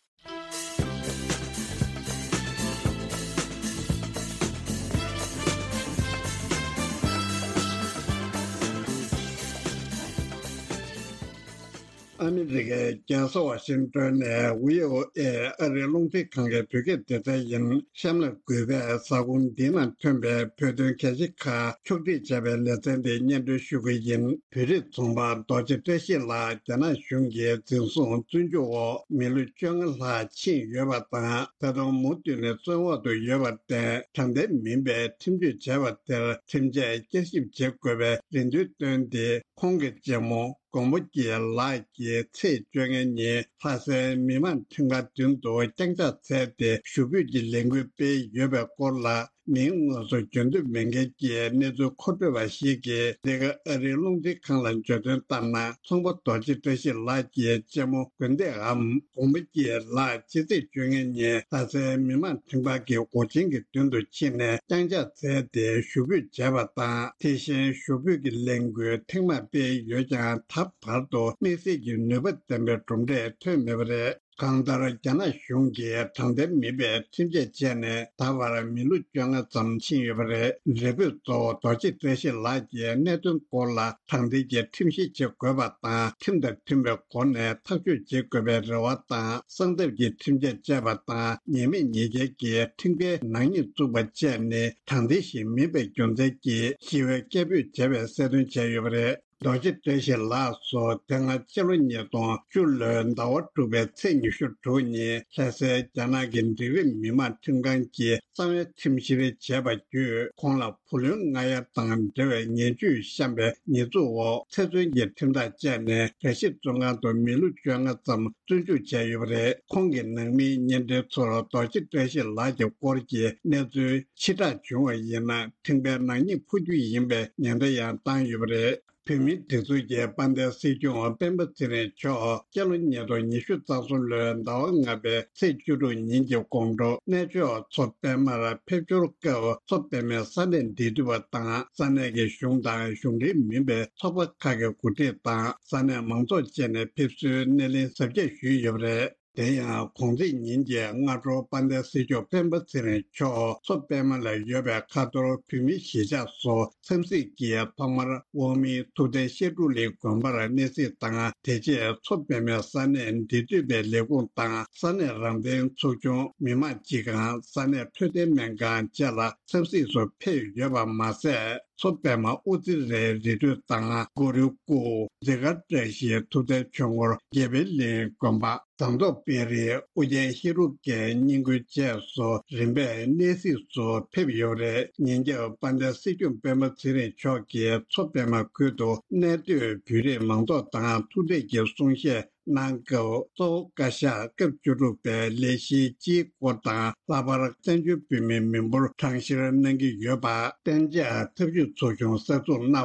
ཨ་མི་རི་ཀའི་རྒྱལ་ས་ཝ་ཤིང་ཏོན་ནས་བྷི་ཨོ་ཨེ་ཨ་རིའི་རླུང་འཕྲིན་ཁང་གི་བོད་སྐད་སྡེ་ཚན་ཡིན། གཤམ་ལ་གུས་པས་ས་ཁོངས་འདི་ནང་ཐོན་པའི་བོད་དོན་གལ་ཆེ་ཁག་ཕྱོགས་སྒྲིག་བྱས་པའི་ལེ་ཚན་འདི་སྙན་སྒྲོན་ཞུ་གི་ཡིན། བོད་རིགས་ཚོང་པ་རྡོ་རྗེ་བཀྲ་ཤིས་ལགས་རྒྱ་ནག་གཞུང་གིས་འཛིན་བཟུང་བཙོན་འཇུག་འོག་མི་ལོ་བཅོ་ལྔ་ལྷག་ཕྱིན་ཡོད་པ་དང་། ད་དུང་མུ་མཐུད་ནས་བཙོན་འོག་ཏུ་ཡོད་པར་བརྟེན། དྲང་བདེན་མིན་པའི་ཁྲིམས་གཅོད་བྱས་པ་དེར་ཁྲིམས་ཆད་བསྐྱར་ཞིབ་བྱེད་དགོས་པའི་རེ་འདུན་བཏོན་ཏེ། ཁོང་གི་གཅེན་མོ་མགོན་པོ་སྐྱིད་ལགས་ཀྱིས་ཚེས་བཅོ་ལྔ་ཉིན་ལྷ་སའི་མི་མང་ཁྲིམས་ཁང་མདུན་དུ་བརྐྱངས་ཕྱག་འཚལ་ཏེ་ཞུ་འབོད་ཀྱི་ལས་འགུལ་སྤེལ་ཡོད་པའི་སྐོར་ལ། མིང་དངོས་སུ་བརྗོད་འདོད་མེད་མཁན་གྱི་གནས་ཚུལ་མཁོ་སྤྲོད་པ་ཞིག་གིས། འདི་ག་ཨ་རིའི་རླུང་འཕྲིན་ཁང་ལ་བརྗོད་དོན་ལྟར་ན། ཚོང་པ་རྡོ་རྗེ་བཀྲ་ཤིས་ལགས་ཀྱི་གཅེན་མོ་དགོན་སྡེའམ་མགོན་པོ་སྐྱིད་ལགས་ཕྱི་ཚེས་བཅོ་ལྔ་ཉིན་ལྷ་སའི་མི་མང་ཁྲིམས་ཁང་གི་སྒོ་ཆེན་གྱི་མདུན་དུ་ཕྱིན་ནས་བརྐྱངས་ཕྱག་འཚལ་ཏེ་ཞུ་འབོད་བྱས་པ་དང་། དེ་བཞིན་ཞུ་འབོད་ཀྱི་ལས་འགུལ་ཐེངས་མང་སྤེལ་ཡོད་ཀྱང་། ད་བར་དུ་དམིགས་བསལ་གྱི་ནུས་པ་ལྡན་པའི་གྲུབ་འབྲས་ཐོན་མེད་པ་རེད། གང་ལྟར། རྒྱ་ནག་གཞུང་གིས་དྲང་བདེན་མིན་པའི་ཁྲིམས་ཆད་བཅད་ནས་ད་བར་མི་ལོ་བཅོ་ལྔ་ཙམ་ཕྱིན་ཡོད་པ་རེད། རེ་འབོད་གཙོ་བོ་རྡོ་རྗེ་བཀྲ་ཤིས་ལགས་ཀྱིས་གནད་དོན་སྐོར་ལ་དྲང་བདེན་གྱི་ཁྲིམས་བཤེར་བྱེད་དགོས་པ་དང་། ཁྲིམས་དང་མཐུན་པའི་སྒོ་ནས་ཐག་གཅོད་བྱེད་དགོས་པའི་རེ་བ་དང་། གསང་ཐབས་ཀྱི་ཁྲིམས་ཆད་བཅད་པ་དང་། ཉེས་མེད་ཉེས་འགེལ་གྱི་ཁྲིམས་འགལ་ནག་ཉེས་བཙུགས་པ་བཅས་ནི་དྲང་བདེན་ཞིག་མིན་པའི་རྒྱུ་མཚན་གྱིས་ཞི་བའི་སྐད་འབོད་བྱས་པའི་གསལ་སྟོན་བྱས་ཡོད་པ་རེད། རྡོ་རྗེ་བཀྲ་ཤིས་ལགས་སུ་དེ་སྔ་ཕྱི་ལོ་ཉིས་སྟོང་བཅུ་ལོའི་ཟླ་བ་དྲུག་པའི་ཚེས་ཉི་ཤུ་དྲུག་ཉིན་ལྷ་སའི་རྒྱ་ནག་གི་འབྲིང་རིམ་མི་དམངས་ཁྲིམས་ཁང་གིས་གསང་བའི་ཁྲིམས་བཤེར་བྱས་པ་བརྒྱུད། ཁོང་ལ་བུ་ལོན་མངགས་ཡ་དང་འབྲེལ་བའི་ངན་ཇུས་བཤམས་པའི་ཉེས་འཛུགས་འོག་ཚེ་བཙོན་གྱི་ཁྲིམས་ཐག་བཅད་ནས་ར་ཤི་བཙོན་ཁང་དུ་མི་ལོ་བཅོ་ལྔ་ཙམ་བཙོན་འཇུག་བྱས་ཡོད་པ་རེད། ཁོང་གི་ནང་མིའི་བརྙན་འཕྲིན་ཚོར་རྡོ་རྗེ་བཀྲ་ཤིས་ལགས་ཀྱི་སྐོར་གྱི་གནས་ཚུལ་ཕྱིར་བསྒྲགས་བྱུང་བ་ཡིན་ན། ཁྲིམས་འགལ་ནག་ཉེས་ཕོག་རྒྱུ་ཡིན་པའི་ཉེན་བརྡ་ཡང་བཏང་ཡོད་པ་རེད། བོད་མིའི་སྒྲིག་འཛུགས་ཀྱི་དཔལ་ལྡན་སྲིད་སྐྱོང་སྤེན་པ་ཚེ་རིང་མཆོག་སྤྱི་ལོ་ཉིས་སྟོང་ཉི་ཤུ་རྩ་གསུམ་ལོའི་ཟླ་བ་ལྔ་པའི་ཚེས་བཅུ་དྲུག་ཉིན་གྱི་དགོང་དྲོ་གནས་མཆོག་མཚོ་པད་མར་ཕེབས་འབྱོར་སྐབས། མཚོ་པད་མའི་ས་གནས་འབྲེལ་མཐུད་པ་དང་། ས་གནས་ཀྱི་གཞུང་དང་གཞུང་འབྲེལ་མིན་པའི་ཚོགས་པ་ཁག་གི་འགོ་ཁྲིད་དང་། ས་གནས་མང་ཚོགས་བཅས་ནས་ཕེབས་བསུའི་སྣེ་ལེན་གཟབ་རྒྱས་ཞུས་ཡོད་པ་རེད། དེ་ཡང་གོང་ཚེས་ཉིན་གྱི་སྔ་དྲོ་དཔལ་ལྡན་སྲིད་སྐྱོང་སྤེན་པ་ཚེ་རིང་མཆོག་མཚོ་པད་མ་ལ་ཡོད་པའི་ཁ་ཐོར་བོད་མིའི་གཞིས་ཆགས་སུ་འཚམས་གཟིགས་ཀྱིས་ཐོག་མར་དབུ་མའི་ཐུབ་བསྟན་བཤད་སྒྲུབ་གླིང་དགོན་པར་གནས་གཟིགས་དང་། དེ་རྗེས་མཚོ་པད་མའི་ས་གནས་འབྲེལ་མཐུད་པའི་ལས་ཁུངས་དང་། ས་གནས་རང་བདེན་ཚོགས་ཆུང་། མི་དམངས་སྤྱི་ཁང་། ས་གནས་འཕྲོད་བསྟེན་སྨན་ཁང་བཅས་ལ་འཚམས་གཟིགས་སུ་ཕེབས་ཡོད་པ་མ་ཟད། མཚོ་པད་མ་དབུ་རྩེ་རའི་རི་ཁྲོད་དང་། གུ་རུའི་སྐུ། འཛི་སྒར་བཀྲ་ཤིས་ཐུབ་བསྟན་ཆོས་འཁོར་དགེ་འཕེལ་གླིང་དགོན་པ། ཟངས་མདོག་དཔལ་རིའི་ཨོ་རྒྱན་ཧེ་རུ་ཀའི་བསྙེན་ཁུལ་བཅས་སུ་རིམ་པས་གནས་གཟིགས་སུ་ཕེབས་ཡོད་པ་རེད། ཉིན་རྒྱབ་དཔལ་ལྡན་སྲིད་སྐྱོང་སྤེན་པ་ཚེ་རིང་མཆོག་གིས་མཚོ་པད་མ་ཁུལ་དུ་གནས་སྡོད་བོད་རིགས་མང་ཚོགས་དང་ཐུག་འཕྲད་ཀྱིས་གསུང་བཤད་གནང་སྐབས། གཙོ་བོ་བཀའ་ཤག་སྐབས་བཅུ་དྲུག་པའི་ལས་གཞིའི་སྤྱིའི་སྐོར་དང་། ལྷག་པར་བཙན་བྱོལ་བོད་མིའི་མི་འབོར་གྲངས་བཤེར་གནང་གི་ཡོད་པ། གཏན་འཇགས་ཐབས་ཇུས་ཚོགས་ཆུང་གསར་འཛུགས་གནང་བ།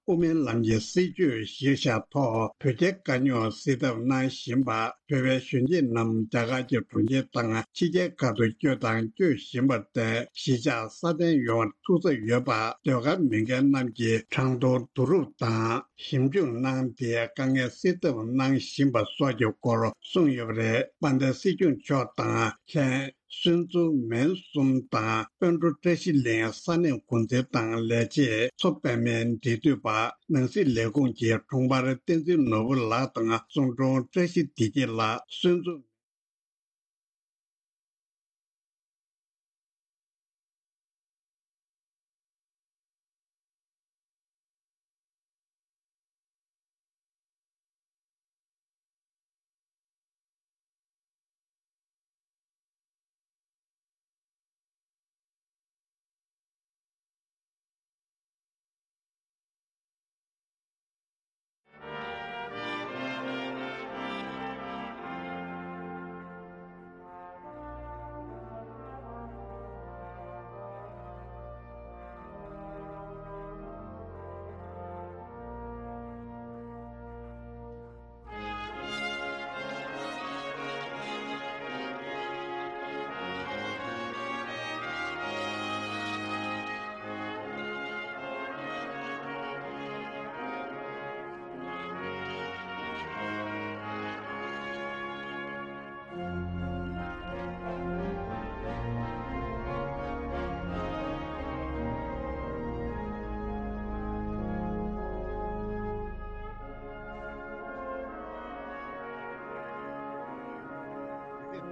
དབུ་མའི་ལམ་གྱི་སྲིད་བྱུས་གཞིར་བཞག་ཐོག་བོད་རྒྱའི་དཀའ་རྙོག་སེལ་ཐབས་གནང་བཞིན་པ། བོད་པའི་གཞོན་སྐྱེས་རྣམས་རྒྱ་གར་གྱི་གྲོང་ཁྱེར་དང་ཕྱི་རྒྱལ་ཁག་ཏུ་བསྐྱོད་དང་སྐྱོད་བཞིན་པར་བརྟེན། གཞིས་ཆགས་སྲ་བརྟན་ཡོང་བར་ཐུགས་འཚབ་ཡོད་པ། ཟློས་གར་མི་སྒེར་རྣམས་ཀྱིས་གྲངས་ཐོ་བསྡུ་རུབ་དང་ཞིབ་འཇུག་གནང་སྟེ། དཀའ་ངལ་སེལ་ཐབས་གནང་བཞིན་པ་སོགས་ཀྱི་སྐོར་གསུངས་ཡོད་པ་རེད། དཔལ་ལྡན་སྲིད་སྐྱོང་མཆོག་དང་ལྷན། སུན་ཙུའུ་མན་གསུམ་དང་དཔོན་སྤྲུལ་བཀྲ་ཤིས་གླིང་ས་གནས་འགོ་འཛིན་དང་ལས་བྱེད། མཚོ་པད་མའི་འབྲེལ་མཐུད་པ། ནང་སྲིད་ལས་ཁུངས་ཀྱི་དྲུང་འཕར་བསྟན་འཛིན་ནོར་བུ་ལགས་དང་གསུང་དྲུང་བཀྲ་ཤིས་བདེ་སྐྱིད་ལགས། སུན་ཙུའུ།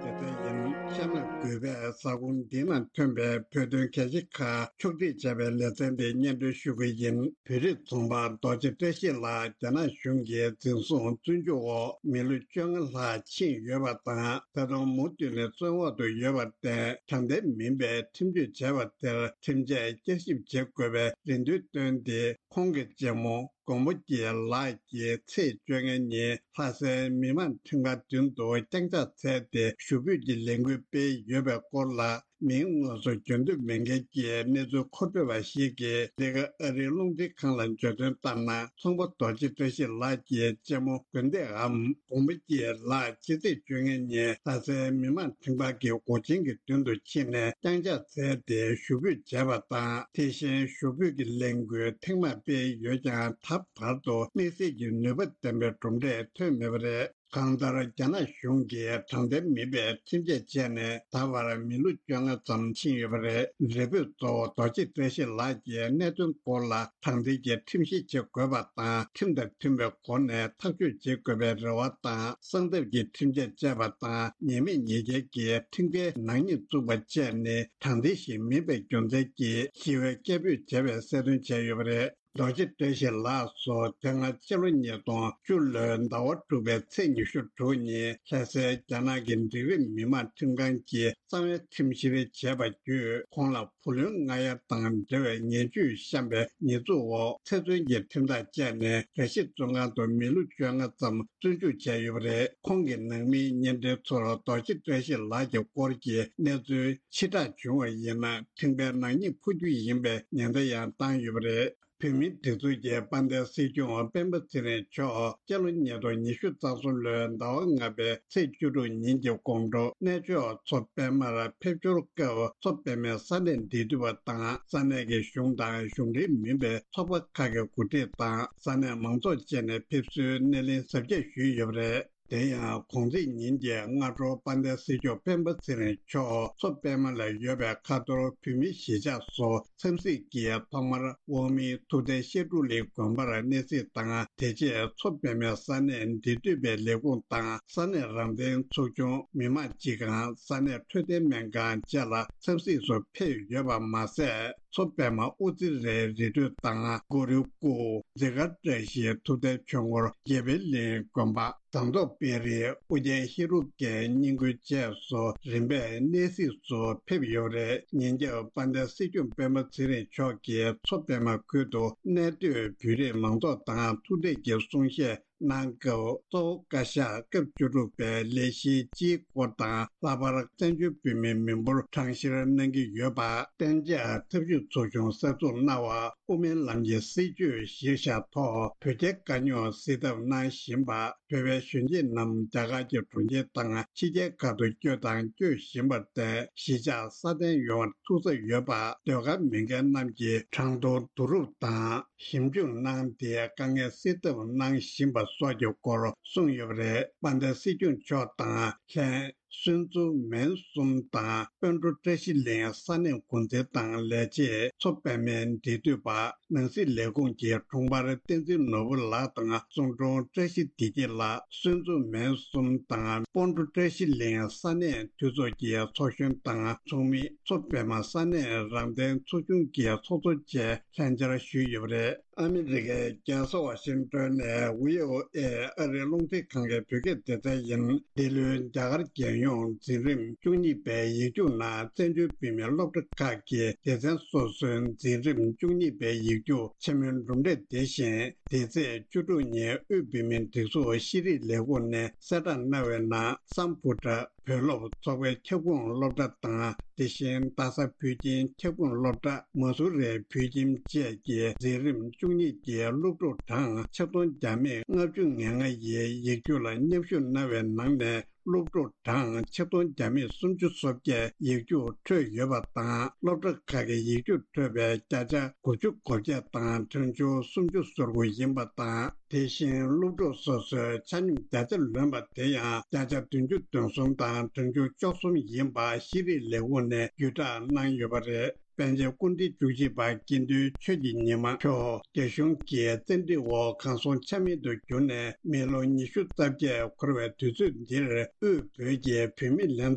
དེ་ལྟར་ཡིན། ཤར་ནག་རྒུད་པའི་ས་ཁོངས་འདི་ནང་ཐོན་པའི་བོད་དོན་གལ་ཆེ་ཁག་ཕྱོགས་སྒྲིག་བྱས་པའི་ལེ་ཚན་འདི་སྙན་སྒྲོན་ཞུ་གི་ཡིན། བོད་རིགས་ཚོང་པ་རྡོ་རྗེ་བཀྲ་ཤིས་ལགས་རྒྱ་ནག་གཞུང་གིས་འཛིན་བཟུང་བཙོན་འཇུག་འོག་མི་ལོ་བཅོ་ལྔ་ལྷག་ཕྱིན་ཡོད་པ་དང་། ད་དུང་མུ་མཐུད་ནས་བཙོན་འོག་ཏུ་ཡོད་པར་བརྟེན། དྲང་བདེན་མིན་པའི་ཁྲིམས་གཅོད་བྱས་པ་དེར་ཁྲིམས་ཆད་བསྐྱར་ཞིབ་བྱེད་དགོས་པའི་རེ་འདུན་བཏོན་ཏེ། ཁོང་གི་གཅེན་མོ་མགོན་པོ་སྐྱིད་ལགས་ཀྱིས་ཚེས་བཅོ་ལྔ་ཉིན་ལྷ་སའི་མི་དམངས་ཁྲིམས་ཁང་མདུན་དུ་རྐྱང་ཕྱག་འཚལ་ཏེ་ཞུ་འབོད་ཀྱི་ལས་འགུལ་སྤེལ་ཡོད་པའི་སྐོར་ལ། མིང་དངོས་སུ་བརྗོད་འདོད་མེད་མཁན་གྱི་གནས་ཚུལ་མཁོ་སྤྲོད་པ་ཞིག་གིས། འདི་ག་ཨ་རིའི་རླུང་འཕྲིན་ཁང་ལ་བརྗོད་དོན་ལྟར་ན། ཚོང་པ་རྡོ་རྗེ་བཀྲ་ཤིས་ལགས་ཀྱི་གཅེན་མོ་དགོན་སྡེའམ་མགོན་པོ་སྐྱིད་ལགས་ཕྱི་ཚེས་བཅོ་ལྔ་ཉིན་ལྷ་སའི་མི་དམངས་ཁྲིམས་ཁང་གི་སྒོ་ཆེན་གྱི་མདུན་དུ་ཕྱིན་ནས་རྐྱང་ཕྱག་འཚལ་ཏེ་ཞུ་འབོད་བྱས་པ་དང་། དེ་བཞིན་ཞུ་འབོད་ཀྱི་ལས་འགུལ་ཐེངས་མང་སྤེལ་ཡོད་ཀྱང་། ད་བར་དུ་དམིགས་བསལ་གྱི་ནུས་པ་ལྡན་པའི་གྲུབ་འབྲས་ཐོན་མེད་པ་རེད། གང་ལྟར། རྒྱ་ནག་གཞུང་གིས་དྲང་བདེན་མིན་པའི་ཁྲིམས་ཆད་བཅད་ནས་ད་བར་མི་ལོ་བཅོ་ལྔ་ཙམ་ཕྱིན་ཡོད་པ་རེད། རེ་འབོད་གཙོ་བོ་རྡོ་རྗེ་བཀྲ་ཤིས་ལགས་ཀྱིས་གནད་དོན་སྐོར་ལ་དྲང་བདེན་གྱི་ཁྲིམས་བཤེར་བྱེད་དགོས་པ་དང་། ཁྲིམས་དང་མཐུན་པའི་སྒོ་ནས་ཐག་གཅོད་བྱེད་དགོས་པའི་རེ་བ་དང་། གསང་ཐབས་ཀྱི་ཁྲིམས་ཆད་བཅད་པ་དང་། ཉེས་མེད་ཉེས་རྒྱལ་གྱི་ཁྲིམས་འགལ་ནག་ཉེས་བཙུགས་པ་བཅས་ནི་དྲང་བདེན་ཞིག་མིན་པའི་རྒྱུ་མཚན་གྱིས་ཞི་བའི་སྐད་འབོད་བྱས་པའི་གསལ་སྟོན་བྱས་ཡོད་པ་རེད། རྡོ་རྗེ་བཀྲ་ཤིས་ལགས་སུ་དེ་སྔ་ཕྱི་ལོ་ཉིས་སྟོང་བཅུ་ལོའི་ཟླ་བ་དྲུག་པའི་ཚེས་ཉི་ཤུ་དྲུག་ཉིན་ལྷ་སའི་རྒྱ་ནག་གི་འབྲིང་རིམ་མི་དམངས་ཁྲིམས་ཁང་གིས་གསང་བའི་ཁྲིམས་བཤེར་བྱས་པ་བརྒྱུད། ཁོང་ལ་བུ་ལོན་མངགས་ཡ་དང་འབྲེལ་བའི་ངན་ཇུས་བཤམས་པའི་ཉེས་འཛུགས་འོག་ཚེ་བཙོན་གྱི་ཁྲིམས་ཐག་བཅད་ནས། ར་ཤི་བཙོན་ཁང་དུ་མི་ལོ་བཅོ་ལྔ་ཙམ་བཙོན་འཇུག་བྱས་ཡོད་པ་རེད། ཁོང་གི་ནང་མིའི་བརྙན་འཕྲིན་ཚོར་རྡོ་རྗེ་བཀྲ་ཤིས་ལགས་ཀྱི་སྐོར་གྱི་གནས་ཚུལ་ཕྱིར་བསྒྲགས་བྱུང་བ་ཡིན་ན། ཁྲིམས་འགལ་ནག་ཉེས་ཕོག་རྒྱུ་ཡིན་པའི་ཉེན་བརྡ་ཡང་བཏང་ཡོད་པ་རེད། བོད་མིའི་སྒྲིག་འཛུགས་ཀྱི་དཔལ་ལྡན་སྲིད་སྐྱོང་སྤེན་པ་ཚེ་རིང་མཆོག་སྤྱི་ལོ་ཉིས་སྟོང་ཉི་ཤུ་རྩ་གསུམ་ལོའི་ཟླ་བ་ལྔ་པའི་ཚེས་བཅུ་དྲུག་ཉིན་གྱི་དགོང་དྲོ་གནས་མཆོག་མཚོ་པད་མར་ཕེབས་འབྱོར་སྐབས། མཚོ་པད་མའི་ས་གནས་འབྲེལ་མཐུད་པ་དང་། ས་གནས་ཀྱི་གཞུང་དང་གཞུང་འབྲེལ་མིན་པའི་ཚོགས་པ་ཁག་གི་འགོ་ཁྲིད་དང་ས་གནས་མང་ཚོགས་བཅས་ནས་ཕེབས་བསུའི་སྣེ་ལེན་གཟབ་རྒྱས་ཞུས་ཡོད་པ་རེད། དེ་ཡང་གུང་ཚིགས་ཉིན་གྱི་སྔ་དྲོ་དཔལ་ལྡན་སྲིད་སྐྱོང་སྤེན་པ་ཚེ་རིང་མཆོག་མཚོ་པད་མ་ལ་ཡོད་པའི་ཁ་ཐོར་བོད་མིའི་གཞིས་ཆགས་སུ་འཚམས་གཟིགས་ཀྱིས་ཐོག་མར་དབུ་མའི་ཐུབ་བསྟན་བཤད་སྒྲུབ་གླིང་དགོན་པར་གནས་གཟིགས་དང་། དེ་རྗེས་མཚོ་པད་མའི་ས་གནས་འབྲེལ་མཐུད་པའི་ལས་ཁུངས་དང་། ས་གནས་རང་བདེན་ཚོགས་ཆུང་། མི་དམངས་སྤྱི་ཁང་། ས་གནས་འཕྲོད་བསྟེན་སྨན་ཁང་བཅས་ལ་འཚམས་གཟིགས་སུ་ཕེབས་ཡོད་པ་མ་ཟད། མཚོ་པད་མ་དབུ་རྩེ་རའི་རི་ཁྲོད་དང་། གུ་རུའི་སྐུ། འཛི་སྒར་བཀྲ་ཤིས་ཐུབ་བསྟན་ཆོས་འཁོར་དགེ་འཕེལ་གླིང་དགོན་པ། ཟངས་མདོག་དཔལ་རི། ཨོ་རྒྱན་ཧེ་རུ་ཀའི་སྙིང་དགོན་བཅས་སུ་རིམ་པས་གནས་གཟིགས་སུ་ཕེབས་ཡོད་པ་རེད། ཉིན་རྒྱབ་དཔལ་ལྡན་སྲིད་སྐྱོང་སྤེན་པ་ཚེ་རིང་མཆོག་གིས་མཚོ་པད་མ་ཁུལ་དུ་གནས་སྡོད་བོད་རིགས་མང་ཚོགས་དང་ཐུག་འཕྲད་ཀྱིས་གསུང་བཤད་གནང་སྐབས། གཙོ་བོ་བཀའ་ཤག་སྐབས་བཅུ་དྲུག་པའི་ལས་གཞིའི་སྤྱིའི་སྐོར་དང་། ལྷག་པར་བཙན་བྱོལ་བོད་མིའི་མི་འབོར་གྲངས་བཤེར་གནང་གི་ཡོད་པ། གཏན་འཇགས་ཐབས་ཇུས་ཚོགས་ཆུང་གསར་འཛུགས་གནང་བ། དབུ་མའི་ལམ་གྱི་སྲིད་བྱུས་གཞིར་བཞག་ཐོག་བོད་རྒྱའི་དཀའ་རྙོག་སེལ་ཐབས་གནང་བཞིན་པ། བོད་པའི་གཞོན་སྐྱེས་རྣམས་རྒྱ་གར་གྱི་གྲོང་ཁྱེར་དང་ཕྱི་རྒྱལ་ཁག་ཏུ་བསྐྱོད་དང་སྐྱོད་བཞིན་པར་བརྟེན། གཞིས་ཆགས་སྲ་བརྟན་ཡོང་བར་ཐུགས་འཚབ་ཡོད་པ། ཟློས་གར་མི་སྒེར་རྣམས་ཀྱིས་གྲངས་ཐོ་བསྡུ་རུབ་དང་ཞིབ་འཇུག་གནང་སྟེ། དཀའ་ངལ་སེལ་ཐབས་གནང་བཞིན་པ་སོགས་ཀྱི་སྐོར་གསུངས་ཡོད་པ་རེད། དཔལ་ལྡན་སྲིད་སྐྱོང་མཆོག་དང་ལྷན། སུན་ཙུ་མན་གསུམ་དང་། དཔོན་སྤྲུལ་བཀྲ་ཤིས་གླིང་ས་གནས་འགོ་འཛིན་དང་ལས་བྱེད། མཚོ་པད་མའི་འབྲེལ་མཐུད་པ། ནང་སྲིད་ལས་ཁུངས་ཀྱི་དྲུང་འཕར་བསྟན་འཛིན་ནོར་བུ་ལགས་དང་གསུང་དྲུང་བཀྲ་ཤིས་བདེ་སྐྱིད་ལགས། སུན་ཙུ་མན་གསུམ་དང་། དཔོན་སྤྲུལ་བཀྲ་ཤིས་གླིང་ས་གནས་འཐུས་ཚོགས་ཀྱི་ཚོགས་གཞོན་དང་ཚོགས་མི། མཚོ་པད་མ་ས་གནས་རང་བདེན་ཚོགས་ཆུང་གི་ཚོགས་གཙོ་བཅས་ལྷན་བཅར་ཞུས་ཡོད་པ་རེད། ཨ་མི་རི་ཀའི་རྒྱལ་ས་ཝ་ཤིང་ཏོན་ནས་བྷི་ཨོ་ཨེ་ཨ་རིའི་རླུང་འཕྲིན་ཁང་གི་བོད་སྐད་སྡེ་ཚན་ཡིན། འདི་ལོའི་རྒྱ་གར་རྒྱལ་ཡོངས་འཛིན་རིམ་བཅུ་གཉིས་པའི་ཡིག་རྒྱུགས་ནང་བཙན་བྱོལ་བོད་མིའི་སློབ་གྲྭ་ཁག་གི་སྡེ་ཚན་སོ་སོའི་འཛིན་རིམ་བཅུ་གཉིས་པའི་ཡིག་རྒྱུགས་ཆེན་མོའི་གྲུབ་འབྲས་དེ་བཞིན། འདི་ཚེས་བཅུ་དྲུག་ཉིན་དབུས་བོད་མིའི་སྒྲིག་འཛུགས་ཤེས་རིག་ལས་ཁུངས་ནས་གསལ་བསྒྲགས་གནང་བའི་ནང་། སམ་བྷོ་ཊ་བོད་སློབ་ཚོགས་པའི་ཁྱབ་ཁོངས་སློབ་གྲྭ་དང་། དེ་བཞིན་རྡ་ས་བོད་ཁྱིམ་ཁྱབ་ཁོངས་སློབ་གྲྭ། མ་སུ་རི་བོད་ཁྱིམ་བཅས་ཀྱི་འཛིན་རིམ་བཅུ་གཉིས་ཀྱི་སློབ་ཕྲུག་གྲངས་ཆིག་སྟོང་བརྒྱ་མེད་ལྔ་བཅུ་ང་ལྔ་ཡིས་ཡིག་རྒྱུགས་ལ་མཉམ་ཞུགས་གནང་བའི་ནང་ནས། སློབ་ཕྲུག་གྲངས་ཆིག་སྟོང་བརྒྱ་མེད་སུམ་ཅུ་སོ་བརྒྱད་ཡིག་རྒྱུགས་འཕྲོད་ཡོད་པ་དང་། སློབ་གྲྭ་ཁག་གི་ཡིག་རྒྱུགས་འཕྲོད་པའི་བརྒྱ་ཆ་དགུ་བཅུ་གོ་བརྒྱད་དང་གྲངས་ཆུང་སུམ་ཅུ་སོ་དགུ་ཡིན་པ་དང་། དེ་བཞིན་སློབ་ཕྲུག་སོ་སོའི་ཆ་སྙོམས་བརྒྱ་ཆ་ལོན་པ་དེ་ཡང་བརྒྱ་ཆ་བདུན་ཅུ་དོན་གསུམ་དང་གྲངས་ཆུང་བཅུ་གསུམ་ཡིན་པ་ཤེས་རིག་ལས་ཁུངས་ནས་བརྒྱུད་བསྒྲགས་གནང་ཡོད་པ་རེད། པཎ་ཆེན་སྐུ་ཕྲེང་བཅུ་གཅིག་པ་དགེ་འདུན་ཆོས་ཀྱི་ཉི་མ་མཆོག་རྒྱ་གཞུང་གི་བཙན་ཁྲིད་འོག་གང་སོང་ཆ་མེད་དུ་གྱུར་ནས་མི་ལོ་ཉི་ཤུ་རྩ་བརྒྱད་འཁོར་བའི་དུས་ཚོད་འདིར། དབུས་བོད་ཀྱི་བུད་མེད་ལྷན་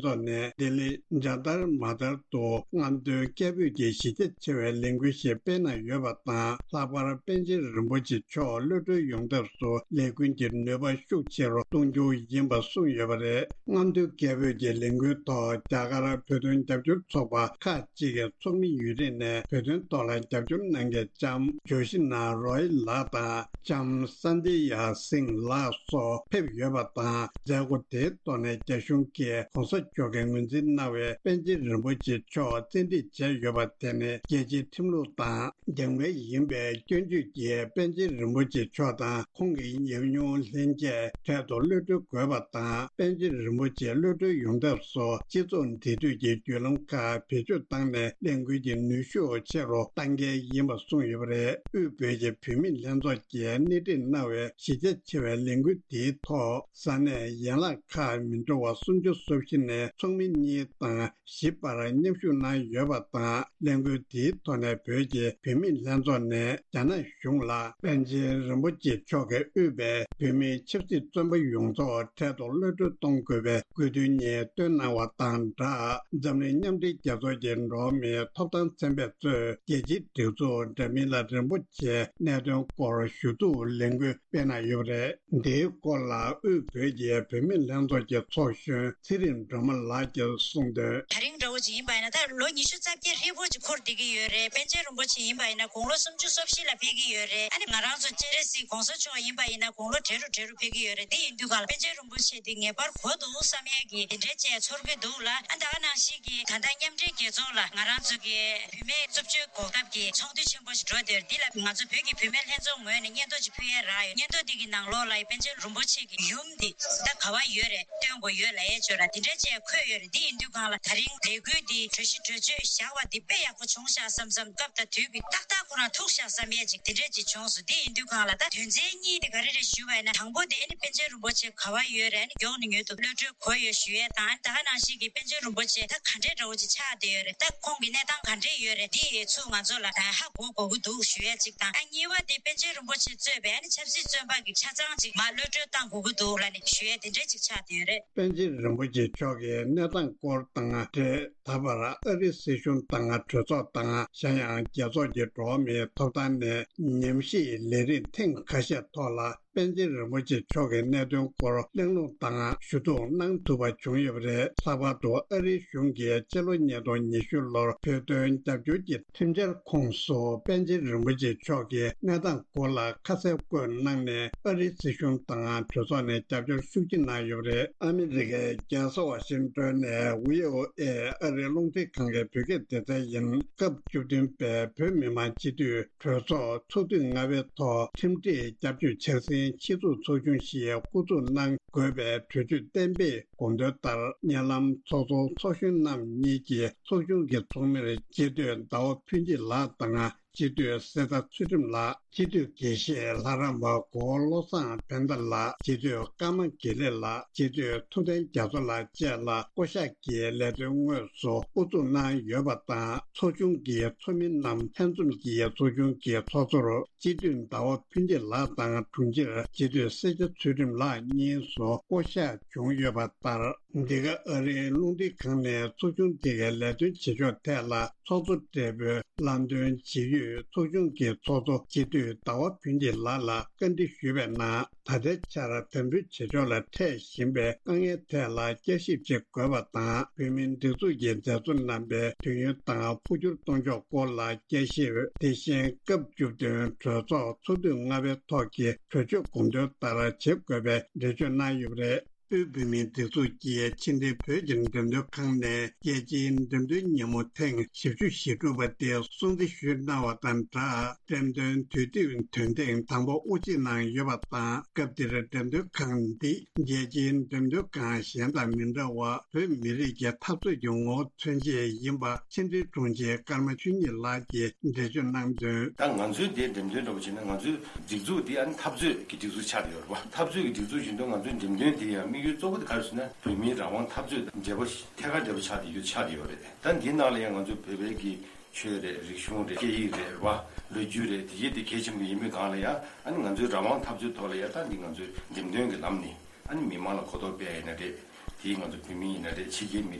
ཚོགས་ནས་ལྡི་ལི་ཇཱ་ཏར་མ་ཏར་དུ་རྔམ་སྟོན་སྐད་འབོད་ཀྱི་གཞི་རྒྱ་ཆེ་བའི་ལས་འགུལ་ཞིག་སྤེལ་གནང་ཡོད་པ་དང་། ལྷག་པར་པཎ་ཆེན་རིན་པོ་ཆེ་མཆོག་གློད་གྲོལ་ཡོང་ཐབས་སུ་ལས་འགུལ་གྱི་ནུས་པ་ཤུགས་ཆེ་རུ་གཏོང་རྒྱུ་ཡིན་པ་གསུངས་ཡོད་པ་རེད། རྔམ་སྟོན་སྐད་འབོད་ཀྱི་ལས་འགུལ་ཐོག་རྒྱ་གར་བོད་དོན་རྒྱབ་སྐྱོར་ཚོགས་པ་ཁག་ཅིག་གི་ཚོགས་མི་ཡུན་རིང་ནས་བོད་དོན་ཐོག་ལ་རྒྱབ་སྐྱོར་གནང་མཁན་ལྕམ་ཇོ་ཤི་ན་རོ་ཡི་ལགས་དང་། ལྕམ་སན་དི་ཡ་སིང་ལགས་སོགས་ཕེབས་ཡོད་པ་དང་། མཛད་སྒོ་དེའི་ཐོག་ནས་རྒྱ་གཞུང་གིས་གོང་ས་མཆོག་གིས་ངོས་འཛིན་གནང་བའི་པཎ་ཆེན་རིན་པོ་ཆེ་མཆོག་བཙན་ཁྲིད་བྱས་ཡོད་པ་དེ་ནི་རྒྱལ་སྤྱིའི་ཁྲིམས་ལུགས་དང་འགལ་མེད་ཡིན་པའི་སྐྱོན་བརྗོད་ཀྱིས། པཎ་ཆེན་རིན་པོ་ཆེ་མཆོག་དང་ཁོང་གི་ཉམས་མྱོང་ལྷན་རྒྱས་འཕྲལ་དུ་གློད་གྲོལ་དགོས་པ་དང་། པཎ་ཆེན་རིན་པོ་ཆེ་གློད་གྲོལ་ཡོང་ཐབས་སུ་སྤྱི་ཚོགས་འབྲེལ་མཐུད་ཀྱི་བརྒྱུད་ལམ་ཁག་བེད་སྤྱོད་བཏང་ནས་ལས་འགུལ་གྱི་ནུས་ཤུགས་ཆེ་རུ་གཏང་གལ་ཡིན་པ་གསུངས་ཡོད་པ་རེད། དབུས་བོད་ཀྱི་བུད་མེད་ལྷན་ཚོགས་ཀྱིས་སྣེ་ཁྲིད་གནང་བའི་གཞི་རྒྱ་ཆེ་བའི་ལས་འགུལ་དེའི་ཐོག་ས་གནས་ཡན་ལག་ཁག་མི་འདྲ་བ་སུམ་ཅུ་སོ་བཞི་ནས་ཚོགས་མི་གཉིས་དང་བཞི་བར་མཉམ་ཞུགས་གནང་ཡོད་པ་དང་། ལས་འགུལ་དེའི་ཐོག་ནས་བོད་ཀྱི་བུད་མེད་ལྷན་ཚོགས་ནས་རྒྱ་ནག་གཞུང་ལ་པཎ་ཆེན་རིན་པོ་ཆེ་མཆོག་གིས་དབུས་པའི་བོད་མིའི་ཆབ་སྲིད་བཙོན་པ་ཡོངས་རྫོགས་འཕྲལ་དུ་གློད་གྲོལ་གཏོང་དགོས་པའི་དགོས་འདུན་གཉིས་བཏོན་གནང་བ་དང་སྦྲགས། འཛམ་གླིང་མཉམ་འབྲེལ་རྒྱལ་ཚོགས་ཀྱི་འགྲོ་བ་མིའི་ཐོབ་ཐང་ཚན་པས་གཙོས་རྒྱལ་སྤྱིའི་སྒྲིག་འཛུགས་འདྲ་མིན་ལ་རིན་པོ་ཆེའི་གནད་དོན་སྐོར་ཞུ་གཏུག་ལས་འགུལ་སྤེལ་གནང་ཡོད་པ་རེད། འདིའི་སྐོར་ལ་དབུས་བོད་ཀྱི་བུད་མེད་ལྷན་ཚོགས་ཀྱི་ཚོགས་གཞོན་ཚེ་རིང་སྒྲོལ་མ་ལགས་ཀྱིས་གསུངས་དོན། དེ་རིང་འདྲ་བོ་ཅིག་ཡིན་པ་ཡིན་ན་ད་ལོ་ཉི་ཤུ་རྩ་བརྒྱད་ཧྲིལ་པོ་ཅིག་འཁོར་བསྡད་ཀྱི་ཡོད་རེད། པཎ་ཆེན་རིན་པོ་ཆེ་ཡིན་པ་ཡིན་ན་དགུང་ལོ་སུམ་ཅུ་སོ་བཞི་ལ་ཕེབས་ཀྱི་ཡོད་རེད། ཨ་ནི་ང་རང་ཚོ་སྤྱན་རས་གཟིགས་གོང་ས་མཆོག་ཡིན་པ་ཡིན་ན་དགུང་ལོ་བགྲེས་རུ་བགྲེས་རུ་ཕེབས་ཀྱི་ཡོད་རེད། འདི་ཡིན་དུས་ག་ལ་པཎ་ཆེན་རིན་པོ་ཆེ་འདི་ངེས་པར་དགོས་འདུག་བསམ་ཡས་ཀྱི་འདི་འདྲའི་བཅས་ཚོར་གྱི་འདུག་ལ། ཨ་ད་ག་ནང་བཞིན་གྱི་ད་ལྟ་མཉམ་འབྲེལ་རྒྱལ་ཚོགས་ལ་ང་རང་ཚོ་གི་བུད་མེད་རྩུབ་སྤྱོད་འགོག་ཐབས་ཀྱི་ཚོགས་འདུ་ཆེན་པོ་ཞིག་འགྲོ་བསྡད་ཡོད་རེད། འདི་ལ་ང་ཚོ་བོད་ཀྱི་བུད་མེད་ལྷན་ཚོགས་ངོས་ནས་སྙན་ཐོ་ཅིག་ཕུལ་ཡས་རག་ཡོད། སྙན་ཐོ་འདི་གི་ནང་ལོགས་ལ་པཎ་ཆེན་རིན་པོ་ཆེ་གི་ཡུམ་འདི་ད་ག་བ་ཡོད་རེད། སྟོན་དགོས་ཡོད་ལབ་ཡས་ཅིག་ཡོད་ར། འདི་འདྲ་ཅིག་འཁོད་ཡོད་རེད། འདི་ཡིན་དུས་སྒང་ལ་ད་རིང་ལས་འགུལ་འདི་གྲོས་གཞི་གྲོས་ཆོད་བཞག་པ་འདི་དཔེ་ཡག་པོ་བྱུང་ཤག་བསམ་བསམ། སྐབས་དང་དུས་ཀྱི་ཏག་ཏག་ཁོ་རང་ཐུག་ཤག་བསམ་ཡས་ཅིག་འདི་འདྲ་ཅིག་བྱུང་སོང་། འདི་ཡིན་དུས་སྒང་ལ་ད་དོན་ཚན་གཉིས་དེ་ག་རེ་རེད་ཞུས་པ་ཡིན་ན། དང་པོ་དེ་ཨ་ནི་པཎ་ཆེན་རིན་པོ་ཆེ་ག་བ་ཡོད་རེད། ཨ་ནི་མགྱོགས་ནས་མྱུར་དུ་གློད་གྲོལ་དགོས་ཡོད་ཞུ་ཡས་དང་། ཨ་ནི་ད་ག་ནང་བཞིན་གྱི་པཎ་ཆེན་རིན་པོ་ཆེ་ད་ག་འདྲའི་འདྲ་བོ་ཅིག་ཆགས་བསྡད་ཡོད་རེད། ད་ཁོང་གི་གནས་སྟངས་ག་འདྲས་ཡོད་རེད། འདི་ཚུར་ང་ཚོ་ལ་ཧ་གོ་དགོས་ཀྱི་འདུག་ཞུ་ཡས་ཅིག་དང་། ཨ་གཉིས་པ་དེ་པཎ་ཆེན་རིན་པོ་ཆེ་གཙོས་པའི་ཨ་ནི་ཆབ་སྲིད་བཙོན་པ་གི་ཆ་ཚང་ཅིག་མར་གློད་གྲོལ་བཏང་དགོས་ཀྱི་འདུག་ལབ་ནས་ཞུ་ཡས་དེ་འདྲས་ཅིག་ཆགས་བསྡད་ཡོད་རེད། པཎ་ཆེན་རིན་པོ་ཆེ་མཆོག་གི་གནས་སྟངས་སྐོར་དང་འབྲེལ། ད་བར་ཨ་རིའི་སྲིད་གཞུང་དང་གྲོས་ཚོགས་དང་། གཞན་ཡང་རྒྱལ་ཚོགས་ཀྱི་འགྲོ་བ་མིའི་ཐོབ་ཐང་ནས་ཉམས་ཞིབ་ལས་རིམ་ཐེངས་ཁ་ཤས་ཐོག་ལ། པཎ་ཆེན་རིན་པོ་ཆེ་མཆོག་གི་གནད་དོན་སྐོར་གླེང་སློང་དང་ཞུ་གཏུག་གནང་ཐུབ་པ་བྱུང་ཡོད་པ་རེད། ལྷག་པར་དུ་ཨ་རིའི་གཞུང་གིས་ཕྱི་ལོ་ཉིས་སྟོང་ཉི་ཤུ་ལོར་བོད་དོན་རྒྱབ་སྐྱོར་གྱི་མཐུན་འབྲེལ་ཁོངས་སུ་པཎ་ཆེན་རིན་པོ་ཆེ་མཆོག་གི་གནས་སྟངས་སྐོར་ལ་ཁ་གསལ་བཀོད་གནང་ནས། ཨ་རིའི་སྲིད་གཞུང་དང་གྲོས་ཚོགས་ནས་རྒྱབ་སྐྱོར་ཤུགས་ཆེ་གནང་ཡོད་པ་རེད། ཨ་མི་རི་ཀའི་རྒྱལ་ས་ཝ་ཤིང་ཏོན་ནས་བྷི་ཨོ་ཨེ་ཨ་རིའི་རླུང་འཕྲིན་ཁང་གི་བོད་སྐད་སྡེ་ཚན་ཡིན། སྐབས་བཅུ་བདུན་པའི་བོད་མི་མང་སྤྱི་འཐུས་གྲོས་ཚོགས་ཚོགས་དུས་ལྔ་པའི་ཐོག་ཁྲིམས་སྒྲིག་སྐྱབས་བཅོལ་འཆར་ཟིན་ཕྱིར་ཚུགས་ཚོགས་ཆུང་ཞིག་སྐུ་ཚུགས་གནང་དགོས་པའི་གྲོས་ཆོད་གཏན་འབེབས་དགོངས་དོན་ལྟར། བརྙན་ལམ་ཚོགས་གཙོ་ཚོགས་གཞོན་རྣམ་གཉིས་ཀྱིས་ཚོགས་ཆུང་གི་ཚོགས་མིར་སྤྱི་འཐུས་ཟླ་བ་ཕུན་སྐྱིད་ལགས་དང་། སྤྱི་འཐུས་གསེར་རྟ་ཚུལ་ཁྲིམས་ལགས། སྤྱི་འཐུས་དགེ་བཤེས་ལྷ་རམས་པ་གོ་བོ་བློ་བཟང་ཕན་བདེ་ལགས། སྤྱི་འཐུས་ཀརྨ་དགེ་ལེགས་ལགས། སྤྱི་འཐུས་ཐུབ་བསྟན་རྒྱ་མཚོ་ལགས་བཅས་ལ་བསྐོ་གཞག་གི་ལས་དོན་དངོས་སུ་དབུ་འཛུགས་གནང་ཡོད་པ་དང་། ཚོགས་ཆུང་གི་ཚོགས་མི་རྣམས་ལྷན་འཛོམས་ཀྱིས་ཚོགས་ཆུང་གི་ཚོགས་གཙོར་སྤྱི་འཐུས་ཟླ་བ་ཕུན་སྐྱིད་ལགས་དང་། དྲུང་ཆེར་སྤྱི་འཐུས་གསེར་རྟ་ཚུལ་ཁྲིམས་ལགས་གཉིས་སུ་བསྐོ་གཞག་བྱུང་ཡོད་པ་ལྟར། འདི་ག་ཨ་རིའི་རླུང་འཕྲིན་ཁང་ནས་ཚོགས་ཆུང་འདི་གའི་ལས་དོན་བྱེད་ཕྱོགས་ཐད་ལ་ཚོགས་གཙོ་སྦྲེལ་པོས་ལམ་སྟོན་བྱེད་ཡུལ། ཚོགས་ཆུང་གི་ཚོགས་གཙོ་སྤྱི་འཐུས་ཟླ་བ་ཕུན་སྐྱིད་ལགས་ལ་བཀའ་འདྲི་ཞུས་པའི་ནང་། ད་ལྟའི་ཆར་དམ་འབུལ་བྱེད་ཕྱོགས་ལ་འཕྲད་བཞིན་པའི་དཀའ་ངལ་ཐད་ལ་བསྐྱར་ཞིབ་བྱེད་དགོས་པ་དང་། བོད་མིའི་སྒྲིག་འཛུགས་ཀྱི་མཛད་གཙོ་རྣམ་པའི་དུས་ཡུན་དང་འཕོ་འགྱུར་གཏོང་ཕྱོགས་སྐོར་ལ་དཔྱད་ཞིབ། དེ་བཞིན་སྐབས་བཅུ་བདུན་གྲོས་ཚོགས་ཚོགས་དུས་ལྔ་པའི་ཐོག་གི་གྲོས་ཆོད་དགོངས་དོན་ལྟར་བྱེད་དགོས་པའི་འགྲེལ་བརྗོད་གནང་ཡོད་པ་རེད། དབུས་བོད་མིའི་སྒྲིག་འཛུགས་ཀྱིས་ཕྱི་འབྲེལ་བོད་ཀྱི་འགྲེམས་སྟོན་ཁང་ནས་རྒྱལ་སྤྱིའི་འགྲེམས་སྟོན་ཉིན་མོ་ཐེངས་བཞི་བཅུ་ཞེ་དྲུག་པ་དེ་སྲུང་བརྩི་ཞུས་གནང་བ་དང་སྦྲགས། འགྲེམས་སྟོན་དུས་དེབ་དོན་ཐེངས་དང་པོ་དབུ་འབྱེད་གནང་ཡོད་པ་དང་། སྐབས་དེར་འགྲེམས་སྟོན་ཁང་འདི་རྒྱལ་སྤྱིའི་འགྲེམས་སྟོན་ཁང་གཞན་དང་མི་འདྲ་བར་བོད་མི་རིགས་ཀྱི་འཐབ་རྩོད་ཀྱི་ངོ་བོ་མཚོན་བྱེད་ཡིན་པ་ཕྱི་འབྲེལ་དྲུང་ཆེ་ཀརྨ་ཆོས་ཉིད་ལགས་ཀྱིས་འགྲེལ་བརྗོད་གནང་དོན། ད་ང་ཚོའི་འདིར་འགྲེམས་སྟོན་འདྲ་པོ་བྱས་ན། ང་ཚོའི་སྒྲིག་འཛུགས་འདི་ཨ་ནི་འཐབ་རྩོད་ཀྱི་སྒྲིག་འཛུགས་ཆགས་བསྡད་ཡོད་རེད་པ། འཐབ་རྩོད་ཀྱི་སྒྲིག་འཛུགས་བཞིན་དུ་ང་ཚོའི་འགྲེམས་སྟོན་འདི་ཡང་དམིགས་ཡུལ་གཙོ་བོ་དེ་ག་རེ་ཟེར་ན། བོད་མིའི་རང་དབང་འཐབ་རྩོད་དང་འབྲེལ་བ་ཐད་ཀར་འབྲེལ་བ་ཆགས་བསྡད་ཡོད། ཆགས་བསྡད་ཡོད་རེད། ད་འདིའི་ནང་ལ་ཡང་ང་ཚོའི་བོད་པའི་གི་ཆོས་རེད། རིག་གཞུང་རེད། སྐད་ཡིག་རེད་པ། ལོ་རྒྱུས་རེད། དེ་གའི་དེ་གལ་ཆེན་པོ་ཡིན་པའི་སྒང་ལ་ཡང་། ཨ་ནི་ང་ཚོའི་རང་དབང་འཐབ་རྩོད་ཐོག་ལ་ཡང་ད་འདི་ང་ཚོའི་འགྲེམས་སྟོན་གྱི་ལམ་ནས། ཨ་ནི་མི་མང་ལ་གོ་རྟོགས་སྤེལ་ཡིན་ན་རེད། དེའི་ང་ཚོ་བོད་མི་ཡིན་ན་རེད། ཕྱི་རྒྱལ་མི་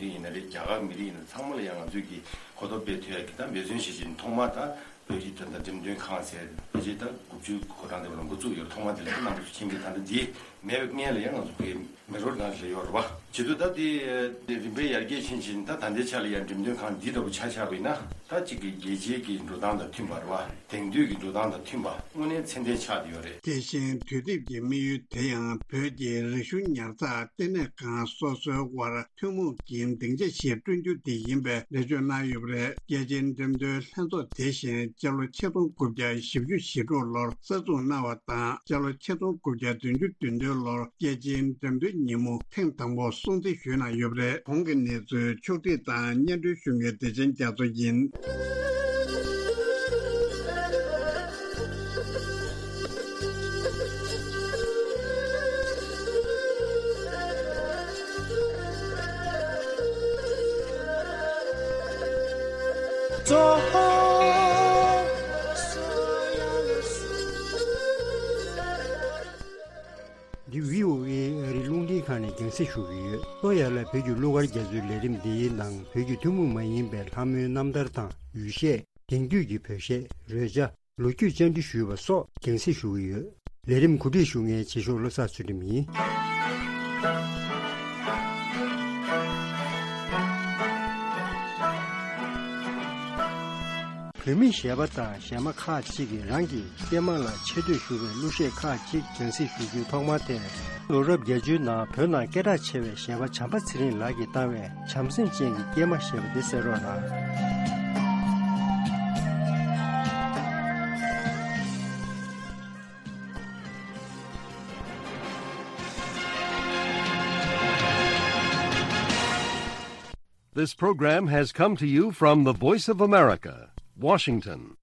རིགས་ཡིན་ན་རེད། རྒྱ་གར་མི་རིགས་ཡིན་ན། ཚང་མ་ལ་ཡང་ང་ཚོས་ཀྱི་གོ་རྟོགས་སྤེལ་ཐུབ་ཡ་གི་ད་འབད་བརྩོན་བྱེད་བཞིན། ཐོག་མ་ད་བོད་ཀྱི་ད་ལྟ་འགྲེམས་སྟོན་ཁང་ཟེར། ཕལ་ཆེར་ད་དགུ་བཅུའི་འགོ་གྲངས་དེ་བ་ལ་འགོ་བཙུགས་ཡོད། ཐོག་མ་དེ་ལ་ད་རྣམ་པ་ཚོ་མཁྱེན་གྱི། ད་ལྟ་འདི་མེད་པའི་སྔོན་ལ་ཡང་ང་ཚོ་བོད་མེ་རོ་ནང་སླེབས་ཡོད་རེད་པ། བྱེད་དུས་ད་དེ་རིམ་པས་ཡར་རྒྱས་ཕྱིན་ཕྱིན། ད་ད་ལྟའི་ཆ་ལ་ཡང་འགྲེམས་སྟོན་ཁང་འདི་འདྲ་པོ་ཆ་བཞག་པ་ཡིན་ན། ད་གཅིག་གི་རྒྱལ་སྤྱིའི་གི་འགྲོ་སྟངས་དང་མཐུན་པ་རེད་པ། དེང་དུས་ཀྱི་འགྲོ་སྟངས་དང་མཐུན་པ་དངོས་གནས་ཚད་ལྡན་ཆགས་བསྡད་ཡོད་རེད། དེ་བཞིན་དུས་དེབ་ཀྱི་དམིགས་ཡུལ་དེ་ཡང་བོད་ཀྱི་རིག་གཞུང་ཉར་ཚགས་ལྟེ་གནས་ཁང་སོ་སོའི་དབར་ཐུན་མོང་གི་སྡིངས་ཆ་ཞིག་བསྐྲུན་རྒྱུ་དེ་ཡིན་པའི་འགྲེལ་བརྗོད་གནང་ཡོད་པ་རེད། རྒྱལ་སྤྱིའི་འགྲེམས་སྟོན་ལྷན་ཚོགས་དེ་བཞིན་སྤྱི་ལོ་ཆིག་སྟོང་དགུ་བརྒྱ་བཞི་བཅུ་ཞེ་དྲུག་ལོར་གསར་འཛུགས་གནང་བ་དང་། སྤྱི་ལོ་ཆིག་སྟོང་དགུ་བརྒྱ་བདུན་ཅུ་དོན་བདུན་ལོར་རྒྱལ་སྤྱིའི་འགྲེམས་སྟོན་ཉིན་མོ་ཐེངས་དང་པོ་སྲུང་བརྩི་ཞུས་གནང་ཡོད་པ་རེད། གོང་གི་གནས་ཚུལ་ཕྱོགས་བསྒྲིགས་དང་སྙན་སྒྲོན་ཞུ་མཁན་བདེ་ཆེན་རྒྱ་མཚོ་ཡིན། འདི་བྷི་ཨོ་ཨེ་ཨ་རིའི་རླུང་འཕྲིན་ཁང་ནས་རྒྱང་སྲིང་ཞུ་གི་ཡོད། ལྟོ་ཡ་ལ་བོད་ཀྱི་གླུ་གར་རྒྱ་མཚོའི་ལས་རིམ་འདིའི་ནང་བོད་ཀྱི་ཐུན་མོང་མ་ཡིན་པའི་ལྷ་མོའི་རྣམ་ཐར་དང་ཡུལ་གཞས། དེང་དུས་ཀྱི་བོད་གཞས། རོལ་ཆ། ལོ་རྒྱུས་བཅར་འདྲི་ཞུས་པ་སོགས་རྒྱང་སྲིང་ཞུ་གི་ཡོད། ལས་རིམ་གོ་སྒྲིག་ཞུ་མཁན་རྗེས་ཕྱོགས་བློ་བཟང་ཚུལ་ཁྲིམས་ཡིན། བོད་མི་གཞས་པ་དང་གཞས་མ་ཁག་ཅིག་གིས་རང་གི་སྐྱེས་མ་ལ་ཆེ་བསྟོད་ཞུ་བའི་གླུ་གཞས་ཁག་ཅིག་རྒྱང་སྲིང་ཞུ་རྒྱུའི་ཐོག་མ་དེར། ལོ་རབས་བརྒྱད་ཅུའི་ནང་བོད་ནང་སྐད་གྲགས་ཆེ་བའི་གཞས་པ་བྱམས་པ་ཚེ་རིང་ལགས་ཀྱིས་བཏང་བའི་བྱམས་སེམས་ཅན་གྱི་སྐྱེས་མ་ཞེས་པ་དེ་གསན་རོགས་གནང་། This program has come to you from the Voice of America, Washington.